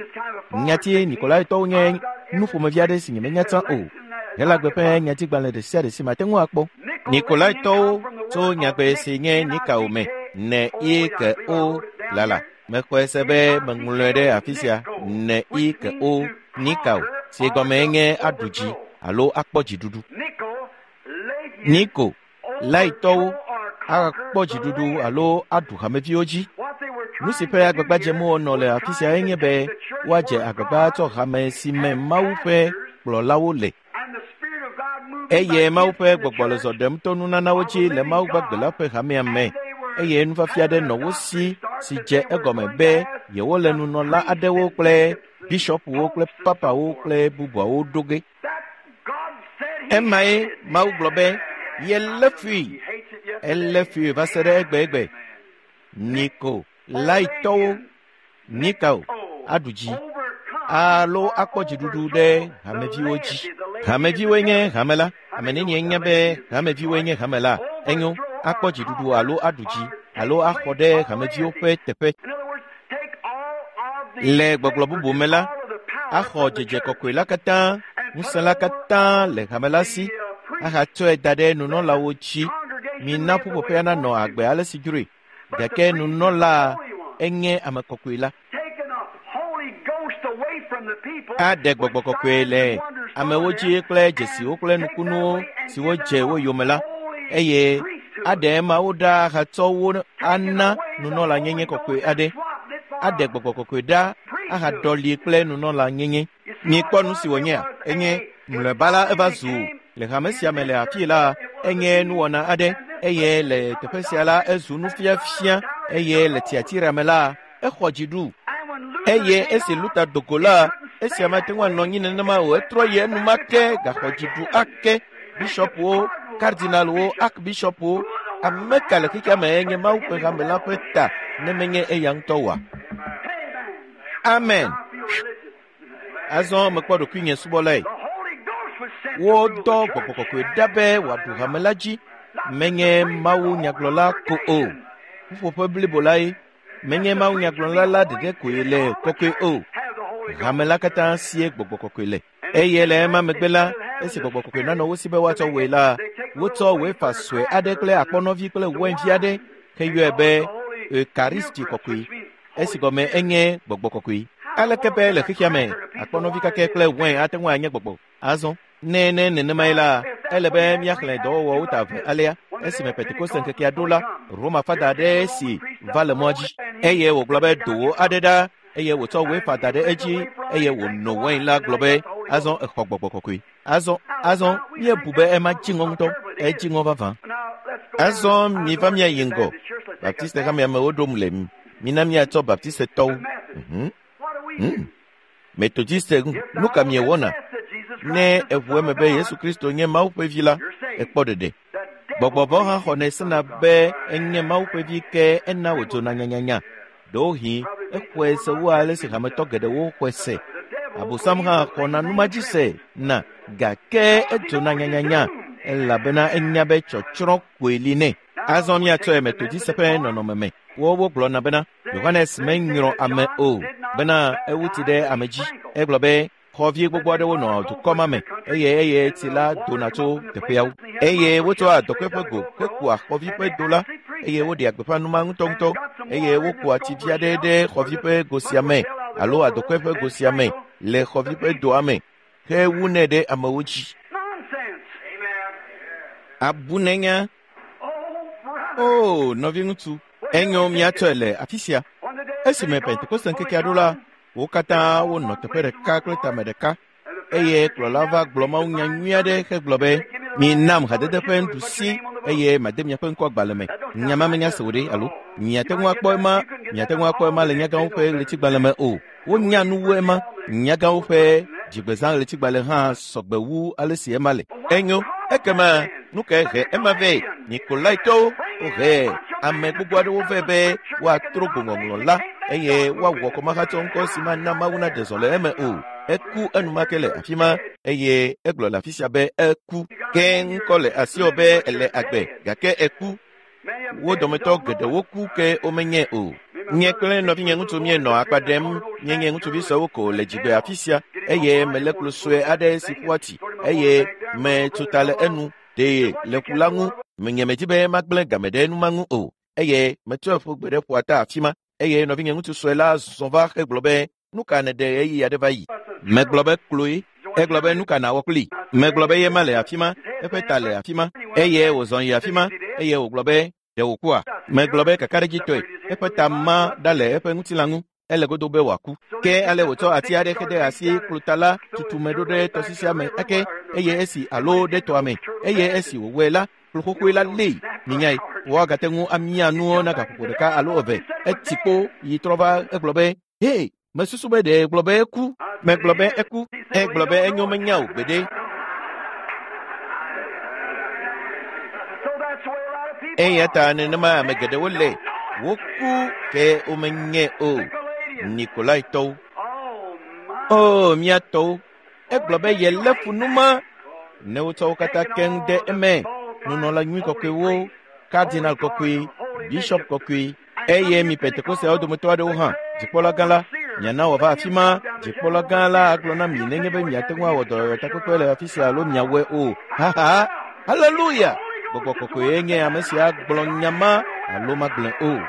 Nyati Nikolaitɔwo nye nu ƒomevi aɖe si nyemenya tsã o. Helagbe ƒe nyatigbalẽ ɖe sia ɖe si mate ŋu akpɔ. Nikolaitɔwo tso nyagbe si nye Nikao me ne i ke o lala. Mexɔe se be meŋlɔe ɖe afi sia ne i ke o Nikao si gɔme nye aɖu dzi alo akpɔ dziɖuɖu. Niko laitɔwo akpɔ dziɖuɖu alo aɖu hameviwo dzi. Nu si ƒe agbagba dzem wonɔ le afi sia enye be woadze agbagba atsɔ hame si me Mawu ƒe kplɔlawo le. Eye Mawu ƒe gbɔgbɔ le zɔ ɖem to nunanawo dzi le Mawu gbagbe la ƒe hamea me. Eye nufiafia aɖe nɔ wo si si dze egɔme be yewole nunɔla aɖewo kple bishɔpuwo kple papawo kple bubuawo ɖo ge. Emae Mawu gblɔ be yelé fui. Elé fui va se ɖe egbegbe. Niko laitɔwo Nikao aɖu dzi alo akpɔ dziɖuɖu ɖe hameviwo dzi. Hameviwoe nye hame la. Ame nenie nya be hameviwoe nye hame la. Enyo akpɔ dziɖuɖu alo aɖu dzi alo axɔ ɖe hameviwo ƒe teƒe. Le gbɔgblɔ bubu me la, axɔ dzedze kɔkɔe la katã, ŋusẽ la katã le hame la si ahatsɔe da ɖe nunɔlawo dzi. Mina ƒuƒoƒea nanɔ agbe ale si dzroe. Gake nunɔla enye ame kɔkɔe la. Aɖe gbɔgbɔ kɔkɔe le amewo dzi kple dzesiwo kple nukunuwo siwo dze wo yome la, eye aɖe emawo ɖa ahatsɔ wo ana nunɔlanyenye kɔkɔe aɖe. Aɖe gbɔgbɔ kɔkɔe ɖa ahaɖɔli kple nunɔlanyenye. Mikpɔ nu si wònyea? Enye mlɔeba la eva zu le hame sia me le afii la enye nuwɔna aɖe eye le teƒe sia la ezu nufiafia eye le Tiatira me la exɔ dzi ɖu. Eye esi Luther do go la, esia mate ŋu anɔ anyi nenema o. Etrɔ yi enumake gaxɔ dzi ɖu ake. Bishɔpwo, kardinalwo, archbishɔpwo, ame ka le xexea me enye Mawu ƒe hame la ƒe ta ne menye eya ŋutɔ oa? Amen. Azɔ mekpɔ ɖokuinye subɔlae. Wodɔ gbɔgbɔ kɔkɔe ɖa be wòaɖu hame la dzi. Menye Mawu nyagblɔla ko o. Ƒuƒoƒe blibo lae. Menye Mawu nyagblɔla la ɖeɖe koe le kɔkɔe o. Hame la katã sie gbɔgbɔ kɔkɔe le. Eye le ema megbe la, esi gbɔgbɔ kɔkɔe nanɔ wo si be woatsɔ wɔe la, wotsɔ wefa sue aɖe kple akpɔnɔvi kple wɛnvi aɖe heyɔe be Eukaristi kɔkɔe. Esi gɔme enye gbɔgbɔ kɔkɔe. Aleke be le xexea me akpɔnɔvi kakɛ kple wɛn ate ŋu anye gbɔgbɔ? Azɔ ne ne nenemae la, ele be míaxlẽ dɔwɔwɔwo ta eve alea. Esime Pentekoste ŋkekea ɖo la, Roma fada aɖe si va le mɔa dzi eye wògblɔ be dowo aɖe ɖa eye wòtsɔ wefa da ɖe edzi eye wòno wɛn la gblɔ be azɔ exɔ gbɔgbɔ kɔkɔe. Azɔ azɔ míebu be ema dzi ŋɔ ŋutɔ, edzi ŋɔ vavã. Azɔ miva míayi ŋgɔ. Baptiste hamea me woɖom le mi. Mina míatsɔ Baptistetɔwo. Mhm. Mm. Methodiste nu ka miewɔna? Ne eʋu eme be Yesu Kristo nye Mawu ƒe vi la, ekpɔ ɖeɖe. Gbɔgbɔ vɔ̃ hã xɔnɛ sena be enye Mawu ƒe vi ke ena wòdzona nyanyanya. Ɖewohĩ exɔe se wu ale si hametɔ geɖewo xɔe se. Abosam hã xɔna numadzi se na gake edzona nyanyanya elabena enya be tsɔtsrɔ̃ koe li nɛ. Azɔ míatsɔe Methodiste ƒe nɔnɔme me. Wowo gblɔna bena Yohanes menyrɔ ame o bena ewu tsi ɖe ame dzi. Egblɔ be xɔvi gbogbo aɖewo nɔ dukɔ ma me eye eye tsi la dona tso teƒeawo. Eye wotsɔa dɔkɔe ƒe go hekua xɔvi ƒe do la eye woɖea gbeƒã numa ŋutɔŋutɔ eye wokua tsi vi aɖe ɖe xɔvi ƒe go sia me alo adɔkɔe ƒe go sia me le xɔvi ƒe doa me hewunɛ ɖe amewo dzi. Abunenya. O nɔviŋutsu, enyo míatsɔe le afi sia. Esime Pentekoste ŋkekea ɖo la, wo katã wonɔ teƒe ɖeka kple tame ɖeka eye kplɔla va gblɔ mawunya nyui aɖe hegblɔ be minam hadede ƒe nuɖusi eye made miaƒe ŋkɔ agbalẽ me. Nya ma menya se o ɖe alo miate ŋu akpɔ ema miate ŋu akpɔ ema le nyagãwo ƒe ɣletigbalẽ me o. Wonya nu wu ema. Nyagãwo ƒe dzigbezã ɣletigbalẽ hã sɔgbe wu ale si ema le. Enyo ekema nu kae he ema vɛ? Nikolaitɔwo wohe ame gbogbo aɖewo vɛ be woatro go ŋɔŋlɔ la eye woawɔ kɔmahatsɔ ŋkɔ si mana Mawu naɖe zɔ le eme o. Eku enumake le afi ma eye egblɔ le afi sia be eku. Ke ŋkɔ le asiwò be ele agbe gake eku. Wo dometɔ geɖewo ku ke womenye o. Nye kple nɔvinye ŋutsu míenɔ akpa ɖem. Míenye ŋutsuvi sɔewo ko le dzigbe afi sia eye melé klo sue aɖe si ƒua tsi eye metso ta le enu Ɖee le ƒu la ŋu. Menye medzi be magblẽ game ɖe nu ma ŋu o. Eye metsɔe ƒu gbe ɖe ƒua ta afi ma. Eye nɔvinye ŋutsu sue la zɔ va hegblɔ be nu ka nèɖe ɣeyiɣi aɖe va yi. Megblɔ be kloe. Egblɔ be nu ka nawɔ kpli. Megblɔ be ye ma le afi ma, eƒe ta le afi ma. Eye wòzɔ yi afi ma eye wògblɔ be ɖe wòkua. Megblɔ be kakaɖedzitɔe eƒe ta ma ɖa le eƒe ŋutilã ŋu. Ele godo be wòaku. Ke ale wòtsɔ ati aɖe xe ɖe asi kplota la tutume ɖo ɖe tɔsisia me ake eye esi alo ɖe tɔa me eye esi wòwɔe la kplu xoxoe la lée. Minyae, woagate ŋu amia nuwo na gaƒoƒo ɖeka alo eve. Etsi kpo yi trɔ va egblɔ be he mesusu be ɖe gblɔ be eku. Megblɔ be eku. Egblɔ be enyo menya o gbeɖe. Eya ta nenema ame geɖewo le woku ke womenye o. Nikolaitɔwo. O mía tɔwo. Egblɔ be yelé fu nu ma. Ne wotsɔ wo katã keŋ de eme. Nunɔla nyui kɔkɔewo, kardinal kɔkɔe, bishop kɔkɔe, eye mi Pentekosteawo dometɔ aɖewo hã, dzikpɔla gã la, miana wòava afi ma. Dzikpɔla gã la agblɔ na mi nenye be miate ŋu awɔ dɔyɔyɔtakpekpe le afi sia alo miawɔe o. Haha! Haleluya! Gbɔgbɔ kɔkɔe nye ame sia gblɔ nya ma alo magblɔe o.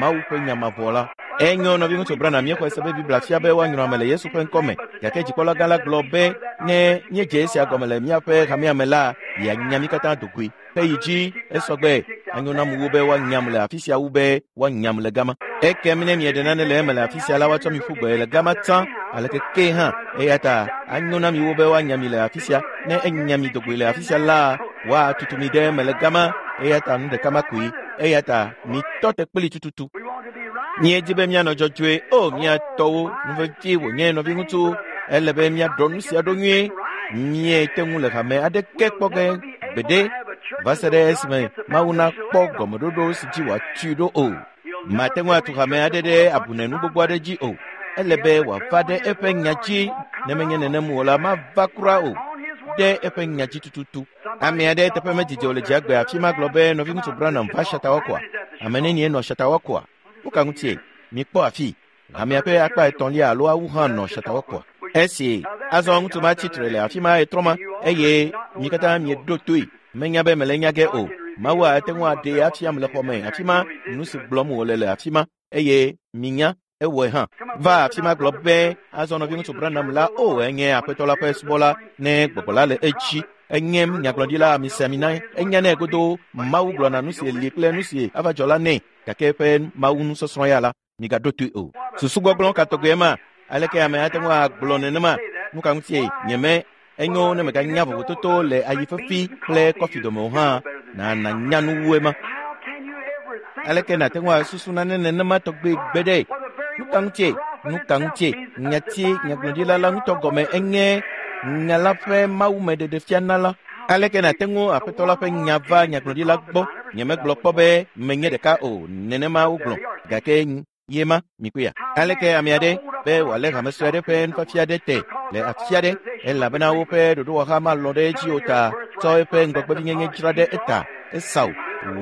Mawu ƒe nya mavɔ la. Enyo nɔviŋutsu Branham míexɔe se be Biblia fia be woanyrɔ ame le Yesu ƒe ŋkɔme. Gake dzikpɔla gã la gblɔ be ne míedze esia gɔme le míaƒe hamea me la, yeanya mí katã do goe. Heyi dzi esɔgbe anyo nam wu be woanyam le afi sia wu be woanyam le gama. Ekem ne mieɖe nane le eme le afi sia la, woatsɔ mi ƒu gbe le gama tsã aleke ke hã. Eya ta anyo na mi wu be woanya mi le afi sia. Ne enya mi do goe le afi sia la, woatutu mi ɖe eme le gama. Eya ta nu ɖeka ma koe. Eya ta mitɔ te kpli tututu. Míedi be míanɔ dzɔdzɔe. O mía tɔwo, nu vevi wònye nɔviŋutsu. Ele be míaɖɔ nu sia ɖo nyuie. Míete ŋu le hame aɖeke kpɔ ge gbeɖe va se ɖe esime Mawu nakpɔ gɔmeɖoɖo si dzi wòatui ɖo o. Mate ŋu atu hame aɖe ɖe abunenu gbogbo aɖe dzi o. Ele be wòava ɖe eƒe nya dzi. Ne menye nenem o la, mava kura o. Ɖe eƒe nya dzi tututu. Ame aɖe teƒe medzidzi o le dziagbe afi ma gblɔ be nɔviŋutsu Branham va Shatawakɔa. Ame nenie nɔ Shatawakɔa? Nu ka ŋutie? Mikpɔ afi. Hamea ƒe akpa etɔ̃lia alo awu hã nɔ Shatawakɔa. Esi azɔ ŋutsu ma tsi tre le afi ma etrɔ ma eye mi katã mieɖo toe. Menya be mele nya ge o. Mawu ate ŋu aɖee afiam le xɔme afi ma nu si gblɔm wòle le afi ma eye minya ewɔe hã. Va afi ma gblɔ be azɔ nɔviŋutsu Branham la o enye aƒetɔ la ƒe subɔla ne gbɔgbɔ la le edzi. Enye nyagblɔɖila amesiamina. Enya nɛ godo Mawu gblɔna nu si li kple nu si ava dzɔ la nɛ. Gake eƒe Mawu nusɔsrɔ̃ ya la migaɖo toe o. Susu gbɔgblɔ ka tɔgbe ma? Aleke ame ate ŋu agblɔ nenema? Nu ka ŋutie nyeme enyo ne meganya vovototo le ayi fefi kple kɔfi dome o hã na nanya nu wu ema. Aleke nate ŋu asusu nane nenema tɔgbe gbeɖe? Nu ka ŋutie? Nu ka ŋutie? Nyati nyagblɔɖila la ŋutɔ gɔme enye nya la ƒe mawumeɖeɖefiana la. Aleke nate ŋu aƒetɔ la ƒe nya va nyagblɔɖila gbɔ? Nyemegblɔ kpɔ be menye ɖeka o. Nenema wogblɔ. Gake ye ma mikpɔea. Aleke ame aɖe be wòalé hame sue aɖe ƒe nufiafia ɖe te le afi aɖe elabena woƒe ɖoɖowɔha malɔ̃ ɖe edzi o ta tsɔ eƒe ŋgɔgbevinyenye dzra ɖe eta. Esau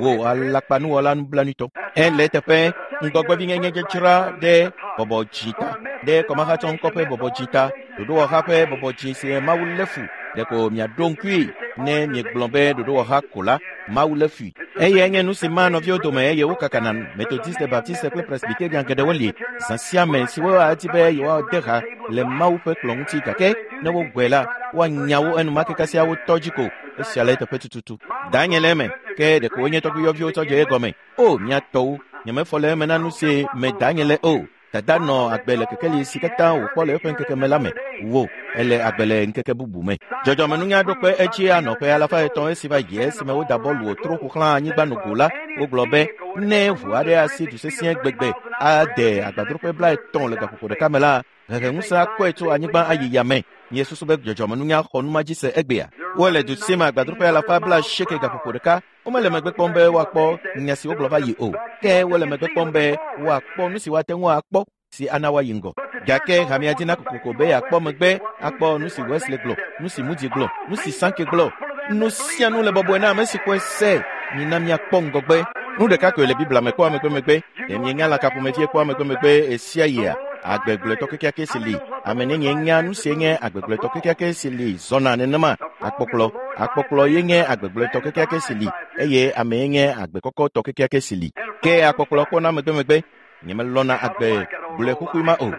wò alakpanuwɔla nublanuitɔ. Ele teƒe ŋgɔgbevinyenye dzra ɖe bɔbɔ dzi ta ɖe kɔmahatsɔŋkɔ ƒe bɔbɔ dzi ta ɖoɖowɔha ƒe bɔbɔ dzi si Mawu lé fu. Ɖeko miaɖo ŋkui ne miegblɔ be ɖoɖowɔha ko la Mawu lé fui. Eye nye nu si ma nɔviwo dome eye wokakana Methodiste, Baptiste kple Presbyterian geɖewo li zã sia me siwo adi be yewoade ha le Mawu ƒe kplɔ̃ ŋuti gake ne wogɔe la woanya wo enumake kasia wotɔ dzi ko. Esia le eteƒe tututu. Danye le eme ke ɖeko wonye tɔgbuiyɔviwo tsɔ dze egɔme. O mía tɔwo, nyemefɔ le eme na nu si me danye le o. Dada nɔ agbe le kekeli si katã wòkpɔ le eƒe ŋkeke me la me. Wo ele agbe le ŋkeke bubu me. Dzɔdzɔmenunya ɖo kpe edzi anɔ ƒe alafa etɔ̃ esi va yi esime woda bɔlu wòtro ƒo xlã anyigba nogo la, wogblɔ be ne ʋu aɖe asi du sesĩe gbegbe ade agbadroƒe blaetɔ̃ le gaƒoƒo ɖeka me la, heheŋusẽ akɔe tso anyigba ayi yame. Miesusu be dzɔdzɔmenunya xɔ nu ma dzi se egbea. Wole du sim agbadroƒe alafa blaasieke gaƒoƒo ɖeka. Womele megbe kpɔm be woakpɔ nya si wogblɔ va yi o. Ke wole megbe kpɔm be woakpɔ nu si woate ŋu akpɔ si ana woayi ŋgɔ. Gake hamea dina kokoko be yeakpɔ megbe akpɔ nu si Wesley gblɔ, nu si Moody gblɔ, nu si Sankey gblɔ. Nu sia nu le bɔbɔe na ame si xɔe se. Mina míakpɔ ŋgɔgbe. Nu ɖeka koe le Biblia me kpɔa megbemegbe. Ɖe mienya lã ka ƒomevie kpɔa megbemegbe esia yia? Agbegblɔtɔ kekeake si li. Ame nenye nya nu sie nye agbegblɔtɔ kekeake si li zɔna nenema. Akpɔkplɔ, akpɔkplɔ ye nye agbegblɔtɔ kekeake si li eye ame ye nye agbekɔkɔtɔ kekeake si li. Ke akpɔkplɔ kpɔna megbemegbe. Nyemelɔna agbe gblɔe xoxoe ma o.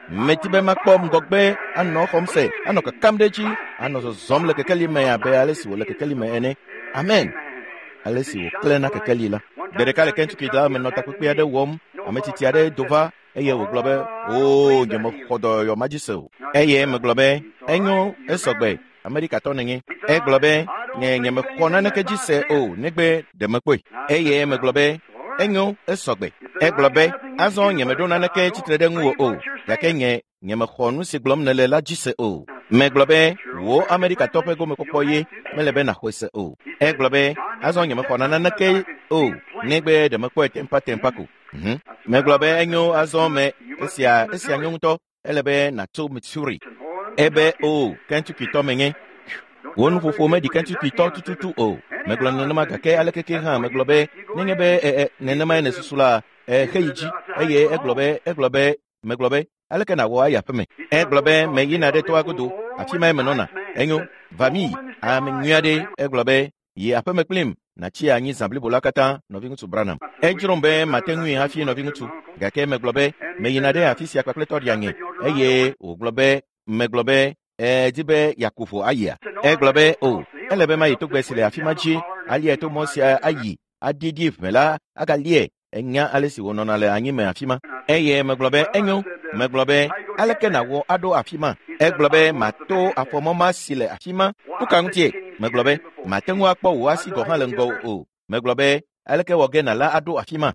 Meti be makpɔ ŋgɔgbe anɔ xɔm se, anɔ kakam ɖe edzi, anɔ zɔzɔm le kekeli me abe ale si wòle kekeli me ene. Amen. Ale si wòklẽ na kekeli la. Gbe ɖeka le Kentucky la menɔ takpekpe aɖe wɔm, ame tsitsi aɖe do va eye wògblɔ be, "Oo, nyemexɔ dɔyɔyɔ ma dzi se o." Eye megblɔ be, "Enyo, esɔgbe, Amerikatɔ nènye." Egblɔ be, "Nye nyemexɔ naneke dzi se o, negbe ɖe mekpɔe." Eye megblɔ be, "Enyo, esɔgbe." Egblɔ be, "Azɔ nyemeɖo naneke tsitre ɖe ŋuwò o, gake nye nyemexɔ nu si gblɔm nèle la dzi se o." Megblɔ be, "Wò Amerikatɔ ƒe gomekpɔkpɔ ye mele be nàxɔe se o." Egblɔ be, "Azɔ nyemexɔ naneke o, negbe ɖe mekpɔe tempatempa ko." Mhm. Megblɔ be, "Enyo, azɔ me esia esia nyo ŋutɔ, ele be nàtso Missouri." Ebe, "O, Kentucky-tɔ menye." Wò nuƒoƒo meɖi Kentucky-tɔ tututu o. Megblɔ nenema gake alekeke hã megblɔ be nenye be e, e, nenemae nèsusu la, exe yi dzi. Eye egblɔ be egblɔ be megblɔ be aleke nàwɔ ayi aƒeme. Egblɔ be meyina ɖe toa godo, afi mae menɔna. Enyo, va mi ame nyui aɖe. Egblɔ be yi aƒeme kplim nàtsi anyi zã blibo la katã, nɔviŋutsu Branham. Edzrom be mate ŋui hafi nɔviŋutsu, gake megblɔ be meyina ɖe afi sia kpakple tɔɖiaŋe. Eye wògblɔ be megblɔ be edi be yeaku ʋu ayia. Egblɔ be o, ele be mayi togbɛ si le afi ma dzi, aliae to mɔ sia ayi, aɖiɖi ʋe la agalie. Enya ale si wònɔna le anyime afi ma. Eye megblɔ be enyo. Megblɔ be aleke nàwɔ aɖo afi ma? Egblɔ be mato afɔmɔ ma si le afi ma. Nu ka ŋutie? Megblɔ be mate ŋu akpɔ wò asi gɔ̃ hã le ŋgɔwò o. Megblɔ be aleke wɔ ge nàla aɖo afi ma?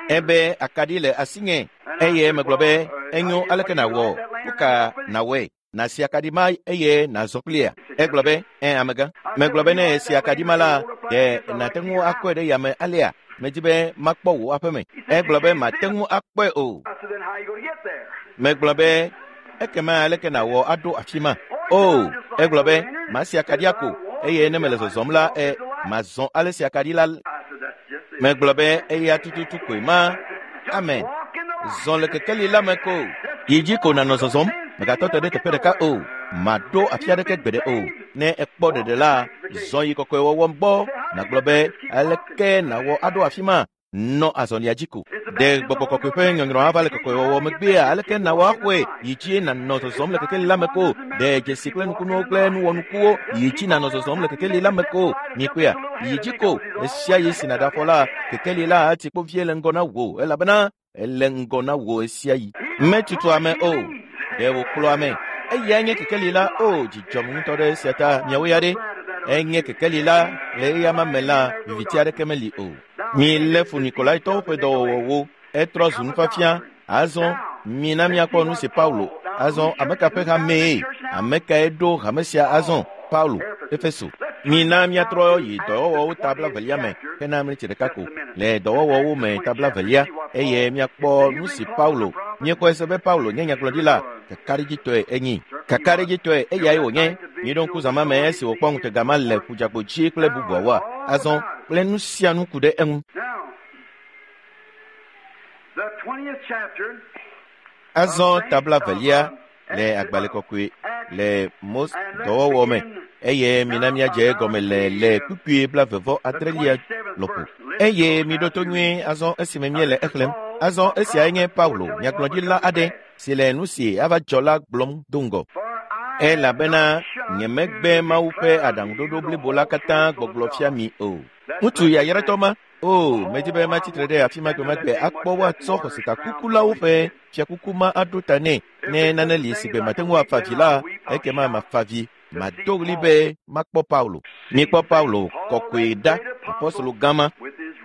Ebe akaɖi le asinye. Eye megblɔ be enyo, aleke nàwɔ? Nu ka nàwɔe? Nàsi akaɖi ma eye nàzɔ kplia? Egblɔ be ẽ amegã. Megblɔ be ne esi akaɖi ma la, ɖe nàte ŋu akɔe ɖe yame alea? Medi be makpɔ wò aƒeme. Egblɔ be mate ŋu akpɔe o. Megblɔ be ekema aleke nàwɔ aɖo afi ma? O, egblɔ be masi akaɖia ko eye ne mele zɔzɔm la, e mazɔ ale si akaɖi la. Megblɔ be eya tututu koe ma. Amen. Zɔ le kekeli la me ko. Yi dzi ko nànɔ zɔzɔm. Mègatɔ te ɖe teƒe ɖeka o. Màɖo afi aɖeke gbeɖe o. Ne ekpɔ ɖeɖe la, zɔ yi kɔkɔewɔwɔ gbɔ. Nàgblɔ be aleke nàwɔ aɖo afi ma? Nɔ azɔlia dzi ko. Ɖe gbɔgbɔ kɔkɔe ƒe nyɔnyrɔ ava le kɔkɔewɔwɔ megbea? Aleke nàwɔ axɔe? Yi dzi nànɔ zɔzɔm le kekeli la me ko. Ɖe dzesi kple nukunuwo kple nuwɔnukuwo. Yi dzi nànɔ zɔzɔm le kekeli la me ko. Mikpɔea? Yi dzi ko. Esia yi si nàɖe afɔ la, kekeli la ati kpo vie le ŋgɔ na wò elabena ele ŋgɔ na wò esia yi. Metutu ame o. Ɖe wòkplɔ ame. Eyae nye kekeli la. O, dzidzɔm ŋutɔ ɖe esia ta. Miawo ya ɖe? Enye kekeli la le eyama me la, viviti aɖeke meli o. Mi lé fu Nikolaitɔwo ƒe dɔwɔwɔwo. Etrɔ zu nufiafia. Azɔ mina míakpɔ nu si Paulo. Azɔ ame ka ƒe hamee? Ame kae ɖo hame sia azɔ? Paulo, Efeso. Mina míatrɔ yi dɔwɔwɔwo ta blavelia me hena mleti ɖeka ko. Le dɔwɔwɔwo me ta blavelia eye míakpɔ nu si Paulo. Míekpɔe se be Paulo nye nyagblɔɖila. Kakaɖedzitɔe enyi. Kakaɖedzitɔe eyae wònye. Míeɖo ŋku zã ma me esi wòkpɔ ŋutega ma le ƒudzagbo dzi kple bubuawoa. Azɔ kple nu sia nu ku ɖe eŋu. Azɔ ta blavelia le agbalẽ kɔkɔe le Mose dɔwɔwɔ me eye mina míadze egɔme le le kpukpui blavevɔ adrelia lɔƒo. Eye miɖo to nyuie azɔ esime míele exlẽm. Azɔ esiae nye Paulo, nyagblɔɖila aɖe si le nu si ava dzɔ la gblɔm do ŋgɔ. Elabena nyemegbe Mawu ƒe aɖaŋuɖoɖo blibo la katã gbɔgblɔ fia mi o. Ŋutsu yayratɔ ma, o, medi be matsi tre ɖe afi ma gbe ma gbe akpɔ woatsɔ xɔsetakukulawo ƒe fiakuku ma aɖo ta nɛ. Ne nane li si gbe mate ŋu afa vi la, ekema mafa vi. Mado ɣli be makpɔ Paulo. Mikpɔ Paulo kɔkɔe ɖa, apɔstolo gã ma,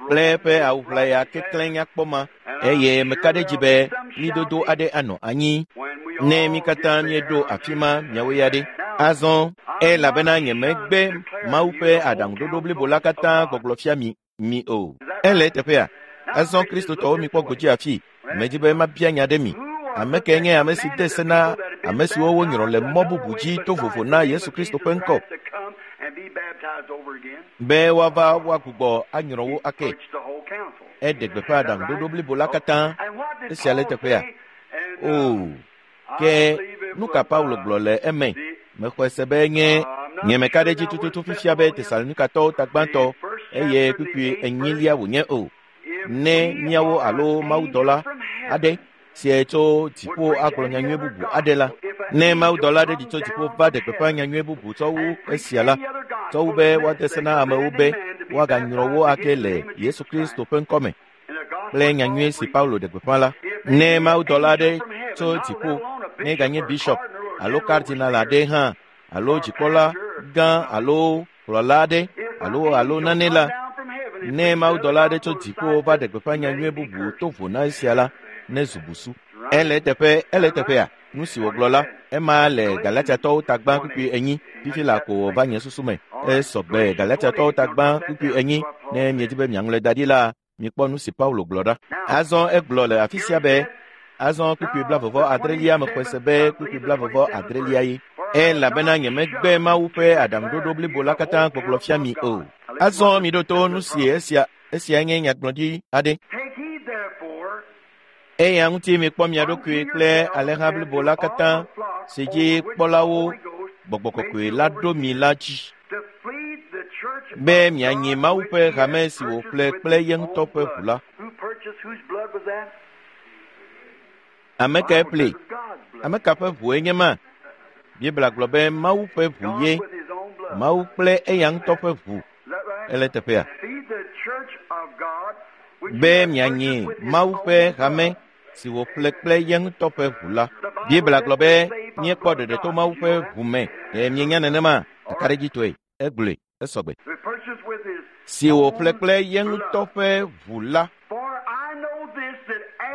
kple eƒe awu ʋlaya keklẽ nyakpɔ ma, eye meka ɖe edzi be ɣlidodo aɖe anɔ anyi ne mi katã míeɖo afi ma miawo ya ɖe. Azɔ elabena nyemegbe Mawu ƒe aɖaŋuɖoɖo blibo la katã gbɔgblɔ fia mi mi o. Ele teƒea. Azɔ Kristotɔwo mikpɔ godzi afi. Medi be mabia nya ɖe mi. Ame kae nye ame si de se na ame siwo wonyrɔ le mɔ bubu dzi to vovo na Yesu Kristo ƒe ŋkɔ be woava woagbugbɔ anyrɔ wo ake? Eɖe gbeƒã aɖaŋuɖoɖo blibo la katã. Esia le teƒea. O, ke nu ka Paulo gblɔ le eme? Mexɔe se be nye nye meka ɖe dzi tututu fifia be Tesalonikatɔwo ta gbãtɔ eye kpukpui enyilia wònye o. Ne míawo alo mawudɔla aɖe si tso dziƒo agblɔ nyanyui bubu aɖe la, ne mawudɔla aɖe ɖi tso dziƒo va ɖe gbeƒã nyanyui bubu tsɔ wu esia la, tsɔ wu be woade se na amewo be woaganyrɔ wo ake le Yesu Kristo ƒe ŋkɔme kple nyanyui si Paulo ɖe gbeƒã la. Ne mawudɔla aɖe tso dziƒo, ne ganye bishop alo kardinal aɖe hã, alo dzikpɔla gã alo kplɔla aɖe alo alo nane la, ne mawudɔla aɖe tso dziƒo va ɖe gbeƒã nyanyui bubu to vo na esia la, ne zu busu. Ele teƒe, ele teƒea, nu si wògblɔ la, ema le Galatiatɔwo ta gbã kpukpui enyi, fifi la ko wòva nye susu me. Esɔgbe Galatiatɔwo ta gbã kpukpui enyi, ne miedi be miaŋlɔe da ɖi la, mikpɔ nu si Paulo gblɔ ɖa. Azɔ egblɔ le afi sia be, azɔ kpukpui blavevɔ adrelia mexɔe se be kpukpui blavevɔ adrelia ye. Elabena nyemegbe Mawu ƒe aɖaŋuɖoɖo blibo la katã gbɔgblɔ fia mi o. Azɔ miɖo to nu si esia esia nye nyagblɔɖi aɖe. Eya ŋuti mikpɔ mia ɖokui kple alẽha blibo la katã si dzi kpɔlawo gbɔgbɔ kɔkɔe la ɖo mi la dzi, be mianyi Mawu ƒe hame si wòƒle kple ye ŋutɔ ƒe ʋu la. Ame kae ƒlee? Ame ka ƒe ʋue nye ma? Biblia gblɔ be Mawu ƒe ʋu ye, Mawu kple eya ŋutɔ ƒe ʋu. Ele teƒea? Be mianyi Mawu ƒe hame si wòƒle kple ye ŋutɔ ƒe ʋu la. Biblia gblɔ be míekpɔ ɖeɖe to Mawu ƒe ʋu me. Ɖe mienya nenema? Kakaɖedzitɔe, egblɔe, esɔgbe. Si wòƒle kple ye ŋutɔ ƒe ʋu la.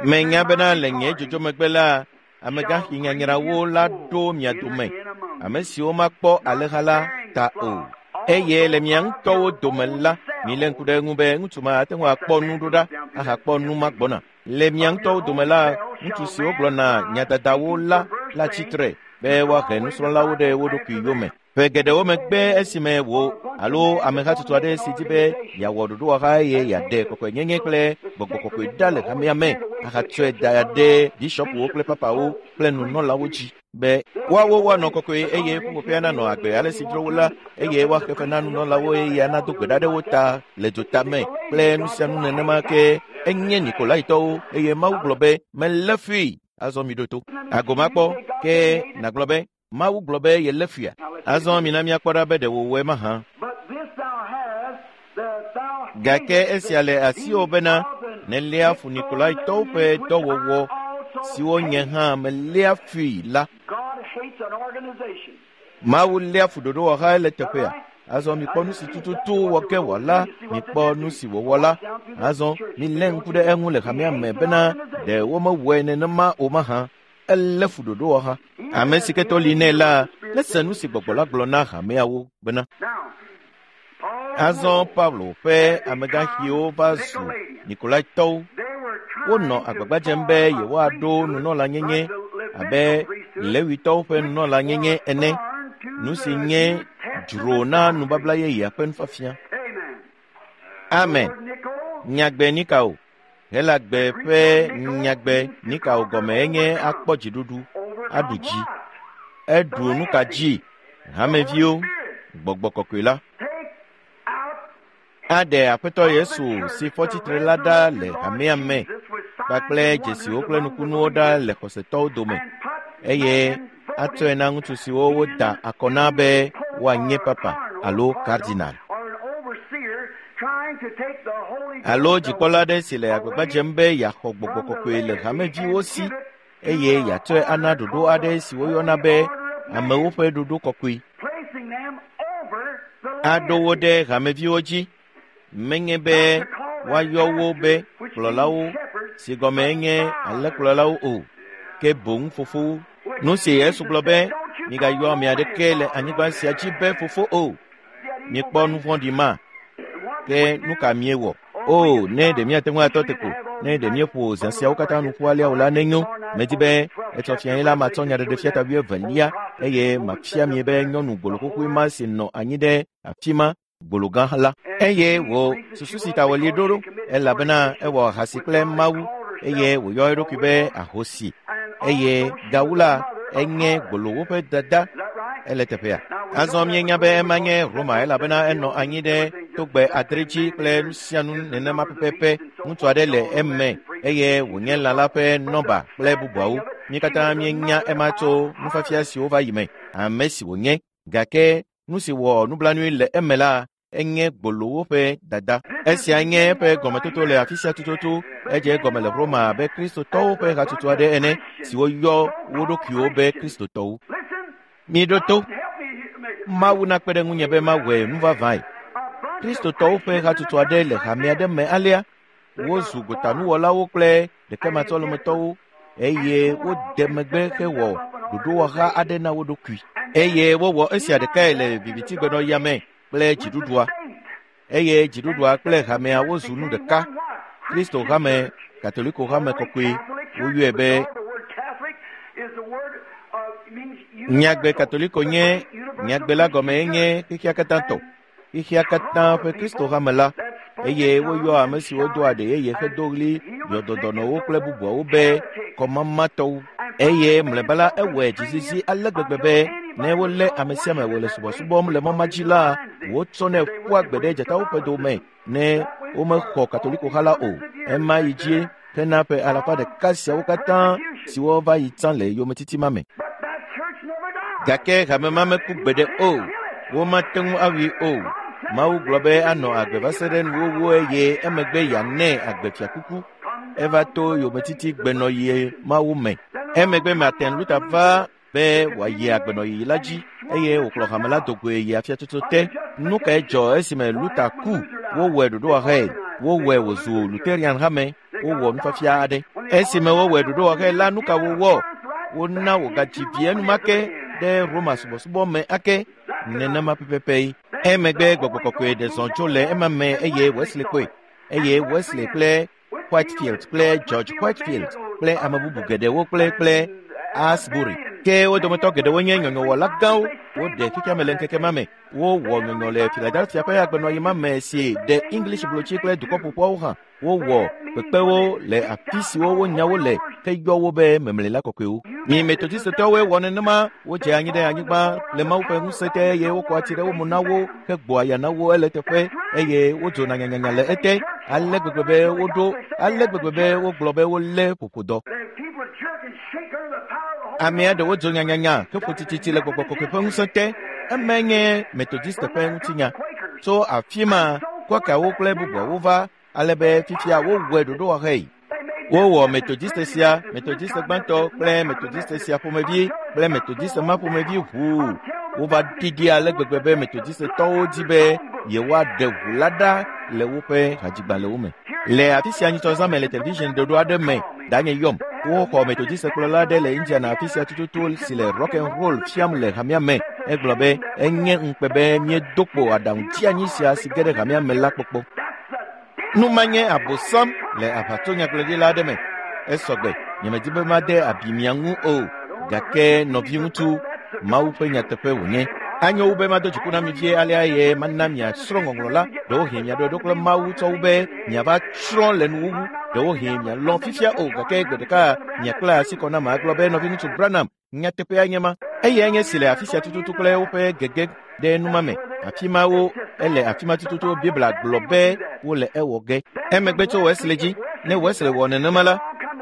Menya bena le nye dzodzo megbe la, amegãxi nyanyrawo la ɖo mia dome, ame siwo makpɔ alẽha la ta o. Eye le mia ŋutɔwo dome la, milé ŋku ɖe eŋu be ŋutsu ma ate ŋu akpɔ nu ɖo ɖa ahakpɔ nu ma gbɔna. Le mia ŋutɔwo dome la, ŋutsu siwo gblɔna nyadadawo la la tsitre be woahe nusrɔ̃lawo ɖe wo ɖokui yome. Ƒe geɖewo megbe esime wò alo amehatsotso aɖe si di be yeawɔ ɖoɖowɔha eye yeaɖe kɔkɔenyenye kple gbɔgbɔ kɔkɔe ɖa le hamea me ahatsɔe da ɖe bishɔpuwo kple papawo kple nunɔlawo dzi be woawo woanɔ kɔkɔe eye ƒuƒoƒea nanɔ agbe ale si dzro wo la, eye woaxe fe na nunɔlawo eye anado gbe ɖa ɖe wo ta le dzota me kple nu sia nu nenema ke enye Nikolaitɔwo eye Mawu gblɔ be melé fui. Azɔ miɖo to. Agomakpɔ ke nàgblɔ be Mawu gblɔ be yelé fuia. Azɔ mina míakpɔ ɖa be ɖe wòwɔe mahã. Gake esia le asiwò bena nèléa fu Nikolaitɔwo ƒe dɔwɔwɔ siwo nye hã meléa fui la. Mawu léa fu ɖoɖowɔha le teƒea. Azɔ mikpɔ nu si tututu wɔ ke wòala, mikpɔ nu si wòwɔ la. Azɔ milé ŋku ɖe eŋu le hamea me bena ɖe womewɔe nenema o mahã. Elé fu ɖoɖowɔha. Ame si ke to li nɛ la, nese nu si gbɔgbɔ la gblɔ na hameawo bena. Azɔ Paulo ƒe amegãxiwo va zu Nikolaitɔwo. Wonɔ agbagba dzem be yewoaɖo nunɔlanyenye abe Lewitɔwo ƒe nunɔlanyenye ene, nu si nye dzro na nubabla yeyea ƒe nufiafia. Amen. Nyagbe Nikao. Helagbe ƒe nyagbe Nikao gɔme enye akpɔ dziɖuɖu, aɖu dzi. Eɖu nu ka dzi? Hameviwo, gbɔgbɔ kɔkɔe la. Aɖe Aƒetɔ Yesu si fɔ tsitre la ɖa le hamea me kpakple dzesiwo kple nukunuwo ɖa le xɔsetɔwo dome, eye atsɔe na ŋutsu siwo woda akɔ na be woanye papa alo kardinal alo dzikpɔla aɖe si le agbagba dzem be yeaxɔ gbɔgbɔ kɔkɔe le hameviwo si eye yeatsɔe ana ɖoɖo aɖe si woyɔna be amewo ƒe ɖoɖo kɔkɔe. Aɖo wo ɖe hameviwo dzi, menye be woayɔ wo be kplɔlawo si gɔme nye alẽkplɔlawo o, ke boŋ fofowo. Nu si Yesu gblɔ be migayɔ ame aɖeke le anyigba sia dzi be fofo o. Mikpɔ nu vɔ̃ɖi ma. Ke nu ka miewɔ? O, ne ɖe míate ŋu atɔ te ko, ne ɖe míeƒo zã siawo katã nu ƒu alea o la nenyo. Medi be etsɔ fiae la matsɔ nyaɖeɖefia ta wuievelia eye mafia mi be nyɔnu gboloxoxoe ma si nɔ anyi ɖe afi ma gbologã la. Eye wò susu si ta wòli ɖo ɖo, elabena ewɔ ahasi kple Mawu eye wòyɔ eɖokui be ahosi. eye gawu la enye gbolowo ƒe dada ele teƒea. Azɔ míenya be ema nye Roma elabena enɔ anyi ɖe togbɛ adre dzi kple nu sia nu nenema pɛpɛpɛ. Ŋutsu aɖe le eme eye wònye lã la ƒe nɔba kple bubuawo. Mí katã míenya ema tso nufiafia siwo va yi me, ame si wònye. Gake nu si wɔ nublanui le eme la enye gbolowo ƒe dada. Esia nye eƒe gɔmetoto le afi sia tututu. Edze egɔme le Roma abe kristotɔwo ƒe hatsotso aɖe ene siwo yɔ wo ɖokuiwo be kristotɔwo. Miɖo to. Mawu nakpe ɖe ŋunye be mawɔe nu vavãe. Kristotɔwo ƒe hatsotso aɖe le hame aɖe me alea. Wozu gotanuwɔlawo kple ɖekematsɔlemetɔwo eye wode megbe hewɔ ɖoɖowɔha aɖe na wo ɖokui. Eye wowɔ esia ɖekae le vivitigbenɔɣia me kple dziɖuɖua. Eye dziɖuɖua kple hamea wozu nu ɖeka. Kristo hame, Katoliko hame kɔkɔe, woyɔe be nyagbe Katoliko nye nyagbe la gɔme nye xexea katã tɔ, xexea katã ƒe Kristo hame la. Eye woyɔ ame siwo do aɖe yeye hedo ɣli yɔdɔdɔnɔwo kple bubuawo be kɔmamatɔwo. Eye mlɔeba la ewɔe dzizizi ale gbegbe be ne wolé ame sia ame wòle subɔsubɔm le mɔ ma dzi la, wotsɔnɛ ƒua gbe ɖe dzatawo ƒe dome ne womexɔ Katoliko ha la o. Ema yi dzi hena ƒe alafa ɖeka siawo katã siwo va yi tsã le yometiti ma me. Gake hame ma meku gbeɖe o, womate ŋu awui o. Mawu gblɔ be anɔ agbe va se ɖe nuwuwu eye emegbe yeanɛ agbe fiakuku. Eva to yometiti gbenɔɣi mawo me. Emegbe Martin Luther va be wòayi agbenɔɣi la dzi eye wòkplɔ hame la do goe yi afiatsotso te. Nu kae dzɔ esime Luther ku? Wowɔe ɖoɖowɔhae. Wowɔe wòzu Lutherian hame. Wowɔ nufiafia aɖe. Esime wowɔe ɖoɖowɔhae la, nu ka wowɔ? Wona wògadzi vi enumake ɖe Roma subɔsubɔ me ake nenema pɛpɛpɛ. Emegbe gbɔgbɔ kɔkɔe ɖe zɔ tso le ema me eye Wesley kpɔe. Eye Wesley kple Whitefield kple George Whitefield kple ame bubu geɖewo kple kple Asbury. Ke wo dometɔ geɖewo nye nyɔnyɔwɔla gãwo. Woɖe xexeame le ŋkeke ma me. Wowɔ nyɔnyɔ le Philadelphia ƒe agbenɔɣi ma me si ɖe English blotsi kple dukɔ ƒoƒuawo hã. Wowɔ kpekpewo le afi siwo wonya wo le heyɔ wo be memlela kɔkɔewo. Mi Methodistetɔwoe wɔ nenema. Wodze anyi ɖe anyigba le Mawu ƒe ŋusẽ te eye wokɔ atsi ɖe wo mo na wo hegbɔ aya na wo ele teƒe eye wodzona nyanyanya le ete ale gbegbe be woɖo ale gbegbe be wogblɔ be wolé ƒoƒodɔ. Amea ɖewo dzo nyanyanya heƒo tititi le gbɔgbɔ kɔkɔe ƒe ŋusẽ te. Emae nye Methodiste ƒe ŋutinya. Tso afi ma Quakerwo kple bubuawo va ale be fifia wowɔe ɖoɖowɔhae. Wowɔ Methodiste sia, Methodiste gbãtɔ kple Methodiste sia ƒomevi kple Methodiste ma ƒomevi ʋuu. Wova ɖiɖi ale gbegbe be Methodistetɔwo di be yewoaɖe ʋu la ɖa le woƒe hadzigbalẽwo me. Le afi sia nyitsɔzã me le television ɖoɖo aɖe me, danye yɔm. Woxɔ Methodiste kplɔla aɖe le Indiana afi sia tututu si le rock and roll fiam le hamea me. Egblɔ be enye ŋukpe be míedo kpo aɖaŋutianyi sia si ge ɖe hamea me la kpɔkpɔ. Nu ma nye abosam le aʋatsonyagblɔɖila aɖe me. Esɔgbe, nyemedi be made abi mia ŋu o, gake nɔviŋutsu, Mawu ƒe nyateƒe wònye. Anyo wu be mado dziku na mi vie alea eye mana miasrɔ̃ ŋɔŋlɔ la. Ɖewohĩ miaɖoe ɖo kple Mawu tsɔ wu be miava tsrɔ̃ le nuwuwu. Ɖewohĩ mialɔ̃ fifia o, gake gbe ɖeka miakpla asi kɔ na magblɔ be nɔviŋutsu Branham, nyateƒea nye ma. Eyae nye si le afi sia tututu kple woƒe gege ɖe numa me. Afi mawo ele afi ma tututu Biblia gblɔ be wole ewɔ ge. Emegbe tso Wesley dzi, ne Wesley wɔ nenema la,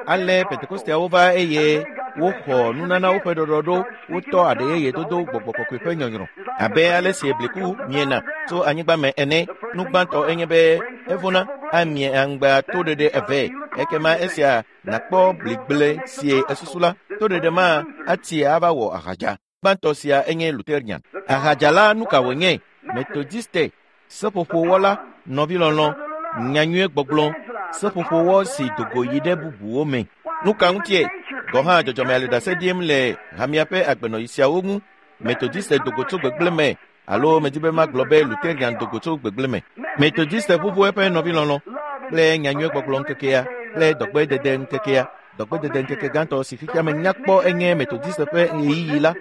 ale Pentekosteawo va eye woxɔ nunanawo ƒe ɖɔɖɔɖo, wotɔ aɖe yeye dodo gbɔgbɔ kɔkɔe ƒe nyɔnyrɔ. Abe ale si bliku miena tso anyigba me ene, nu gbãtɔ enye be evona amie aŋgba toɖeɖe eve. Ekema esia nakpɔ bligble si esusu la, toɖeɖe ma ati ava wɔ ahadza. Gbãtɔ sia enye Lutherian. Ahadza la nu ka wònye? Methodiste, seƒoƒowɔla, nɔvilɔlɔ̃, nyanyuie gbɔgblɔ, seƒoƒowɔ si dogo yi ɖe bubuwo me. Nu ka ŋutie? Gɔ̃ hã dzɔdzɔmea le ɖase ɖim le hamea ƒe agbenɔɣi siawo ŋu. Methodiste dogo tso gbegblẽ me alo medi be magblɔ be Lutherian dogo tso gbegblẽ me. Methodiste ʋuʋu eƒe nɔvilɔlɔ̃ kple nyanyuie gbɔgblɔ ŋkekea kple dɔgbedede ŋkekea. Dɔgbedede ŋkeke gãtɔ si xexea me nyakpɔ enye Methodiste ƒe ɣeyiɣi la.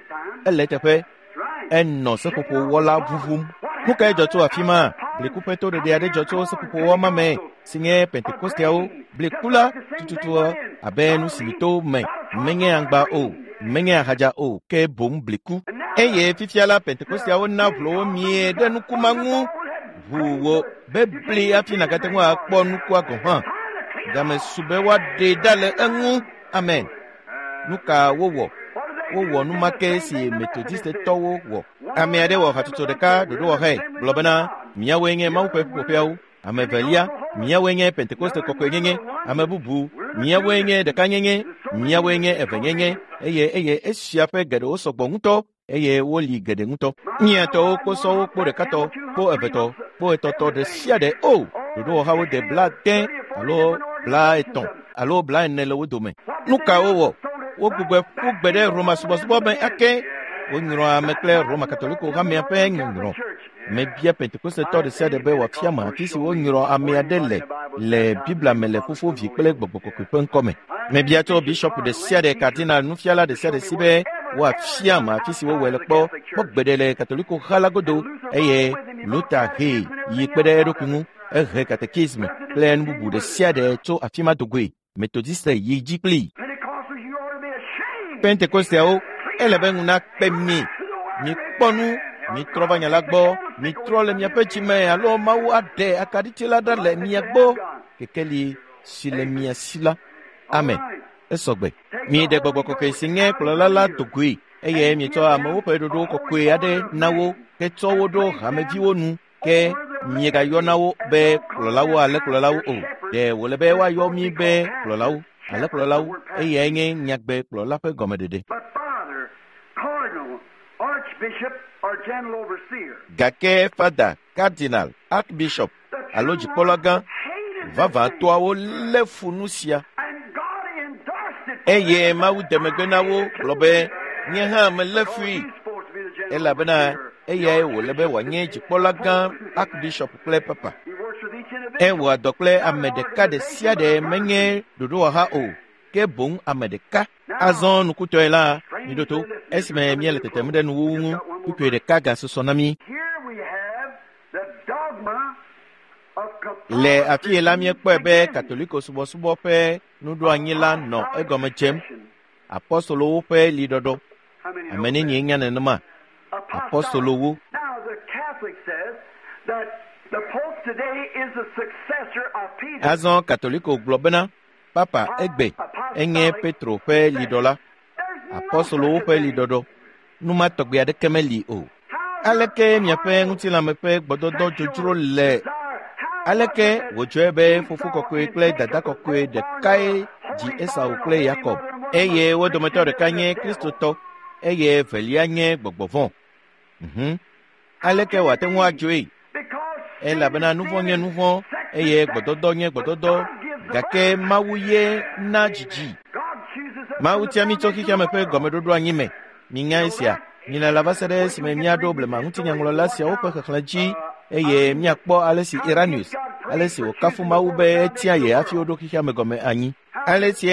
Ele teƒe enɔ seƒoƒowɔla ʋuʋum. Nu kae dzɔ tso afi ma? Blikuƒe toɖeɖe aɖe dzɔ tso seƒoƒo wɔma me si nye Pentekosteawo. Blikula tututua abe nu si to me menye aŋgba o, menye ahadza o, ke boŋ bliku. Eye fifia la Pentekosteawo na ʋlowo mie ɖe nuku ma ŋu ʋu wo be bli hafi nàgate ŋu akpɔ nukua gɔ̃ hã. Game su be woaɖee ɖa le eŋu. Amen. Nu ka wowɔ? Wowɔ nu ma ke si Metodistetɔwo wɔ. Ame aɖe wɔ hatsotso ɖeka ɖoɖowɔxɛ gblɔ bena míawoe nye Mawu ƒe ƒuƒoƒeawo. Ame evelia, míawoe nye Pentekoste kɔkɔenyenye. Ame bubu, míawoe nye ɖekanyenye, míawoe nye evenyenye. Eye eye esia ƒe geɖewo sɔgbɔ ŋutɔ eye woli geɖe ŋutɔ. Míatɔwo kposɔwo kpo ɖekatɔ, kpo evetɔ, kpo etɔtɔ ɖe sia ɖe o. Ɖoɖowɔhawo de blaade alo blaetɔ̃ alo blaene le wo dome. Nu ka wowɔ? Wogbugbɔe ƒu gbe ɖe Roma subɔsubɔ me ake. Wonyrɔ ame kple Roma Katoliko hamea ƒe nyɔnyrɔ. Mebia Pentekostetɔ ɖe sia ɖe be wòafia me afi si wonyrɔ ame aɖe le le Biblia me le Fofo, Vi kple Gbɔgbɔ Kɔkɔe ƒe ŋkɔme. Mebia tso bishɔp ɖe sia ɖe, kardinal, nufiala ɖe sia ɖe si be woafia me afi si wowɔe le kpɔ kpɔ gbeɖe le Katoliko ha la godo eye Luther hee yi kpe ɖe eɖokui ŋu. Ehe katekisme kple nu bubu ɖe sia ɖe tso afi ma dogoe. Metodiste yi dzi kplii. Pentekosteawo, ele be ŋu nakpe mi. Mikpɔ nu, mitrɔ va nya la gbɔ, mitrɔ le miaƒe dzime alo Mawu aɖe akaɖiti la ɖa le mia gbɔ. Kekeli si le mia si la. Amen. Esɔgbe. Miɖe gbɔgbɔ kɔkɔe si nye kplɔla la dogoe eye mietsɔ amewo ƒe ɖoɖo kɔkɔe aɖe na wo hetsɔ wo ɖo hameviwo nu ke miegayɔna wo be kplɔlawo ale kplɔlawo o. Ɖe wòle be woayɔ mi be kplɔlawo ale kplɔlawo eyae nye nyagbe kplɔla ƒe gɔmeɖeɖe. Gake fada, kardinal, archbishop alo dzikpɔlagã vavãtɔawo lé fu nu sia. Eye Mawu de megbe na wo gblɔ be nye hã melé fui elabena eyae wòle be wòanye dzikpɔlagã, archbishop kple papa. Ewɔa dɔ kple ame ɖeka ɖe sia ɖe menye ɖoɖowɔha o, ke boŋ ame ɖeka. Azɔ nukutɔe la, miɖo to esime míele tetem ɖe nuwuwu ŋu, kpukpui ɖeka gasusɔ na mí. Le afi yi la míekpɔe be Katoliko subɔsubɔ ƒe nuɖoanyi la nɔ egɔme dzem. Apɔstolowo ƒe liɖɔɖɔ. Ame nenie nya nenema? Apɔstolowo. Azɔ Katoliko gblɔ bena Papa egbe enye Petro ƒe liɖɔla. Apɔstolowo ƒe liɖɔɖɔ. Nu ma tɔgbi aɖeke meli o. Aleke miaƒe ŋutilãme ƒe gbɔdɔdɔ dzodzro le? Aleke wòdzɔe be fofo kɔkɔe kple dada kɔkɔe ɖekae dzi Esau kple Yakob eye wo dometɔ ɖeka nye Kristotɔ eye evelia nye gbɔgbɔ vɔ̃? Mhm. Aleke wòate ŋu adzɔe? Elabena nu vɔ̃ nye nu vɔ̃ eye gbɔdɔdɔ nye gbɔdɔdɔ gake Mawu ye na dzidzi. Mawu tia mí tso xexeame ƒe gɔmeɖoɖo anyi me. Minya esia. Milala va se ɖe esime míaɖo blema ŋutinyaŋlɔla siawo ƒe xexlẽ dzi eye míakpɔ ale si Irenaeus, ale si wòkafu Mawu be etia ye hafi woɖo xexeame gɔme anyi. Ale si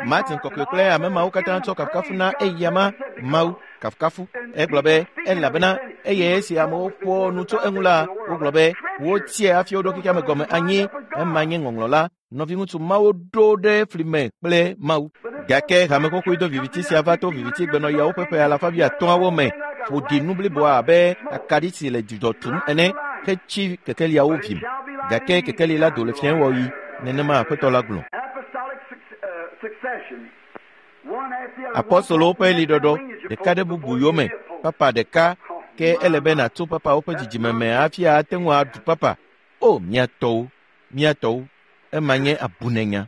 Martin kɔkɔe kple ame mawo katã tsɔ kafukafu na eyama Mawu kafukafu. Egblɔ be elabena eye esi amewo ƒo nu tso eŋu la, wogblɔ be wotiae hafi woɖo xexeame gɔme anyi. Ema nye ŋɔŋlɔ la. Nɔviŋutsu mawo ɖo ɖe fli me kple Mawu. Gake hame xoxoe do viviti sia va to viviti gbenɔyawo ƒe ƒe alafa wuiatɔ̃awo me ƒo ɖi nu bliboa abe akaɖi si le dzudzɔ tum ene hetsi kekeliawo vim. Gake kekeli la do le fiẽwɔɣi. Nenema Aƒetɔ la gblɔ. Apɔstolowo ƒe liɖɔɖɔ ɖeka ɖe bubu yome, papa ɖeka ke ele be nàtso papawo ƒe dzidzime me hafi ate ŋu aɖu papa. O, mía tɔwo, mía tɔwo, ema nye abunenya.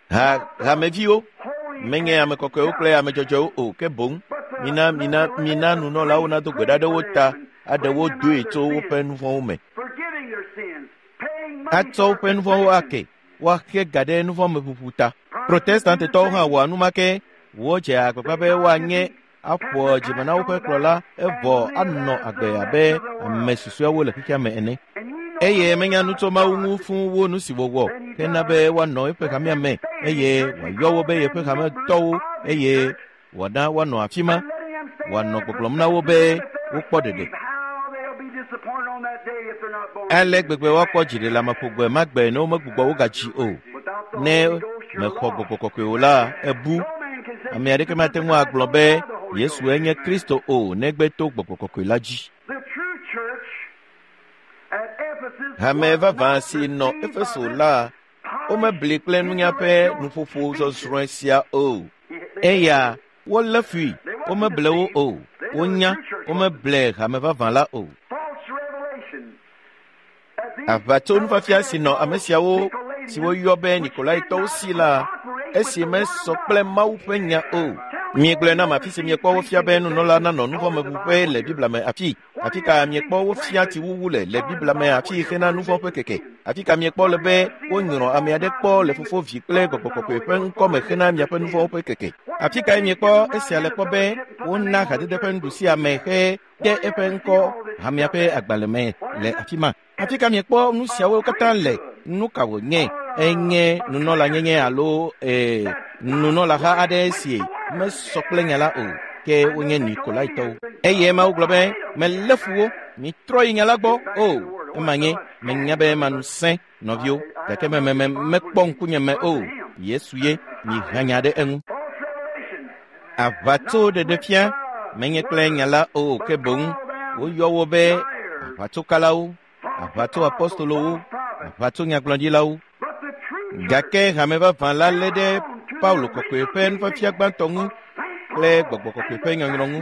Ha hameviwo menye ame kɔkɔewo kple ame dzɔdzɔewo o, ke boŋ mina mina mina nunɔlawo nado gbe ɖa ɖe wo ta aɖe wo doe tso woƒe nu vɔ̃wo me. Atsɔ woƒe nu vɔ̃wo ake, woaxe ga ɖe nu vɔ̃ me ʋuʋu ta. Protestantetɔwo hã wɔa nu ma ke. Wodze agbagba be woanye aƒo dzime na woƒe kplɔla evɔ anɔ agbe abe ame susɔeawo le xexea me ene. Eye menya nu tso Mawu ŋu fũu wu nu si wòwɔ hena be woanɔ eƒe hamea me eye wòayɔ wo be yeƒe hametɔwo eye wòana woanɔ afi ma. Wòanɔ gbɔgblɔm na wo be wokpɔ ɖeɖe. Ale gbegbe woakpɔ dziɖeleameƒo gbe ma gbe ne womegbugbɔ wo gadzi o. Ne mexɔ gbɔgbɔ kɔkɔe o la, ebu. Ame aɖeke mate ŋu agblɔ be Yesue nye Kristo o negbe to gbɔgbɔ kɔkɔe la dzi. Hame vavã si nɔ Efeso la, womebli kple nunya ƒe nuƒoƒo zɔzrɔ̃e sia o. Eya wolé fui, womeble wo o. Wonya, womeble hame vavã la o. Aʋatso nufiafia si nɔ ame siawo si woyɔ be Nikolaitɔwo si la, esi mesɔ kple Mawu ƒe nya o. Miegblɔe nam afi si miekpɔ wofia be nunɔla nanɔ nuvɔ̃meʋuƒe le Biblia me afi. Afi ka miekpɔ wofia tsiwuwu le le Biblia me afi hena nuvɔ̃ ƒe keke. Afi ka miekpɔ le be wonyrɔ ame aɖe kpɔ le Fofo, Vi kple Gbɔgbɔ Kɔkɔe ƒe ŋkɔme hena miaƒe nuvɔ̃wo ƒe keke. Afi kae miekpɔ esia le kpɔ be wona hadede ƒe nuɖusi ame he de eƒe ŋkɔ hamea ƒe agbalẽ me le afi ma. Afi ka miekpɔ nu siawo katã le? Nu ka wònye? Enye nunɔlanyenye alo ee nunɔlaha aɖe si mesɔ kple nya la o, ke wonye Nikolaitɔwo. Eye Mawu gblɔ be, melé fu wo, mitrɔ yi nya la gbɔ o. Ema nye, menya be manu sẽ, nɔviwo, gake me me mekpɔ ŋkunye me o. Yesu ye, miha nya ɖe eŋu. Aʋatso ɖeɖefia menye kple nya la o, ke boŋ woyɔ wo be aʋatsokalawo, aʋatso apostolowo, aʋatso nyagblɔɖilawo. Gake hame vavã la lé ɖe Paulo kɔkɔe ƒe nufiafia gbãtɔ ŋu kple gbɔgbɔ kɔkɔe ƒe nyɔnyrɔ ŋu,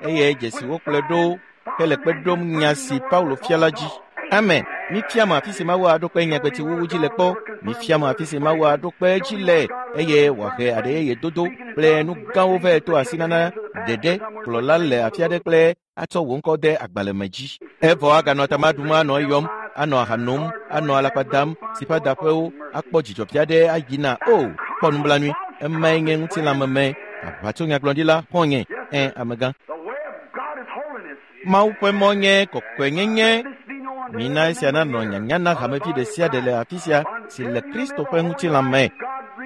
eye dzesiwo kplɔe ɖo hele kpe ɖom nya si Paulo fia la dzi. Amen. Mifia mɔ afi si Mawu aɖo kpe nyagbetiwuwu dzi le kpɔ. Mifia mɔ afi si Mawu aɖo kpe dzi le, eye wòahe aɖe yeye dodo kple nu gãwo vɛ to asinana ɖeɖe kplɔla le afi aɖe kple atsɔ wò ŋkɔ de agbalẽ me dzi. Evɔ aganɔ tama ɖum anɔ eyɔm, anɔ aha nom, anɔ alakpa dam, si ƒe adaƒewo akpɔ dzidzɔvi aɖe ayina o. Kpɔ nublanui, emae nye ŋutilãmeme. Aʋatso nyagblɔɖila xɔ̃nye, ẽ amegã. Mawu ƒe mɔ nye kɔkɔenyenye. Mina esia nanɔ nyanya na hamevi ɖe sia ɖe le afi sia si le Kristo ƒe ŋutilã me.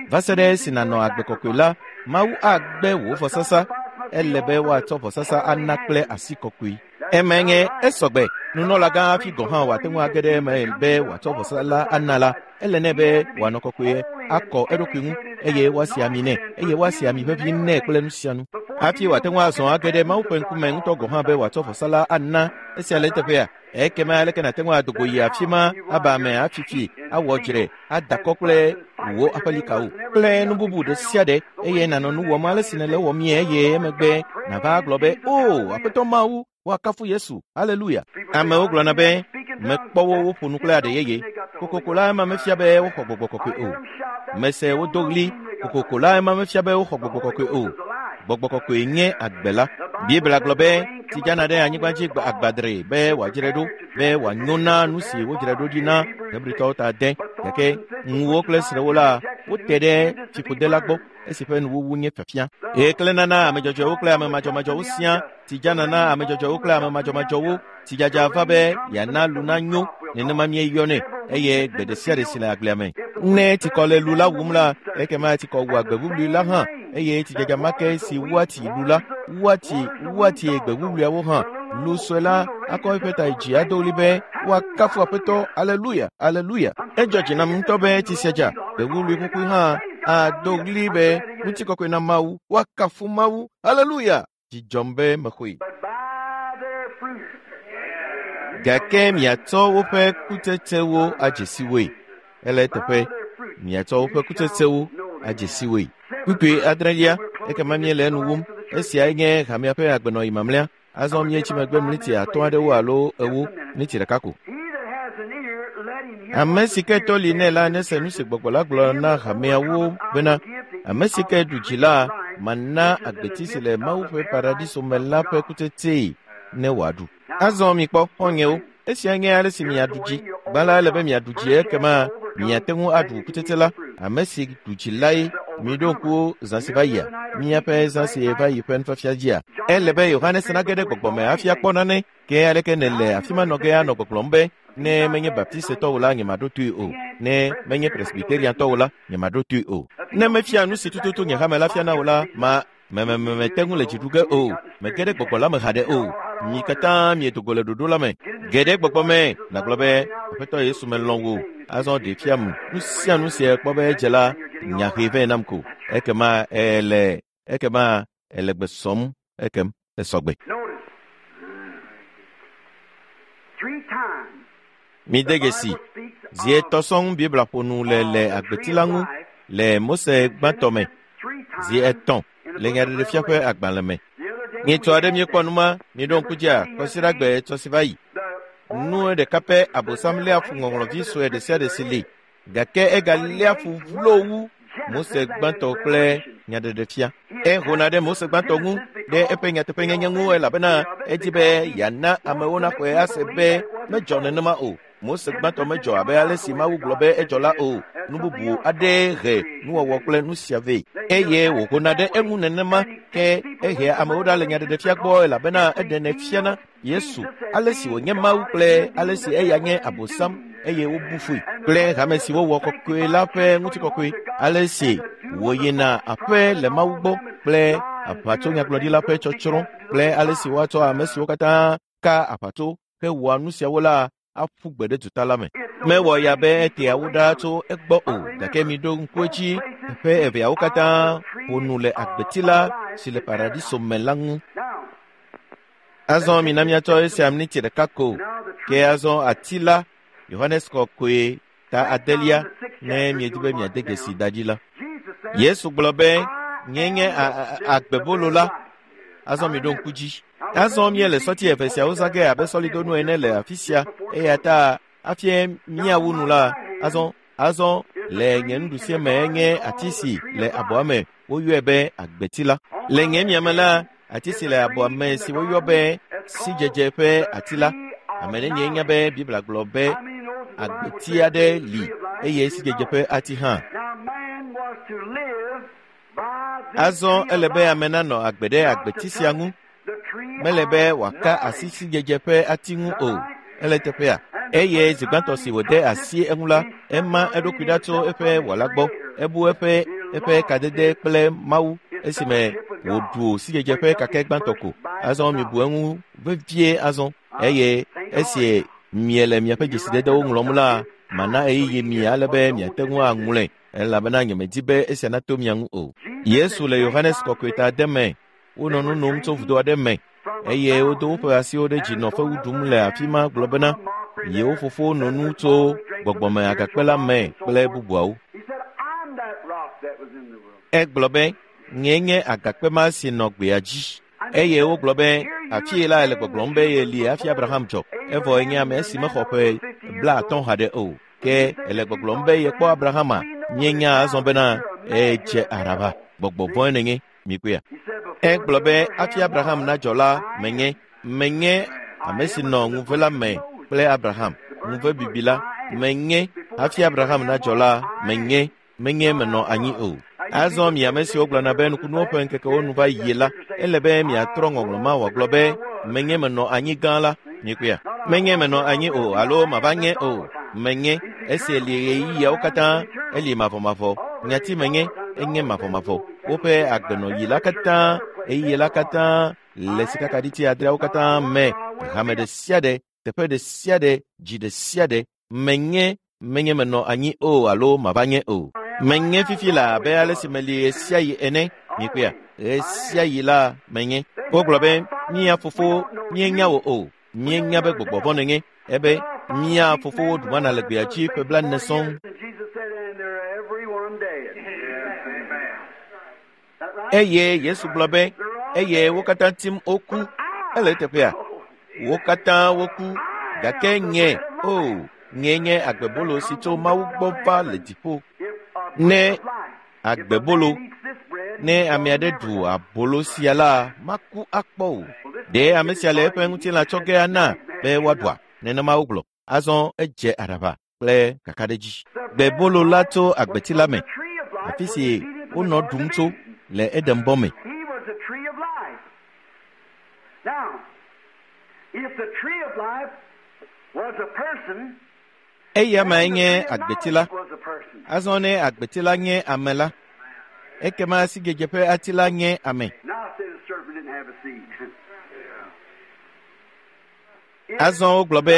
Va se ɖe esi nànɔ agbe kɔkɔe la, Mawu agbe wò vɔsasa. Ele be woatsɔ vɔsasa ana kple asi kɔkɔe. Emae nye esɔgbe. Nunɔlagã hafi gɔ̃ hã wòate ŋu age ɖe eme be wòatsɔ vɔsa la ana la, ele nɛ be wòanɔ kɔkɔe, akɔ eɖokui ŋu, eye woasi ami nɛ, eye woasi ami ʋeʋĩ nɛ kple nu sia nu. Hafi wòate ŋu azɔ age ɖe Mawu ƒe ŋkume ŋutɔ gɔ̃ hã be wòatsɔ vɔsa la ana. Esia le eteƒea? Ekema aleke nàte ŋu adogo yi afi ma aba ame afifi, awɔ dzre, ada kɔ kple wò aƒelikawo kple nu bubu ɖe sia ɖe, eye nànɔ nu wɔm ale si nèle wɔm ye, eye emegbe nàva agblɔ be, o, Aƒetɔ Mawu, woakafu Yesu, aleluya. Amewo gblɔna be, mekpɔ wo woƒo nu kple aɖe yeye. Kokoko la ema mefia be woxɔ gbɔgbɔ kɔkɔe o. Mese wodo ɣli, kokoko la ema mefia be woxɔ gbɔgbɔ kɔkɔe o. Gbɔgbɔ kɔkɔe nye agbe la. Biblia gblɔ be tsi dzana ɖe anyigba dzi agbadre be wòadzrae ɖo, be wòanyo na nu si wodzrae ɖo ɖi na Hebritɔwo ta de. Gake ŋuwo kple srẽwo la, wote ɖe fiƒode la gbɔ esi ƒe nuwuwu nye fiafia. Eye na ame dzɔdzɔewo kple ame madzɔmadzɔwo siaa. Tsi dzana na ame dzɔdzɔewo kple ame madzɔmadzɔwo. Tsidzadza va be yeana lu nanyo, nenema míeyɔnɛ, eye gbe ɖe sia ɖe si le agblea me. Ne tsikɔ le lu la wum la, ekema tsikɔ wua gbe wuwlui la hã, eye tsidzadza ma ke si wua tsi lu la, wua tsi wua tsi gbe wuwluiawo hã. Lu sue la akɔ eƒe ta dzi ado ɣli be, woakafu Aƒetɔ, aleluya, aleluya. Edzɔ dzi nam ŋutɔ be tsi sia dza, gbe wuwlui kukui hã ado ɣli be, ŋutikɔkɔe na Mawu, woakafu Mawu, aleluya. Dzidzɔm be mexɔe. Gake miatsɔ woƒe kutsetsewo adze si woe. Ele eteƒe, miatsɔ woƒe kutsetsewo adze si woe. Kpukpui adrelia, ekema míele enu wum. Esiae nye hamea ƒe agbenɔɣi mamlɛa. Azɔ míetsi megbe miniti atɔ̃ aɖewo alo ewo, miniti ɖeka ko. Ame si ke tɔ li nɛ la nese nu si gbɔgbɔ la gblɔ na hameawo bena, ame si ke ɖu dzi la, mana agbeti si le Mawu ƒe paradiso me la ƒe kutsetsee ne wòaɖu. Azɔ mikpɔ, xɔ̃nyewo, esia nye ale si miaɖu dzi. Gbã la, ele be miaɖu dzi, ekema miate ŋu aɖu kutsetse la. Ame si ɖu dzi lae miɖo ŋku zã si va yia, míaƒe zã si va yi ƒe nufiafia dzia. Ele be Yohanes nage ɖe gbɔgbɔ me hafi akpɔ nane, ke aleke nèle afi ma nɔ ge anɔ gbɔgblɔm be, ne menye Baptistetɔ o la, nyemaɖo toe o. Ne menye Presbyteriantɔ o la, nyemaɖo toe o. Ne mefia nu si tututu nye hame la fiana o la, ma mememete ŋu le dzi ɖu ge o. Mege ɖe gbɔgbɔ la me haɖe o. Mi katã miedo go le ɖoɖo la me. Ge ɖe gbɔgbɔ me nàgblɔ be Aƒetɔ Yesu melɔ̃ wò. Azɔ ɖe fiam nu sia nu si èkpɔ be edze la nya hee vɛ nam ko. Ekema ele ekema ele gbe sɔm ekem esɔgbe. Mide dzesi zi etɔ̃ sɔŋ Biblia ƒo nu le le agbeti la ŋu le Mose gbãtɔ me zi etɔ̃ le Nyaɖeɖefia ƒe agbalẽ me. Nyitsɔ aɖe míekpɔ nu ma, míeɖo ŋku dzia kɔsiɖagbe etsɔ si va yi. Nu ɖeka pɛ Abosam léa fu ŋɔŋlɔvi sue ɖe sia ɖe si li gake egaléa fu vlo wu Mose gbãtɔ kple Nyaɖeɖefia. Ehona ɖe Mose gbãtɔ ŋu ɖe eƒe nyateƒenyenye ŋu elabena edi be yeana amewo naxɔe ase be medzɔ nenema o. Mose gbãtɔ medzɔ abe ale si Mawu gblɔ be edzɔ la o. Nu bubu aɖee he nuwɔwɔ kple nu sia vɛ eye wòhona ɖe eŋu nenema ke ehea amewo ɖa le Nyaɖeɖefia gbɔ elabena eɖenɛ fiana Yesu ale si wònye Mawu kple ale si eya nye Abosam eye wobu fui kple hame si wowɔ kɔkɔe la ƒe ŋutikɔkɔe ale si wòyina aƒe le Mawu gbɔ kple aʋatsonyagblɔɖila ƒe tsɔtsrɔ̃ kple ale si woatsɔ ame siwo katã ka aʋatso hewɔa nu siawo la aƒu gbe ɖe duta la me. Mewɔ ya be etea wo ɖa tso egbɔ o gake miɖo ŋku edzi teƒe eveawo katã ƒo nu le agbeti la si le paradiso me la ŋu. Azɔ mina míatsɔ esia miniti ɖeka ko ke azɔ ati la Yohanes Kɔkɔe ta adelia ne miedi be miade dzesi da dzi la. Yesu gblɔ be nye nye agbebolo la. Azɔ miɖo ŋku dzi. Azɔ míele sɔti eve siawo zã ge abe sɔlidonu ene le afi sia eya ta hafi míawu nu la azɔ azɔ le nye nuɖusie me nye ati si le abɔa me woyɔe be agbeti la. Le nye miame la ati si le abɔa me si woyɔ be sidzedze ƒe ati la. Ame nenye nya be Biblia gblɔ be agbeti aɖe li eye sidzedze ƒe ati hã. Azɔ ele be ame nanɔ agbe ɖe agbeti sia ŋu. Mele be wòaka asi sidzedze ƒe ati ŋu o. Ele teƒea. Eye zi gbãtɔ si wòde asi eŋu la, ema eɖokui ɖa tso eƒe wɔla gbɔ. Ebu eƒe eƒe kadede kple Mawu esime wòɖu sidzedze ƒe kakɛ gbãtɔ ko. Azɔ mibu eŋu vevie azɔ eye esi miele miaƒe dzesidedewo ŋlɔm la, mana ɣeyiɣi mi ale be miate ŋu aŋlɔe elabena nyemedi be esia nato mia ŋu o. Yesu le Yohanes Kɔkɔe ta ade me wonɔ nu nom tso vudo aɖe me eye wodo woƒe asiwo ɖe dzi nɔ fewu ɖum le afi ma gblɔ bena yewo fofo nɔ nu tso gbɔgbɔme agakpe la me kple bubuawo. Egblɔ be nye nye agakpe ma si nɔ gbea dzi eye wogblɔ be afie la ele gbɔgblɔm be yeli hafi Abraham dzɔ evɔ enye ame si mexɔ ƒe blaatɔ̃ haɖe o ke ele gbɔgblɔm be yekpɔ Abrahama míenya azɔ bena edze aɖaba gbɔgbɔ vɔ̃e nenye mikpɔea. Egblɔ be hafi Abraham nadzɔ la menye menye ame si nɔ ŋuve la me kple Abraham ŋuve bibi la menye hafi Abraham nadzɔ la menye menye menɔ anyi o. Azɔ mi ame siwo gblɔna be nukunuwo ƒe ŋkekewo nu va yie la ele be miatrɔ ŋɔŋlɔ ma wòagblɔ be menye menɔ anyi gã la mikpɔea. Menye menɔ anyi o alo mava nye o menye esi li ɣeyiɣiawo katã eli mavɔmavɔ nyati menye enye mavɔmavɔ woƒe agbenɔyi la katã ɣeyiɣi la katã le sikakaɖiti adreawo katã me hame ɖe sia ɖe teƒe ɖe sia ɖe dzi ɖe sia ɖe menye menye menɔ anyi o alo mava nye o. Menye fifi la abe ale si meli ɣe sia ɣi ene mikpɔea ɣe sia ɣi la menye. Wogblɔ be mía fofo míenya wò o míenya be gbɔgbɔ vɔ̃ nenye ebe mía fofowo ɖu mana le gbea dzi ƒe blaene sɔŋ. Eye Yesu gblɔ be eye wo katã tim woku ele teƒea wo katã woku gake nye o nye nye agbebolo si tso Mawu gbɔ va le dziƒo. Ne agbebolo ne ame aɖe ɖu abolo sia la maku akpɔ o. Ɖe ame sia le eƒe ŋutilã tsɔ ge ana be woaɖua nenema wogblɔ. Azɔ edze aɖaba kple kakaɖedzi. Gbebolo la tso agbeti la me afi si wonɔ ɖum tso le Edenbɔ me. Eya mae nye agbeti la. Azɔ ne agbeti la nye ame la, ekema sidzedze ƒe ati la nye ame. Azɔ wogblɔ be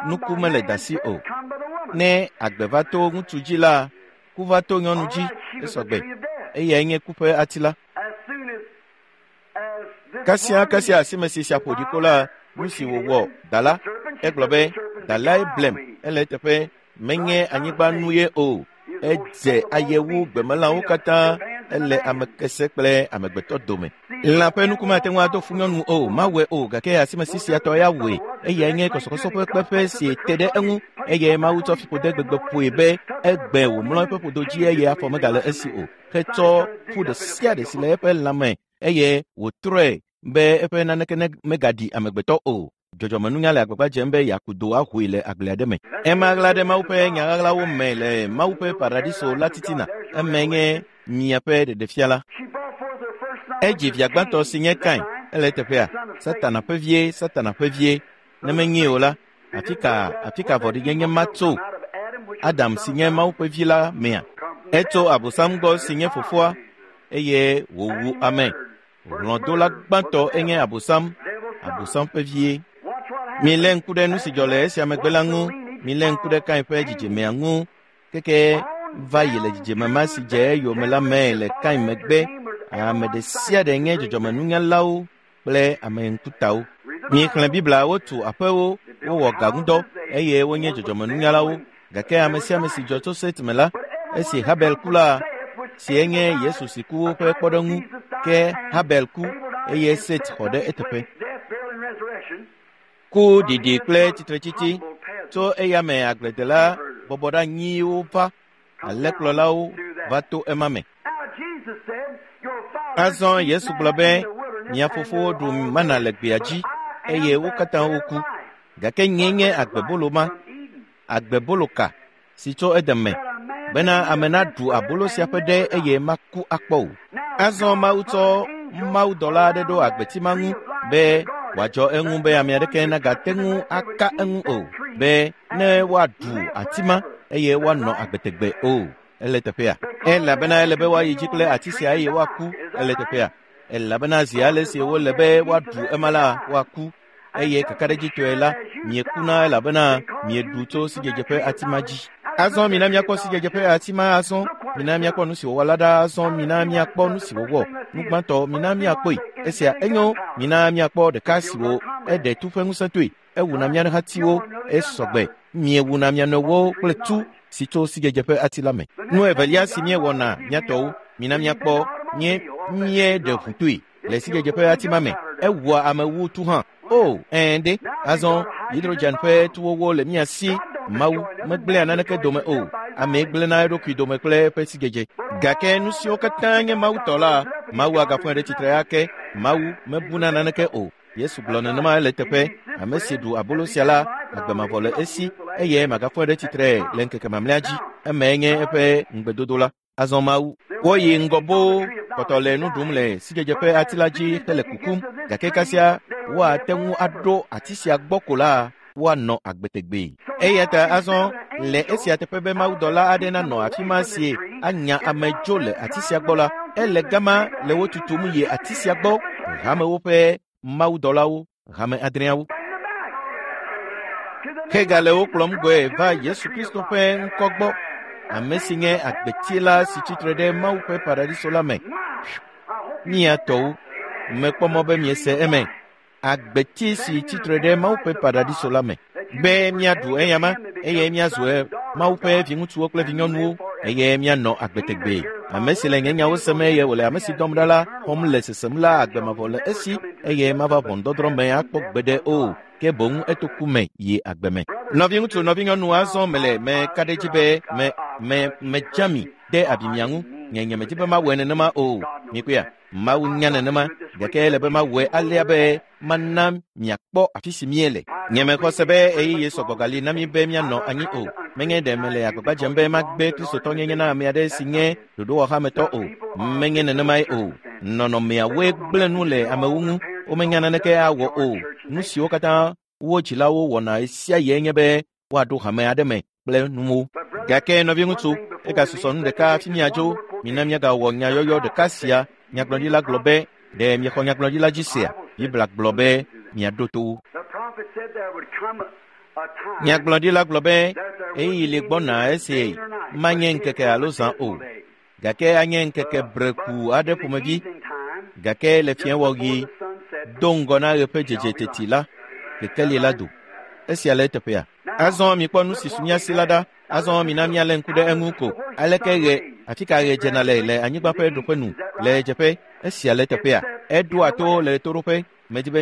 nuku mele dasi o. Ne agbe va to ŋutsu dzi la, ku va to nyɔnu dzi esɔgbe. Eyae nye ku ƒe ati la. Kasia kasia asime si sia ƒo ɖi ko la, nu si wòwɔ da la, egblɔ be dalae blem ele eteƒe menye anyigba nu ye o. Edze aye wu gbemelãwo katã ele ame kese kple amegbetɔ dome. Lã ƒe nuku mate ŋu ado fu nyɔnu o, mawɔe o, gake asimesi sia tɔ ya wɔe. Eyae nye kɔsɔkɔsɔ ƒe kpeƒe si te ɖe eŋu eye Mawu tsɔ fiƒode gbegbe ƒoe be egbe wòmlɔ eƒe ƒodo dzi eye afɔ megale esi o. Hetsɔ ƒu ɖe sia ɖe si le eƒe lãme eye wòtrɔe be eƒe naneke ne megaɖi amegbetɔ o. Dzɔdzɔmenunya le agbagba dzem be yeaku do ahoe le agble aɖe me. Ema ɣla ɖe Mawu ƒe nya ɣaɣlawo me le Mawu ƒe paradiso la titina. Eme nye miaƒe ɖeɖefia la. Edzi via gbãtɔ si nye Kain ele eteƒea. Satana ƒe vie, Satana ƒe vie. Ne menye o la, afi ka afi ka vɔ̃ɖinyenye ma tso Adam si nye Mawu ƒe vi la mea? Etso Abosam gbɔ si nye fofoa eye wòwu ame. Hlɔ̃dola gbãtɔ enye Abosam, Abosam ƒe vie. Milé ŋku ɖe nu si dzɔ le esia megbe la ŋu. Milé ŋku ɖe Kain ƒe dzidzimea ŋu. Keke va yi le dzidzime ma si dze eyome la me le Kain megbe. Ame ɖe sia ɖe nye dzɔdzɔmenunyalawo kple ame ŋkutawo. Miexlẽ Biblia, wotu aƒewo, wowɔ gaŋudɔ eye wonye dzɔdzɔmenunyalawo. Gake ame sia ame si dzɔ tso Set me la, esi Habel ku la, si enye Yesu si ku ƒe kpɔɖeŋu, ke Habel ku eye Set xɔ ɖe eteƒe. Ku ɖiɖi kple tsitretsitsi tso eya me agbledela bɔbɔɖeanyiwo va, alẽkplɔlawo va to ema me. Azɔ Yesu gblɔ be mia fofowo ɖu mana le gbea dzi eye wo katã woku. Gake nyee nye agbebolo ma, agbebolo ka si tso Eden me, bena ame naɖu abolo sia ƒe ɖe eye maku akpɔ o. Azɔ Mawu tsɔ mawudɔla aɖe ɖo agbeti ma ŋu be wòadzɔ eŋu be ame aɖeke nagate ŋu aka eŋu o, be ne woaɖu ati ma eye woanɔ agbe tegbee o. Ele teƒea. Elabena ele be woayi dzi kple ati sia eye woaku. Ele teƒea. Elabena zi ale si wole be woaɖu ema la, woaku. Eye kakaɖedzitɔe la, miekuna elabena mieɖu tso sidzedze ƒe ati ma dzi. Azɔ mina míakpɔ sidzedze ƒe ati ma azɔ. Mina míakpɔ nu si wòwɔ la ɖa azɔ. Mina míakpɔ nu si wòwɔ. Nu gbãtɔ, mina míakpɔe. Esia enyo. Mina míakpɔ ɖeka si wo eɖe tu ƒe ŋusẽ toe. Ewuna mía hatiwo esɔgbe. Miewuna mia nɔewo kple tu si tso sidzedze ƒe ati la me. Nu evelia si míewɔna míatɔwo, mina míakpɔ nye míeɖe ʋu toe le sidzedze ƒe ati ma me. Ewua ame wu tu hã. O, ɛ̃ ɖe. Azɔ hidrogen ƒe tuwowo le mía si. Mawu megblẽa naneke dome o. Ame gblẽna eɖokui dome kple eƒe sidzedze. Gake nu siwo katã nye Mawu tɔ la, Mawu agafɔe ɖe tsitre ake. Mawu mebuna naneke o. Yesu gblɔ nenema ele teƒe. Ame si ɖu abolo sia la, agbe mavɔ le esi eye magafɔe ɖe tsitre le ŋkeke mamlɛa dzi. Emae nye eƒe ŋugbedodo la. Azɔ Mawu woyi ŋgɔ boo kpɔtɔ le nu ɖum le sidzedze ƒe ati la dzi hele kukum. Gake kasia woate ŋu aɖo ati sia gbɔ ko la, woanɔ agbe tegbee. Eya ta azɔ le esia teƒe be mawudɔla aɖe nanɔ afi ma si anya ame dzo le ati sia gbɔ la, ele gama le wo tutum yi ati sia gbɔ. Hamewo ƒe mawudɔlawo, hame adreawo. Hegale wo kplɔm gbɔe va Yesu Kristo ƒe ŋkɔ gbɔ, ame si nye agbeti la si tsitre ɖe Mawu ƒe paradiso la me. Mia tɔwo, mekpɔ mɔ be miese eme. Agbeti si tsitre ɖe Mawu ƒe paradiso la me. Be míaɖu eyama eye míazu Mawu ƒe viŋutsuwo kple vinyɔnuwo eye míanɔ agbe tegbee. Ame si le nye nyawo sem eye wòle ame si dɔm ɖa la xɔm le sesem la, agbe mavɔ le esi eye mava ʋɔnudɔdrɔ̃ me akpɔ gbeɖe o. Ke boŋ eto ku me yi agbe me. Nɔviŋutsu, nɔvinyɔnu, azɔ mele meka ɖe edzi be me me medza mi de abi mia ŋu. Nye nye medi be mawɔe nenema o. Mikpɔea? Mawu nya nenema, gake ele be mawɔe alea be mana miakpɔ afi si míele. Nye mexɔ se be ɣeyiɣi sɔgbɔ gali na mí be míanɔ anyi o. Menye ɖe mele agbagba dzem be magbe kristotɔnyenye na ame aɖe si nye ɖoɖowɔhametɔ o. Menye nenemae o. Nɔnɔmeawoe gblẽ nu le amewo ŋu. Womenya naneke awɔ o. Nu siwo katã wo dzilawo wɔna ɣe sia ɣie nye be woaɖo hame aɖe me kple nuwo. Gake nɔviŋutsu, egasusɔ nu ɖeka hafi míadzo. Mina míagawɔ nyayɔyɔ ɖeka sia. Nyagblɔɖila gblɔ be, ɖe miexɔ nyagblɔɖila dzi sea? Biblia gblɔ be miaɖo to wo. Nyagblɔɖila gblɔ be ɣeyiɣi li gbɔna esi manye ŋkeke alo zã o, gake anye ŋkeke breku aɖe ƒomevi. Gake le fiẽwɔɣi do ŋgɔ na ɣe ƒe dzedze teti la, kekeli la do. Esia le eteƒea. Azɔ mikpɔ nu si su mía si la ɖa. Azɔ mina míalé ŋku ɖe eŋu ko. Aleke ɣe, afi ka ɣe dzena le le anyigba ƒe ɖoƒe nu le ɣedzeƒe? Esia le eteƒea. Eɖoa to le ɣetoɖoƒe. Medi be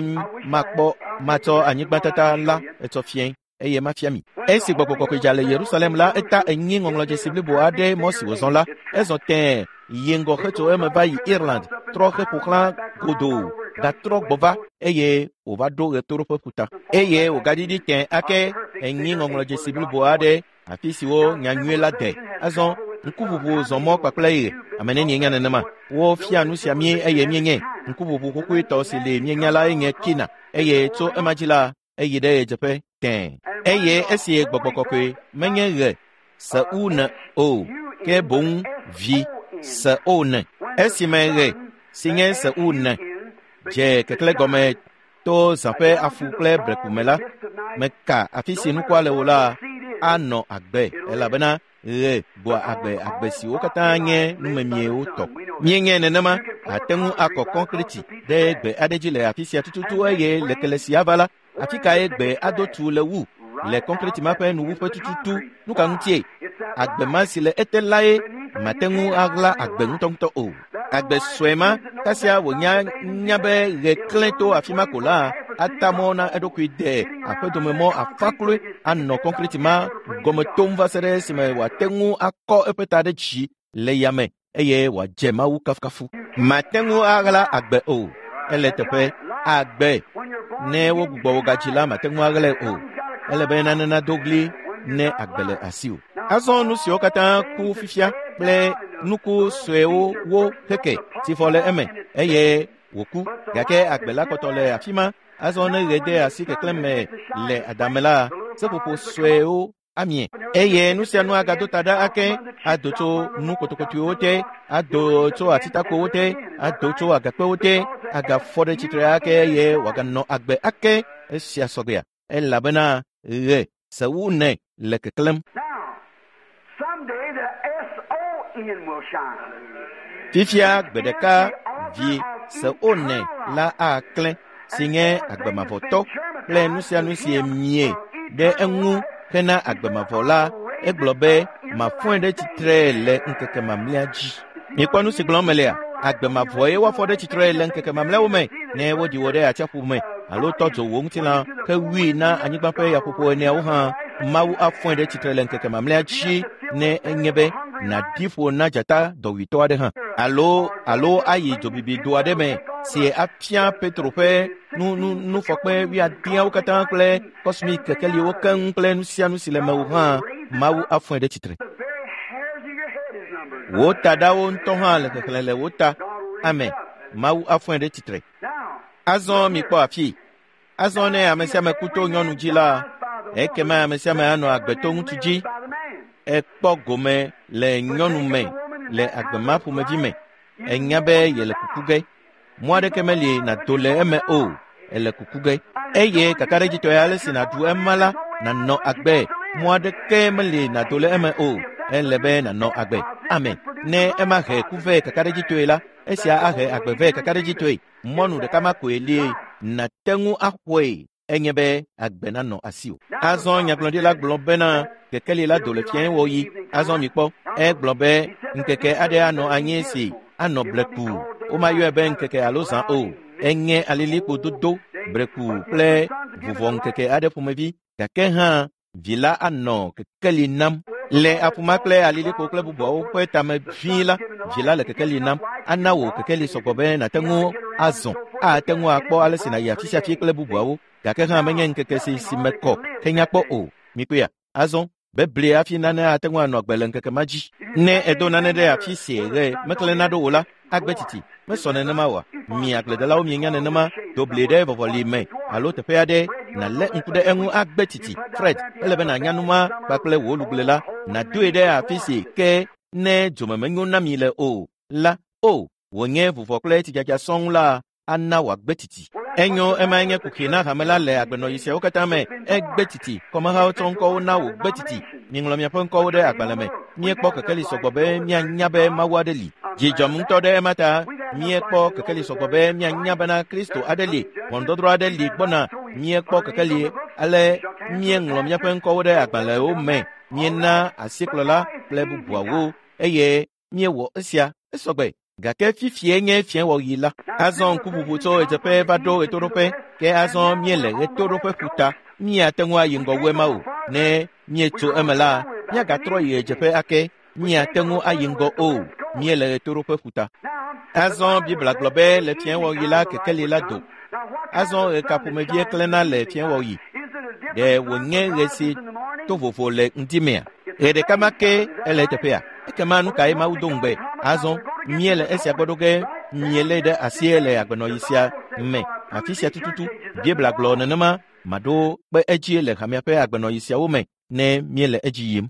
makpɔ matsɔ anyigbatata la etsɔ fiẽ eye mafia mi. Esi Gbɔgbɔ Kɔkɔe dza le Yerusalem la, eta enyi ŋɔŋlɔdzesi blibo aɖe mɔ si wòzɔ la. Ezɔ tẽe yi ŋgɔ hetso eme va yi Ireland, trɔ heƒo xlã godoo, gatrɔ gbɔ va eye wòva ɖo ɣetoɖoƒe ƒuta. Eye wògaɖiɖi tẽe ake enyi ŋɔŋlɔdzesi blibo aɖe afi siwo nyanyui la de. Azɔ ŋkuʋuʋu zɔ mɔ kpakple ɣe. Ame nenie nya nenema? Wofia nu sia mí eye míenye. Ŋkuʋuʋu xoxoetɔ si li míenya la nye Kina eye tso ema dzi la, eyi ɖe ɣedzeƒe tẽe. Eye esi Gbɔgbɔ Kɔkɔe menye ɣe se u ne o, ke boŋ vi se o ne. Esime ɣe si nye se u ne dze keklẽ gɔme to zã ƒe afu kple breku me la, meka afi si nukua le o la anɔ agbe elabena ɣe gbɔa agbe agbe siwo katã nye numemiewo tɔ. Míenye nenema, ate ŋu akɔ kɔnkreti ɖe gbe aɖe dzi le afi sia tututu eye le kele si ava la, afi kae gbe ado tu le wu le kɔnkreti ma ƒe nuwuƒe tututu? Nu ka ŋutie? Agbe ma si le ete lae mate ŋu aɣla agbe ŋutɔŋutɔ o. Agbe sue ma kasia wònya nya be ɣe klẽ to afi ma ko la, ata mɔ na eɖokui de aƒedomemɔ afã kloe anɔ kɔnkreti ma gɔme tom va se ɖe esime wòate ŋu akɔ eƒe ta ɖe dzi le yame eye wòadze Mawu kafukafu. Mate ŋu aɣla agbe o. Ele teƒe agbe. Ne wogbugbɔ wò gadzi la, mate ŋu aɣlae o. Ele be nane nado ɣli ne agbe le asiwò. Azɔ nu siwo katã ku fifia kple nuku suewo wo keke si fɔ le eme eye wòku, gake agbe la kpɔtɔ le afi ma. Azɔ ne ɣe de asi keklẽ me le adame la, seƒoƒo suewo amie eye nu sia nu agado ta ɖa ake, ado tso nu kotokotoewo te, ado tso atitakowo te, ado tso agakpewo te, agafɔ ɖe tsitre ake eye wòaganɔ agbe ake. Esia sɔgbea elabena ɣe se wu ne le keklẽm. Fifia gbe ɖeka vi se o ne la aklẽ si nye agbemavɔtɔ kple nu sia nu si mie ɖe eŋu hena agbemavɔ la, egblɔ be mafɔe ɖe tsitre le ŋkeke mamlɛa dzi. Mikpɔ nu si gblɔm melea? Agbemavɔe woafɔ ɖe tsitre le ŋkeke mamlɛawo me ne woɖi wò ɖe atsiaƒu me alo tɔ dzo wò ŋutilã hewui na anyigba ƒe yaƒoƒo eneawo hã. Mawu afɔe ɖe tsitre le ŋkeke mamlɛa dzi ne enye be nàɖi ƒo na dzata dɔwuitɔ aɖe hã alo alo ayi dzobibi do aɖe me si afia Petro ƒe nu nu nufɔkpe wuiadeawo katã kple kɔsmik kekeliwo keŋ kple nu sia nu si le mewò hã. Mawu afɔe ɖe tsitre. Wò taɖawo ŋutɔ hã le xexlẽ le wò ta. Amen. Mawu afɔe ɖe tsitre. Azɔ mikpɔ afi. Azɔ ne ame sia ame ku to nyɔnu dzi la, ekema ame sia ame anɔ agbe to ŋutsu dzi. Ekpɔ gome le nyɔnu me le agbe ma ƒomevi me. Enya be yele kuku ge. Mɔ aɖeke meli nàdo le eme o. Ele kuku ge. Eye kakaɖedzitɔe ale si nàɖu ema la, nànɔ agbe. Mɔ aɖeke meli nàdo le eme o. Ele be nànɔ agbe. Amen. Ne ema he ku vɛ kakaɖedzitɔe la, esia ahe agbe vɛ kakaɖedzitɔe. Mɔnu ɖeka ma koe li nàte ŋu axɔe enye be agbe nanɔ asiwò. Azɔ nyagblɔɖila gblɔ bena kekeli la do le fiẽwɔɣi. Azɔ mikpɔ, egblɔ be ŋkeke aɖe anɔ anyi si anɔ bleku. Womayɔe be ŋkeke alo zã o. Enye alilikpo dodo, breku kple vuvɔ ŋkeke aɖe ƒomevi. Gake hã vi la anɔ kekeli nam. Le aƒuma kple alilikpo kple bubuawo ƒe tame vĩi la, vi la le kekeli nam. Ana wò kekeli sɔgbɔ be nàte ŋu azɔ, ate ŋu akpɔ ale si nàyi afi sia afi kple bubuawo. Gake hã menye ŋkeke si si me kɔ henya kpɔ o. Mikpɔea? Azɔ bebli hafi nane ate ŋu anɔ agbe le ŋkeke ma dzi. Ne edo nane ɖe afi si ɣe meklẽna ɖo o la, agbe titi. Mesɔ nenema oa? Mi agbledelawo mienya nenema. Do bli ɖe vɔvɔli me alo teƒe aɖe nàlé ŋku ɖe eŋu agbe titi. Fred, ele be nànya nu ma kpakple wò lugble la, nàdoe ɖe afi si ke ne dzome menyo na mi le o la, o wònye vuvɔ kple tsidzadza sɔŋ la ana wòagbe titi. Enyo ema nye kuxi na hame la le agbenɔɣi siawo katã me. Egbe titi kɔmehawo tsɔ ŋkɔwo na wò gbe titi. Miŋlɔ miaƒe ŋkɔwo ɖe agbalẽ me. Míekpɔ kekeli sɔgbɔ be míanya be Mawu aɖe li. Dzi dzɔm ŋutɔ ɖe ema ta. Míekpɔ kekeli sɔgbɔ be míanya bena Kristo aɖe li, ʋɔnudɔdrɔ̃ aɖe li gbɔna. Míekpɔ kekeli ale míeŋlɔ míaƒe ŋkɔwo ɖe agbalẽwo me. Míena asikplɔla kple bubuawo eye míewɔ esia esɔgbe. Gake fifie nye fiẽwɔɣi la. Azɔ ŋkuʋuʋu tso ɣedzeƒe va ɖo ɣetoɖoƒe, ke azɔ míele ɣetoɖoƒe ƒuta. Míate ŋu ayi ŋgɔ wu ema o. Ne míetso eme la, míagatrɔ yi ɣedzeƒe ake. Míate ŋu ayi ŋgɔ o. Míele ɣetoɖoƒe ƒuta. Azɔ Biblia gblɔ be le fiẽwɔɣi la kekeli la do. Azɔ ɣe ka ƒomevie klẽna le fiẽwɔɣi? Ɖe wònye ɣe si to vovo le ŋdimea? Ɣe ɖeka ma ke ele eteƒea? Ekema nu kae Mawu do ŋugbe? Azɔ míele esia gbɔ ɖo ge míelé ɖe asi le agbenɔɣi sia me. Afi sia tututu Biblia gblɔ nenema maɖo kpe edzi le hamea ƒe agbenɔɣi siawo me ne míele edzi yim.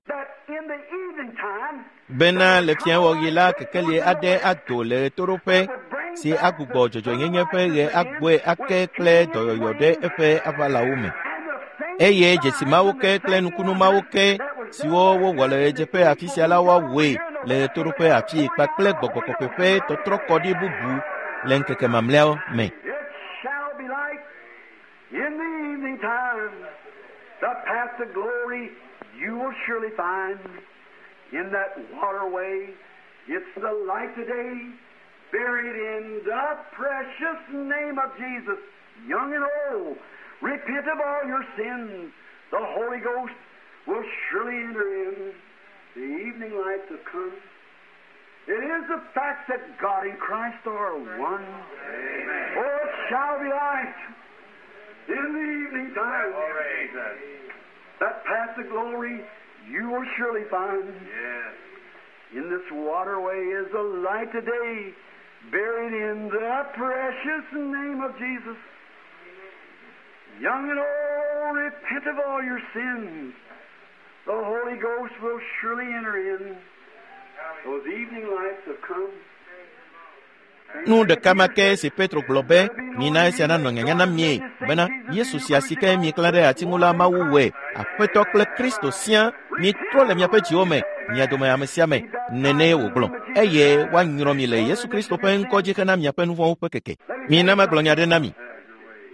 Bena le fiẽwɔɣi la kekeli aɖe ado le ɣetoɖoƒe si agbugbɔ dzɔdzɔenyenye ƒe ɣe agbɔe ake kple dɔyɔyɔ ɖe eƒe aʋalawo me. Eye dzesi mawo ke kple nukunu mawo ke siwo wowɔ le ɣedzeƒe afi sia la woawɔe le ɣetoɖoƒe afii kpakple gbɔgbɔ kɔkɔe ƒe tɔtrɔkɔɖi bubu le ŋkeke mamlɛawo me. It shall be light in the evening time. The path to glory you will surely find in that waterway. It's the light today, buried in the precious name of Jesus. Young and old, repent of all your sins. The Holy Ghost will surely enter in. The evening lights have come. It is the fact that God and Christ are one. Amen. Oh, it shall be light in the evening time. That path to glory you will surely find. Yes. In this waterway is the light today, buried in the precious name of Jesus. Young and old, repent of all your sins. The Holy Ghost will surely enter in. Those evening lights have come. Nu ɖeka ma ke si Petro gblɔ be mina esia nanɔ nyanya na mie bena Yesu sia si ke mieklã ɖe ati ŋu la Mawu wɔe Aƒetɔ kple Kristo sia mitrɔ le miaƒe dziwo me mia dome ame sia ame nenee wògblɔ eye woanyrɔ mi le Yesu Kristo ƒe ŋkɔ dzi hena miaƒe nu vɔ̃wo ƒe keke. Mina magblɔ nya ɖe na mi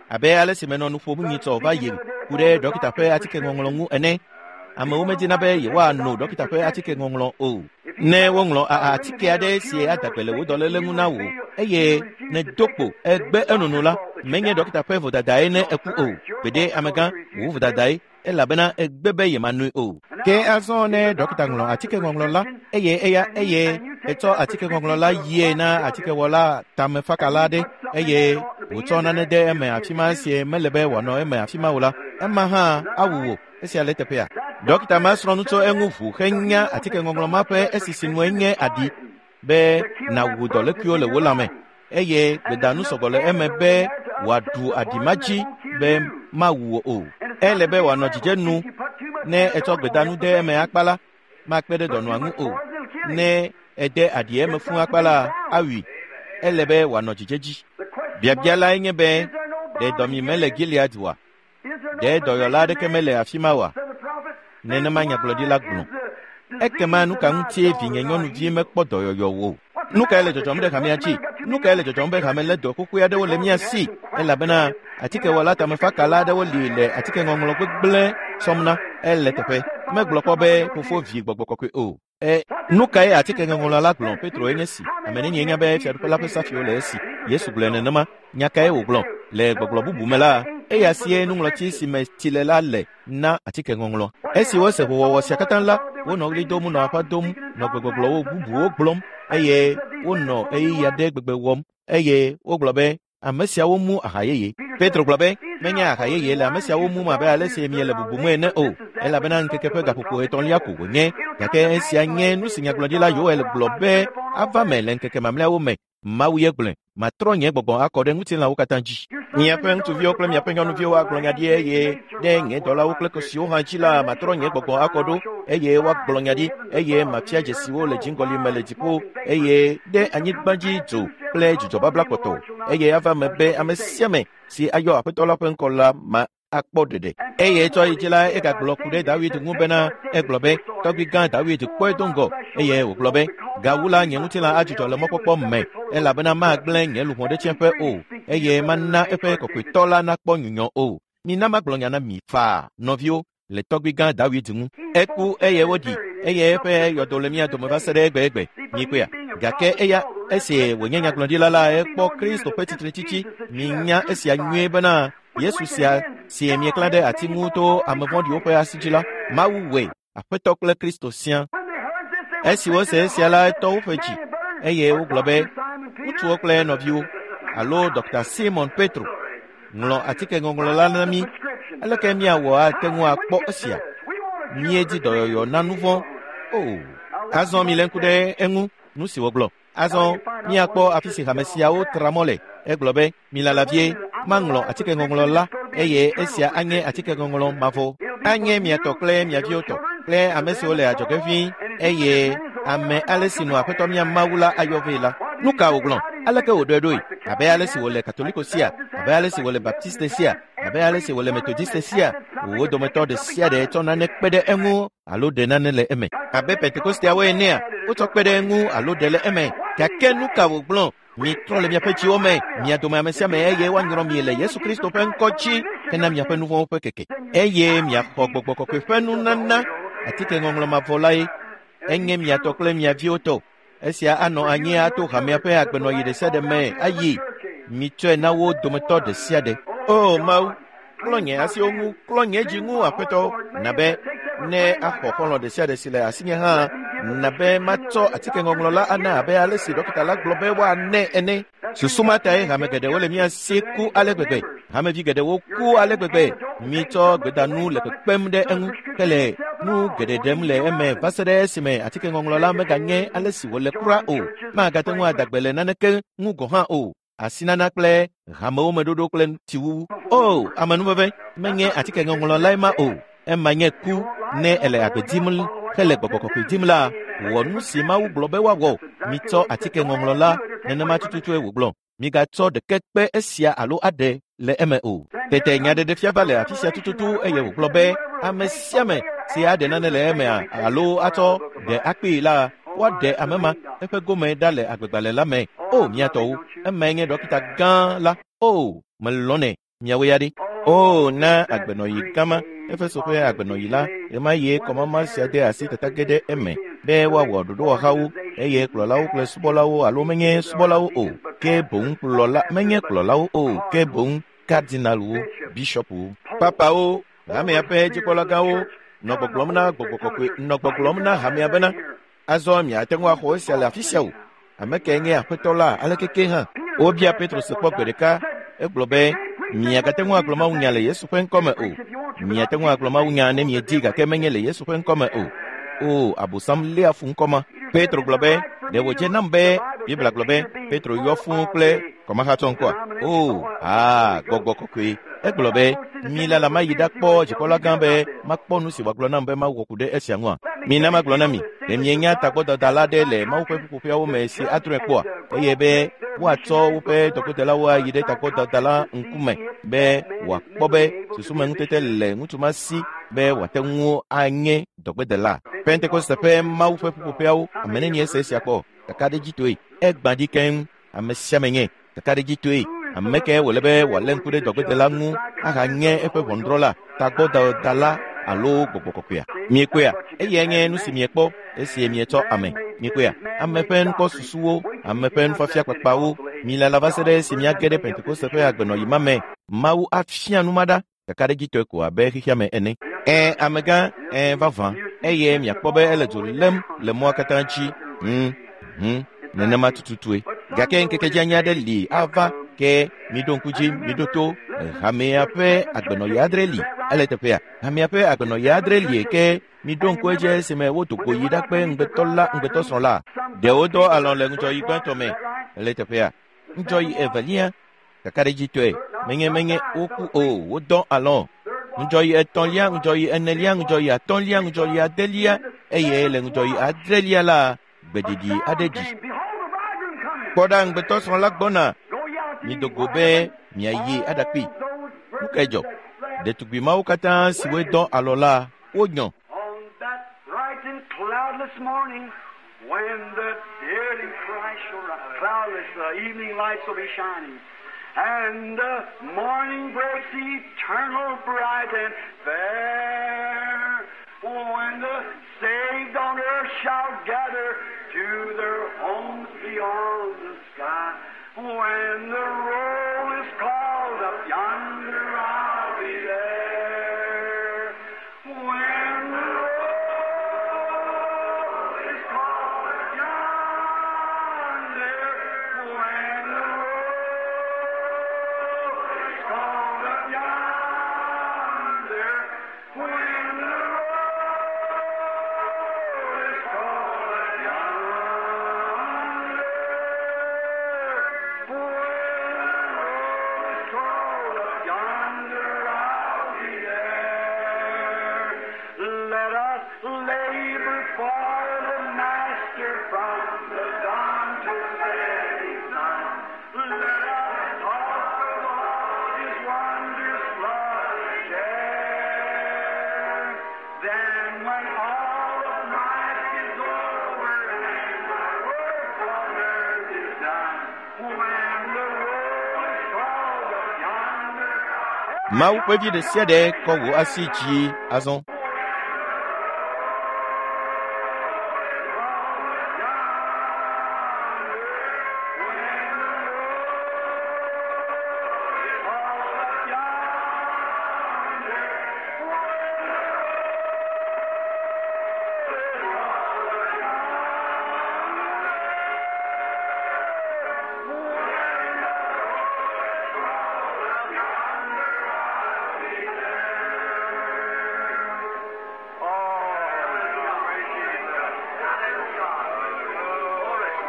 abe ale si menɔ nu ƒom nyitsɔ va yi ku ɖe dɔkita ƒe atikeŋɔŋlɔ ŋu ene. Amewo medina be yewoano dɔkita ƒe atikeŋɔŋlɔ o. Ne woŋlɔ atike aɖe si ada gbe le wò dɔléle ŋu na wò eye nèdo kpo egbe enono la, menye dɔkita ƒe vodadae ne eku o. Gbeɖe amegã wò vodadae elabena egbe be yemanoe o. Ke azɔ ne dɔkita ŋlɔ atikeŋɔŋlɔ la eye eya eye etsɔ atikeŋɔŋlɔ la yie na atikewɔla tamefakala aɖe eye wòtsɔ nane de eme afi ma si mele be wòanɔ eme afi ma o la, ema hã awu wò. Esia le teƒea. Dɔkita ma srɔ̃ nu tso eŋu ʋu henya atikeŋɔŋlɔ ma ƒe esisi nue nye aɖi be nàwu dɔlékuiwo le wò lãme eye gbedanu sɔgbɔ le eme be wòaɖu aɖi ma dzi be mawu wò o. Ele be wòanɔ dzidzenu ne etsɔ gbedanu de eme akpa la, makpe ɖe dɔnɔa ŋu o. Ne ede aɖi eme fũu akpa la, awui. Ele be wòanɔ dzidzedzi. Biabia lae nye be ɖe dɔmi mele Gilead oa? Ɖe dɔyɔla aɖeke mele afi ma oa? Nenema nyagblɔɖila gblɔ. Ekema nu ka ŋutie vinye nyɔnuvi mekpɔ dɔyɔyɔ o? Nu kae le dzɔdzɔm ɖe hamea dzi? Nu kae le dzɔdzɔm be hame lé dɔ xoxoe aɖewo le mía si? Elabena atikewɔla tamefakala aɖewo li le atikeŋɔŋlɔ gbegblẽ sɔm na. Ele teƒe. Megblɔ kpɔ be fofo vi gbɔgbɔ kɔkɔe o. E nu kae atikeŋɔŋlɔ la gblɔ? Petro enye si. Ame nenie nya be fiaɖuƒe la ƒe safiwo le esi. Yesu gblɔe nenema. Nya kae wògblɔ? Le gbɔgblɔ bubu me la, eya sie nuŋlɔtsi si me tsi le la le na atikeŋɔŋlɔ. Esi wose ʋuwɔwɔ sia katã la, wonɔ ɣli dom nɔ aƒa dom nɔ gbegbɔgblɔwo bubuwo gblɔm eye wonɔ ɣeyiɣi aɖe gbegbe wɔm eye wogblɔ be ame siawo mu aha yeye. Petro gblɔ be menye aha yeye le ame siawo mum abe ale si miele bubum ene o, elabena ŋkeke ƒe gaƒoƒo etɔ̃lia ko wònye. Gake esia nye nu si nyagblɔɖila Yoel gblɔ be ava me le ŋkeke mamlɛawo me. Mawu ye gblɔe, matrɔ nye gbɔgbɔ akɔ ɖe ŋutilãwo katã dzi. Miaƒe ŋutsuviwo kple miaƒe nyɔnuviwo agblɔ nya ɖi eye ɖe nye dɔlawo kple kosiwo hã dzi la matrɔ nye gbɔgbɔ akɔ ɖo eye woagblɔ nya ɖi eye mafia dzesiwo le dziŋgɔli me le dziƒo eye ɖe anyigba dzi dzo kple dzudzɔbabla kpɔtɔ eye ava me be ame sia ame si ayɔ aƒetɔ la ƒe ŋkɔ la ma akpɔ ɖeɖe. Eye tsɔ yi dzi la egagblɔ ku ɖe Dawid ŋu bena egblɔ be tɔgbi gã Dawid kpɔe do ŋgɔ eye wògblɔ be gawu la nye ŋutilã adzudzɔ le mɔkpɔkpɔ me elabena magblẽ nye luʋɔ ɖe tsiẽƒe o eye mana eƒe kɔkɔetɔ la nakpɔ nyunyɔ o. Mina magblɔ nya na mi faa nɔviwo le tɔgbi gã Dawid ŋu. Eku eye woɖi eye eƒe yɔdo le mía dome va se ɖe egbegbe. Mikpɔea? Gake eya esi wònye nyagblɔɖila la ekpɔ Kristo ƒe tsitretsitsi. Minya esia nyuie bena Yesu sia si mieklã ɖe ati ŋu to ame vɔ̃ɖiwo ƒe asi dzi la, Mawu wɔe, Aƒetɔ kple Kristo sia. Esi wose esia la etɔ woƒe dzi eye wogblɔ be ŋutsuwo kple nɔviwo alo Dɔkta Simon Petro ŋlɔ atike ŋɔŋlɔ la na mí. Aleke míawɔ ate ŋu akpɔ esia? Míedi dɔyɔyɔ na nu vɔ̃ o. Azɔ milé ŋku ɖe eŋu nu si wògblɔ. Azɔ míakpɔ afi si hame siawo tra mɔ le. Egblɔ be milala vie maŋlɔ atike ŋɔŋlɔ la eye esia anye atike ŋɔŋlɔ mavɔ. Anye mia tɔ kple mia viwo tɔ kple ame siwo le adzɔge ʋĩi eye ame ale si nɔ aƒetɔ mía Mawu la ayɔ vɛ la. Nu ka wògblɔ? Aleke wòɖɔe ɖoe? Abe ale si wòle Katoliko sia, abe ale si wòle Baptiste sia, abe ale si wòle Methodiste sia, wo dometɔ ɖe sia ɖe tsɔ nane kpe ɖe eŋu alo ɖe nane le eme. Abe Pentekosteawo enea, wotsɔ kpe ɖe eŋu alo ɖe le eme. Gake nu ka wògblɔ? Mitrɔ le miaƒe dziwo me, mia dome ame sia ame eye woanyrɔ mi le Yesu Kristo ƒe ŋkɔ dzi hena miaƒe nu vɔ̃wo ƒe keke. Eye miaxɔ gbɔgbɔ kɔkɔe ƒe nunana atike ŋɔŋlɔ mavɔ lae. Enye mia tɔ kple mia viwo tɔ. Esia anɔ anyi ato hamea ƒe agbenɔɣi ɖe sia ɖe me ayi. Mitsɔe na wo dometɔ ɖe sia ɖe. O Mawu, klɔ nye asiwo ŋu, klɔ nye dzi ŋu, Aƒetɔ, na be ne axɔ xɔlɔ̃ ɖe sia ɖe si le asinye hã, na be matsɔ atike ŋɔŋlɔ la ana abe ale si ɖɔkita la gblɔ be woanɛ ene. Susu ma tae hame geɖewo le mía si ku ale gbegbe. Hamevi geɖewo ku ale gbegbe. Mitsɔ gbedanu le kpekpem ɖe eŋu hele nu geɖe ɖem le eme va se ɖe esime atike ŋɔŋlɔ la meganye ale si wòle kura o. Magate ŋu adagbe le naneke ŋu gɔ̃ hã o. Asinana kple hamewo me ɖoɖo kple tsiwuwu. O, amenuveve, menye atike ŋɔŋlɔ lae ma o. Ema nye ku ne ele agbe dim hele gbɔgbɔ kɔkɔe dim la, wɔ nu si Mawu gblɔ be woawɔ. Mitsɔ atike ŋɔŋlɔ la, nenema tututue wògblɔ. Migatsɔ ɖeke kpe esia alo aɖe le eme o. Tete nyaɖeɖefia va le afi sia tututu eye wògblɔ be ame sia ame si aɖe nane le emea alo atsɔ ɖe akpee la, woaɖe ame ma eƒe gome ɖa le agbegbalẽ la me. O mia tɔwo, emae nye ɖɔkita gã la. O, melɔ̃nɛ, miawo ya ɖe. O, na agbenɔɣi gama, Efeso ƒe agbenɔɣi la, ɣemaɣie kɔmama sia de asi tata ge ɖe eme be woawɔ ɖoɖowɔhawo eye kplɔlawo kple subɔlawo alo menye subɔlawo o, ke boŋ kplɔla menye kplɔlawo o, ke boŋ kardinalwo, bishɔpwo, papawo, hamea ƒe dzikpɔlagãwo nɔ gbɔgblɔm na gbɔgbɔ kɔkɔe nɔ gbɔgblɔm na hamea bena azɔ miate ŋu axɔ esia le afi sia o. Ame kae nye aƒetɔ la aleke ke hã? Wobia Petro se kpɔ gbe ɖeka. Egblɔ be miagate ŋu agblɔ mawunya le Yesu ƒe ŋkɔme o. Miate ŋu agblɔ mawunya ne miedi gake menye le Yesu ƒe ŋkɔme o. O, Abosam léa fu ŋkɔ ma. Petro gblɔ be ɖe wòdze nam be Biblia gblɔ be Petro yɔ fũu kple kɔmahatsɔ ŋkɔa? O, aa, gbɔgbɔ kɔkɔe. Egblɔ be milala mayi ɖakpɔ dzikpɔla gã be makpɔ nu si wòagblɔ nam be mawɔ ku ɖe esia ŋua. Mina magblɔ na mi, ɖe mienya tagbɔdada ɖe le Mawu ƒe ƒuƒoƒeawo me si adrɔ̃e kpɔa? Eye be woatsɔ woƒe dɔgbedelawo ayi ɖe tagbɔdada la ŋkume be wòakpɔ be susumeŋutete le ŋutsu ma si be wòate ŋu anye dɔgbedela. Pentekoste ƒe Mawu ƒe ƒuƒoƒeawo, ame nenie se esia kpɔ? Kakaɖedzitɔe. Egbã dzi keŋ. Ame sia ame nye kakaɖedzitɔe. Ame kae wòle be wòalé ŋku ɖe dɔgbedela ŋu ahanye eƒe ʋɔnudrɔ̃la, tagbɔdada alo gbɔgbɔ kɔkɔea? Miekpɔea? Eyae nye nu si miekpɔ esi mietsɔ ame. Miekpɔea? Ame ƒe nukpɔsusuwo, ame ƒe nufiafia kpakpawo. Milala va se ɖe esi miage ɖe Pentekoste ƒe agbenɔɣi ma me. Mawu afia nu ma ɖa kakaɖedzitɔe ko abe xexea me ene. Ẽ, amegã, ẽ, vavã. Eye miakpɔ be ele dzo lém le mɔa katã dzi. Hmm, hmm, nenema tututue. Gake ŋkeke dzanya aɖe li ava ke miɖo ŋku dzi, miɖo to. Hamea ƒe agbenɔɣi adre li. Ele teƒea. Hamea ƒe agbenɔɣi adre li ke miɖo ŋku edzi esime wodo go yi ɖakpe ŋugbetɔ la ŋugbetɔsrɔ̃ la. Ɖewo dɔ alɔ̃ le ŋudzɔɣi gbãtɔ me. Ele teƒea. Ŋudzɔɣi evelia kakaɖedzitɔe. Menye menye woku o, wodɔ alɔ. Ŋudzɔyi etɔ̃lia, ŋudzɔyi enelia, ŋudzɔyi atɔ̃lia, ŋudzɔyi adelia eye le ŋudzɔyi adrelia la, gbeɖiɖi aɖe ɖi. Kpɔ ɖa ŋugbetɔsrɔ̃ la gbɔna. Mido go be miayi aɖakpee. Nu kae dzɔ? Ɖetugbi mawo katã siwoe dɔ alɔ la, wonyɔ. On that bright and cloudless morning, when the dead in Christ shall rise, cloudless, the evening lights will be shining, and the morning breaks eternal, bright and fair. When the saved on earth shall gather to their homes beyond the sky, when the roll is called up yonder, I'll be there. When the roll is called up yonder, when the roll is called up yonder, when the roll is called up yonder, when the roll is called up yonder, I'll be there. Let us labor for the Master from the dawn to setting sun. Let us talk of all His wondrous love and care. Then when all of life is over and the work on earth is done, when the roll is called up yonder, Mawu ƒe vi ɖe sia ɖe kɔ wò asi dzi azɔ.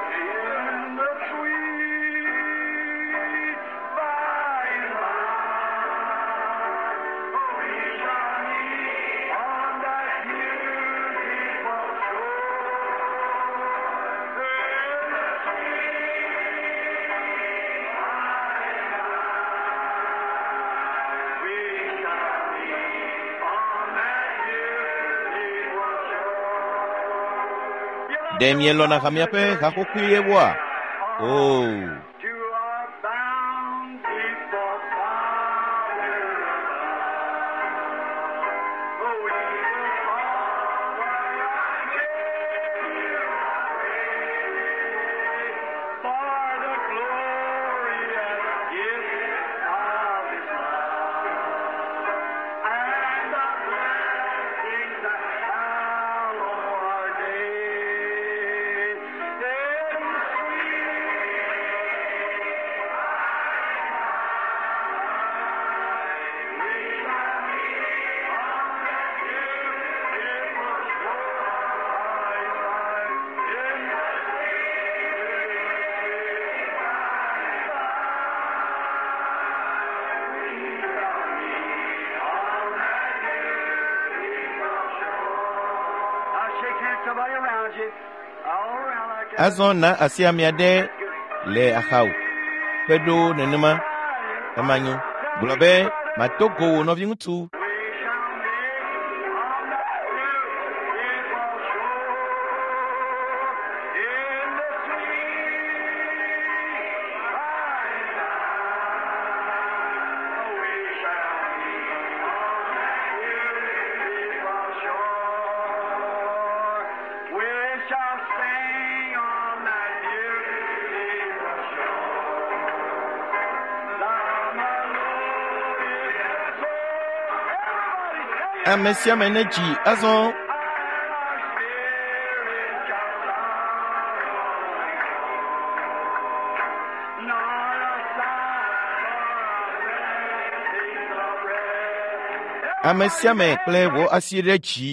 In the sweet by and by, we shall meet on that beautiful shore. In the sweet by and by, we shall meet on that beautiful shore. Ɖe mielɔ̃na hamea ƒe haxoxoewoa? Oo. To our bountiful Father above, oh, we will offer our praise for the glorious gift of His love and the blessings that hallow our days. In the Now shake hands, somebody around you. All around like that. Azɔ na asi ame aɖe le axawò. Kpe ɖo nenema ema nyo. Gblɔ be mato go wò nɔviŋutsu. We shall meet on that beautiful shore in the sweet by and by. We shall meet on that beautiful shore. We shall sing on that beautiful shore. The melodious soul. Everybody sing. Ame sia ame nedzi azɔ. And our spirit shall sorrow nor a sigh for a blessing of rest. Ame sia ame kple wò asi ɖe dzi.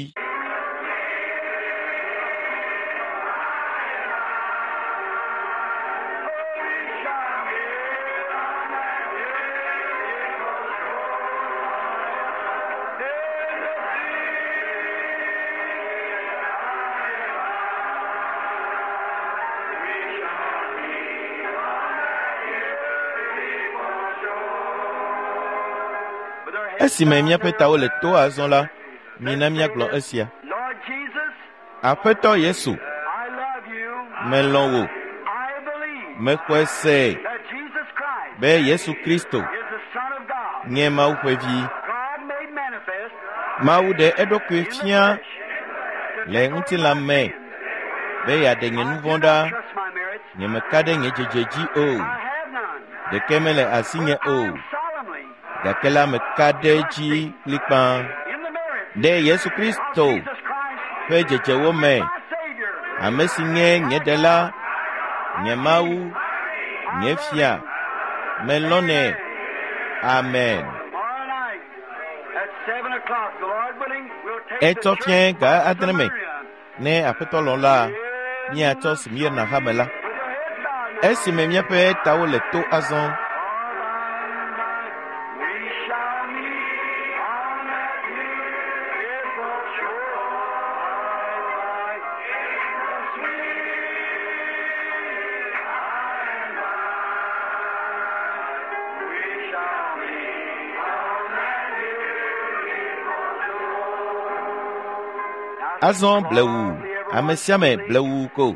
We shall meet on that Esime míaƒe tawo le to azɔ la, mina míagblɔ esia. Lord Jesus, Aƒetɔ Yesu, I love you. melɔ̃ wò, I believe mexɔe se that Jesus Christ be Yesu Kristo is the Son of God. nye Mawu ƒe vi. God made manifest Mawu ɖe eɖokui in the fia flesh to le take away ŋutilã my me sin. be yeaɖe nye I nu do vɔ̃ not ɖa. trust my merits. Nyemeka ɖe nye dzedze dzi o, I have none. ɖeke mele asinye But o, I am solemnly gake la meka ɖe edzi kplikpaa in the merit ɖe Yesu of Kristo Jesus Christ, ƒe dzedzewo me, my Savior. ame si nye nye Ɖela, nye Mawu, nye Fia. Melɔ̃nɛ. Amen. Tomorrow night at seven o'clock, the Lord willing, we'll take the Etsɔ church fiẽ ga of adre me Smyrna. ne Aƒetɔ lɔ̃ la, míatsɔ Smirna hame la. With your heads bowed now. Esime míaƒe tawo le to azɔ, All by and by we shall meet on that beautiful shore. The sweet by and by we shall meet on that beautiful shore. azɔ blewu, ame sia ame blewu ko.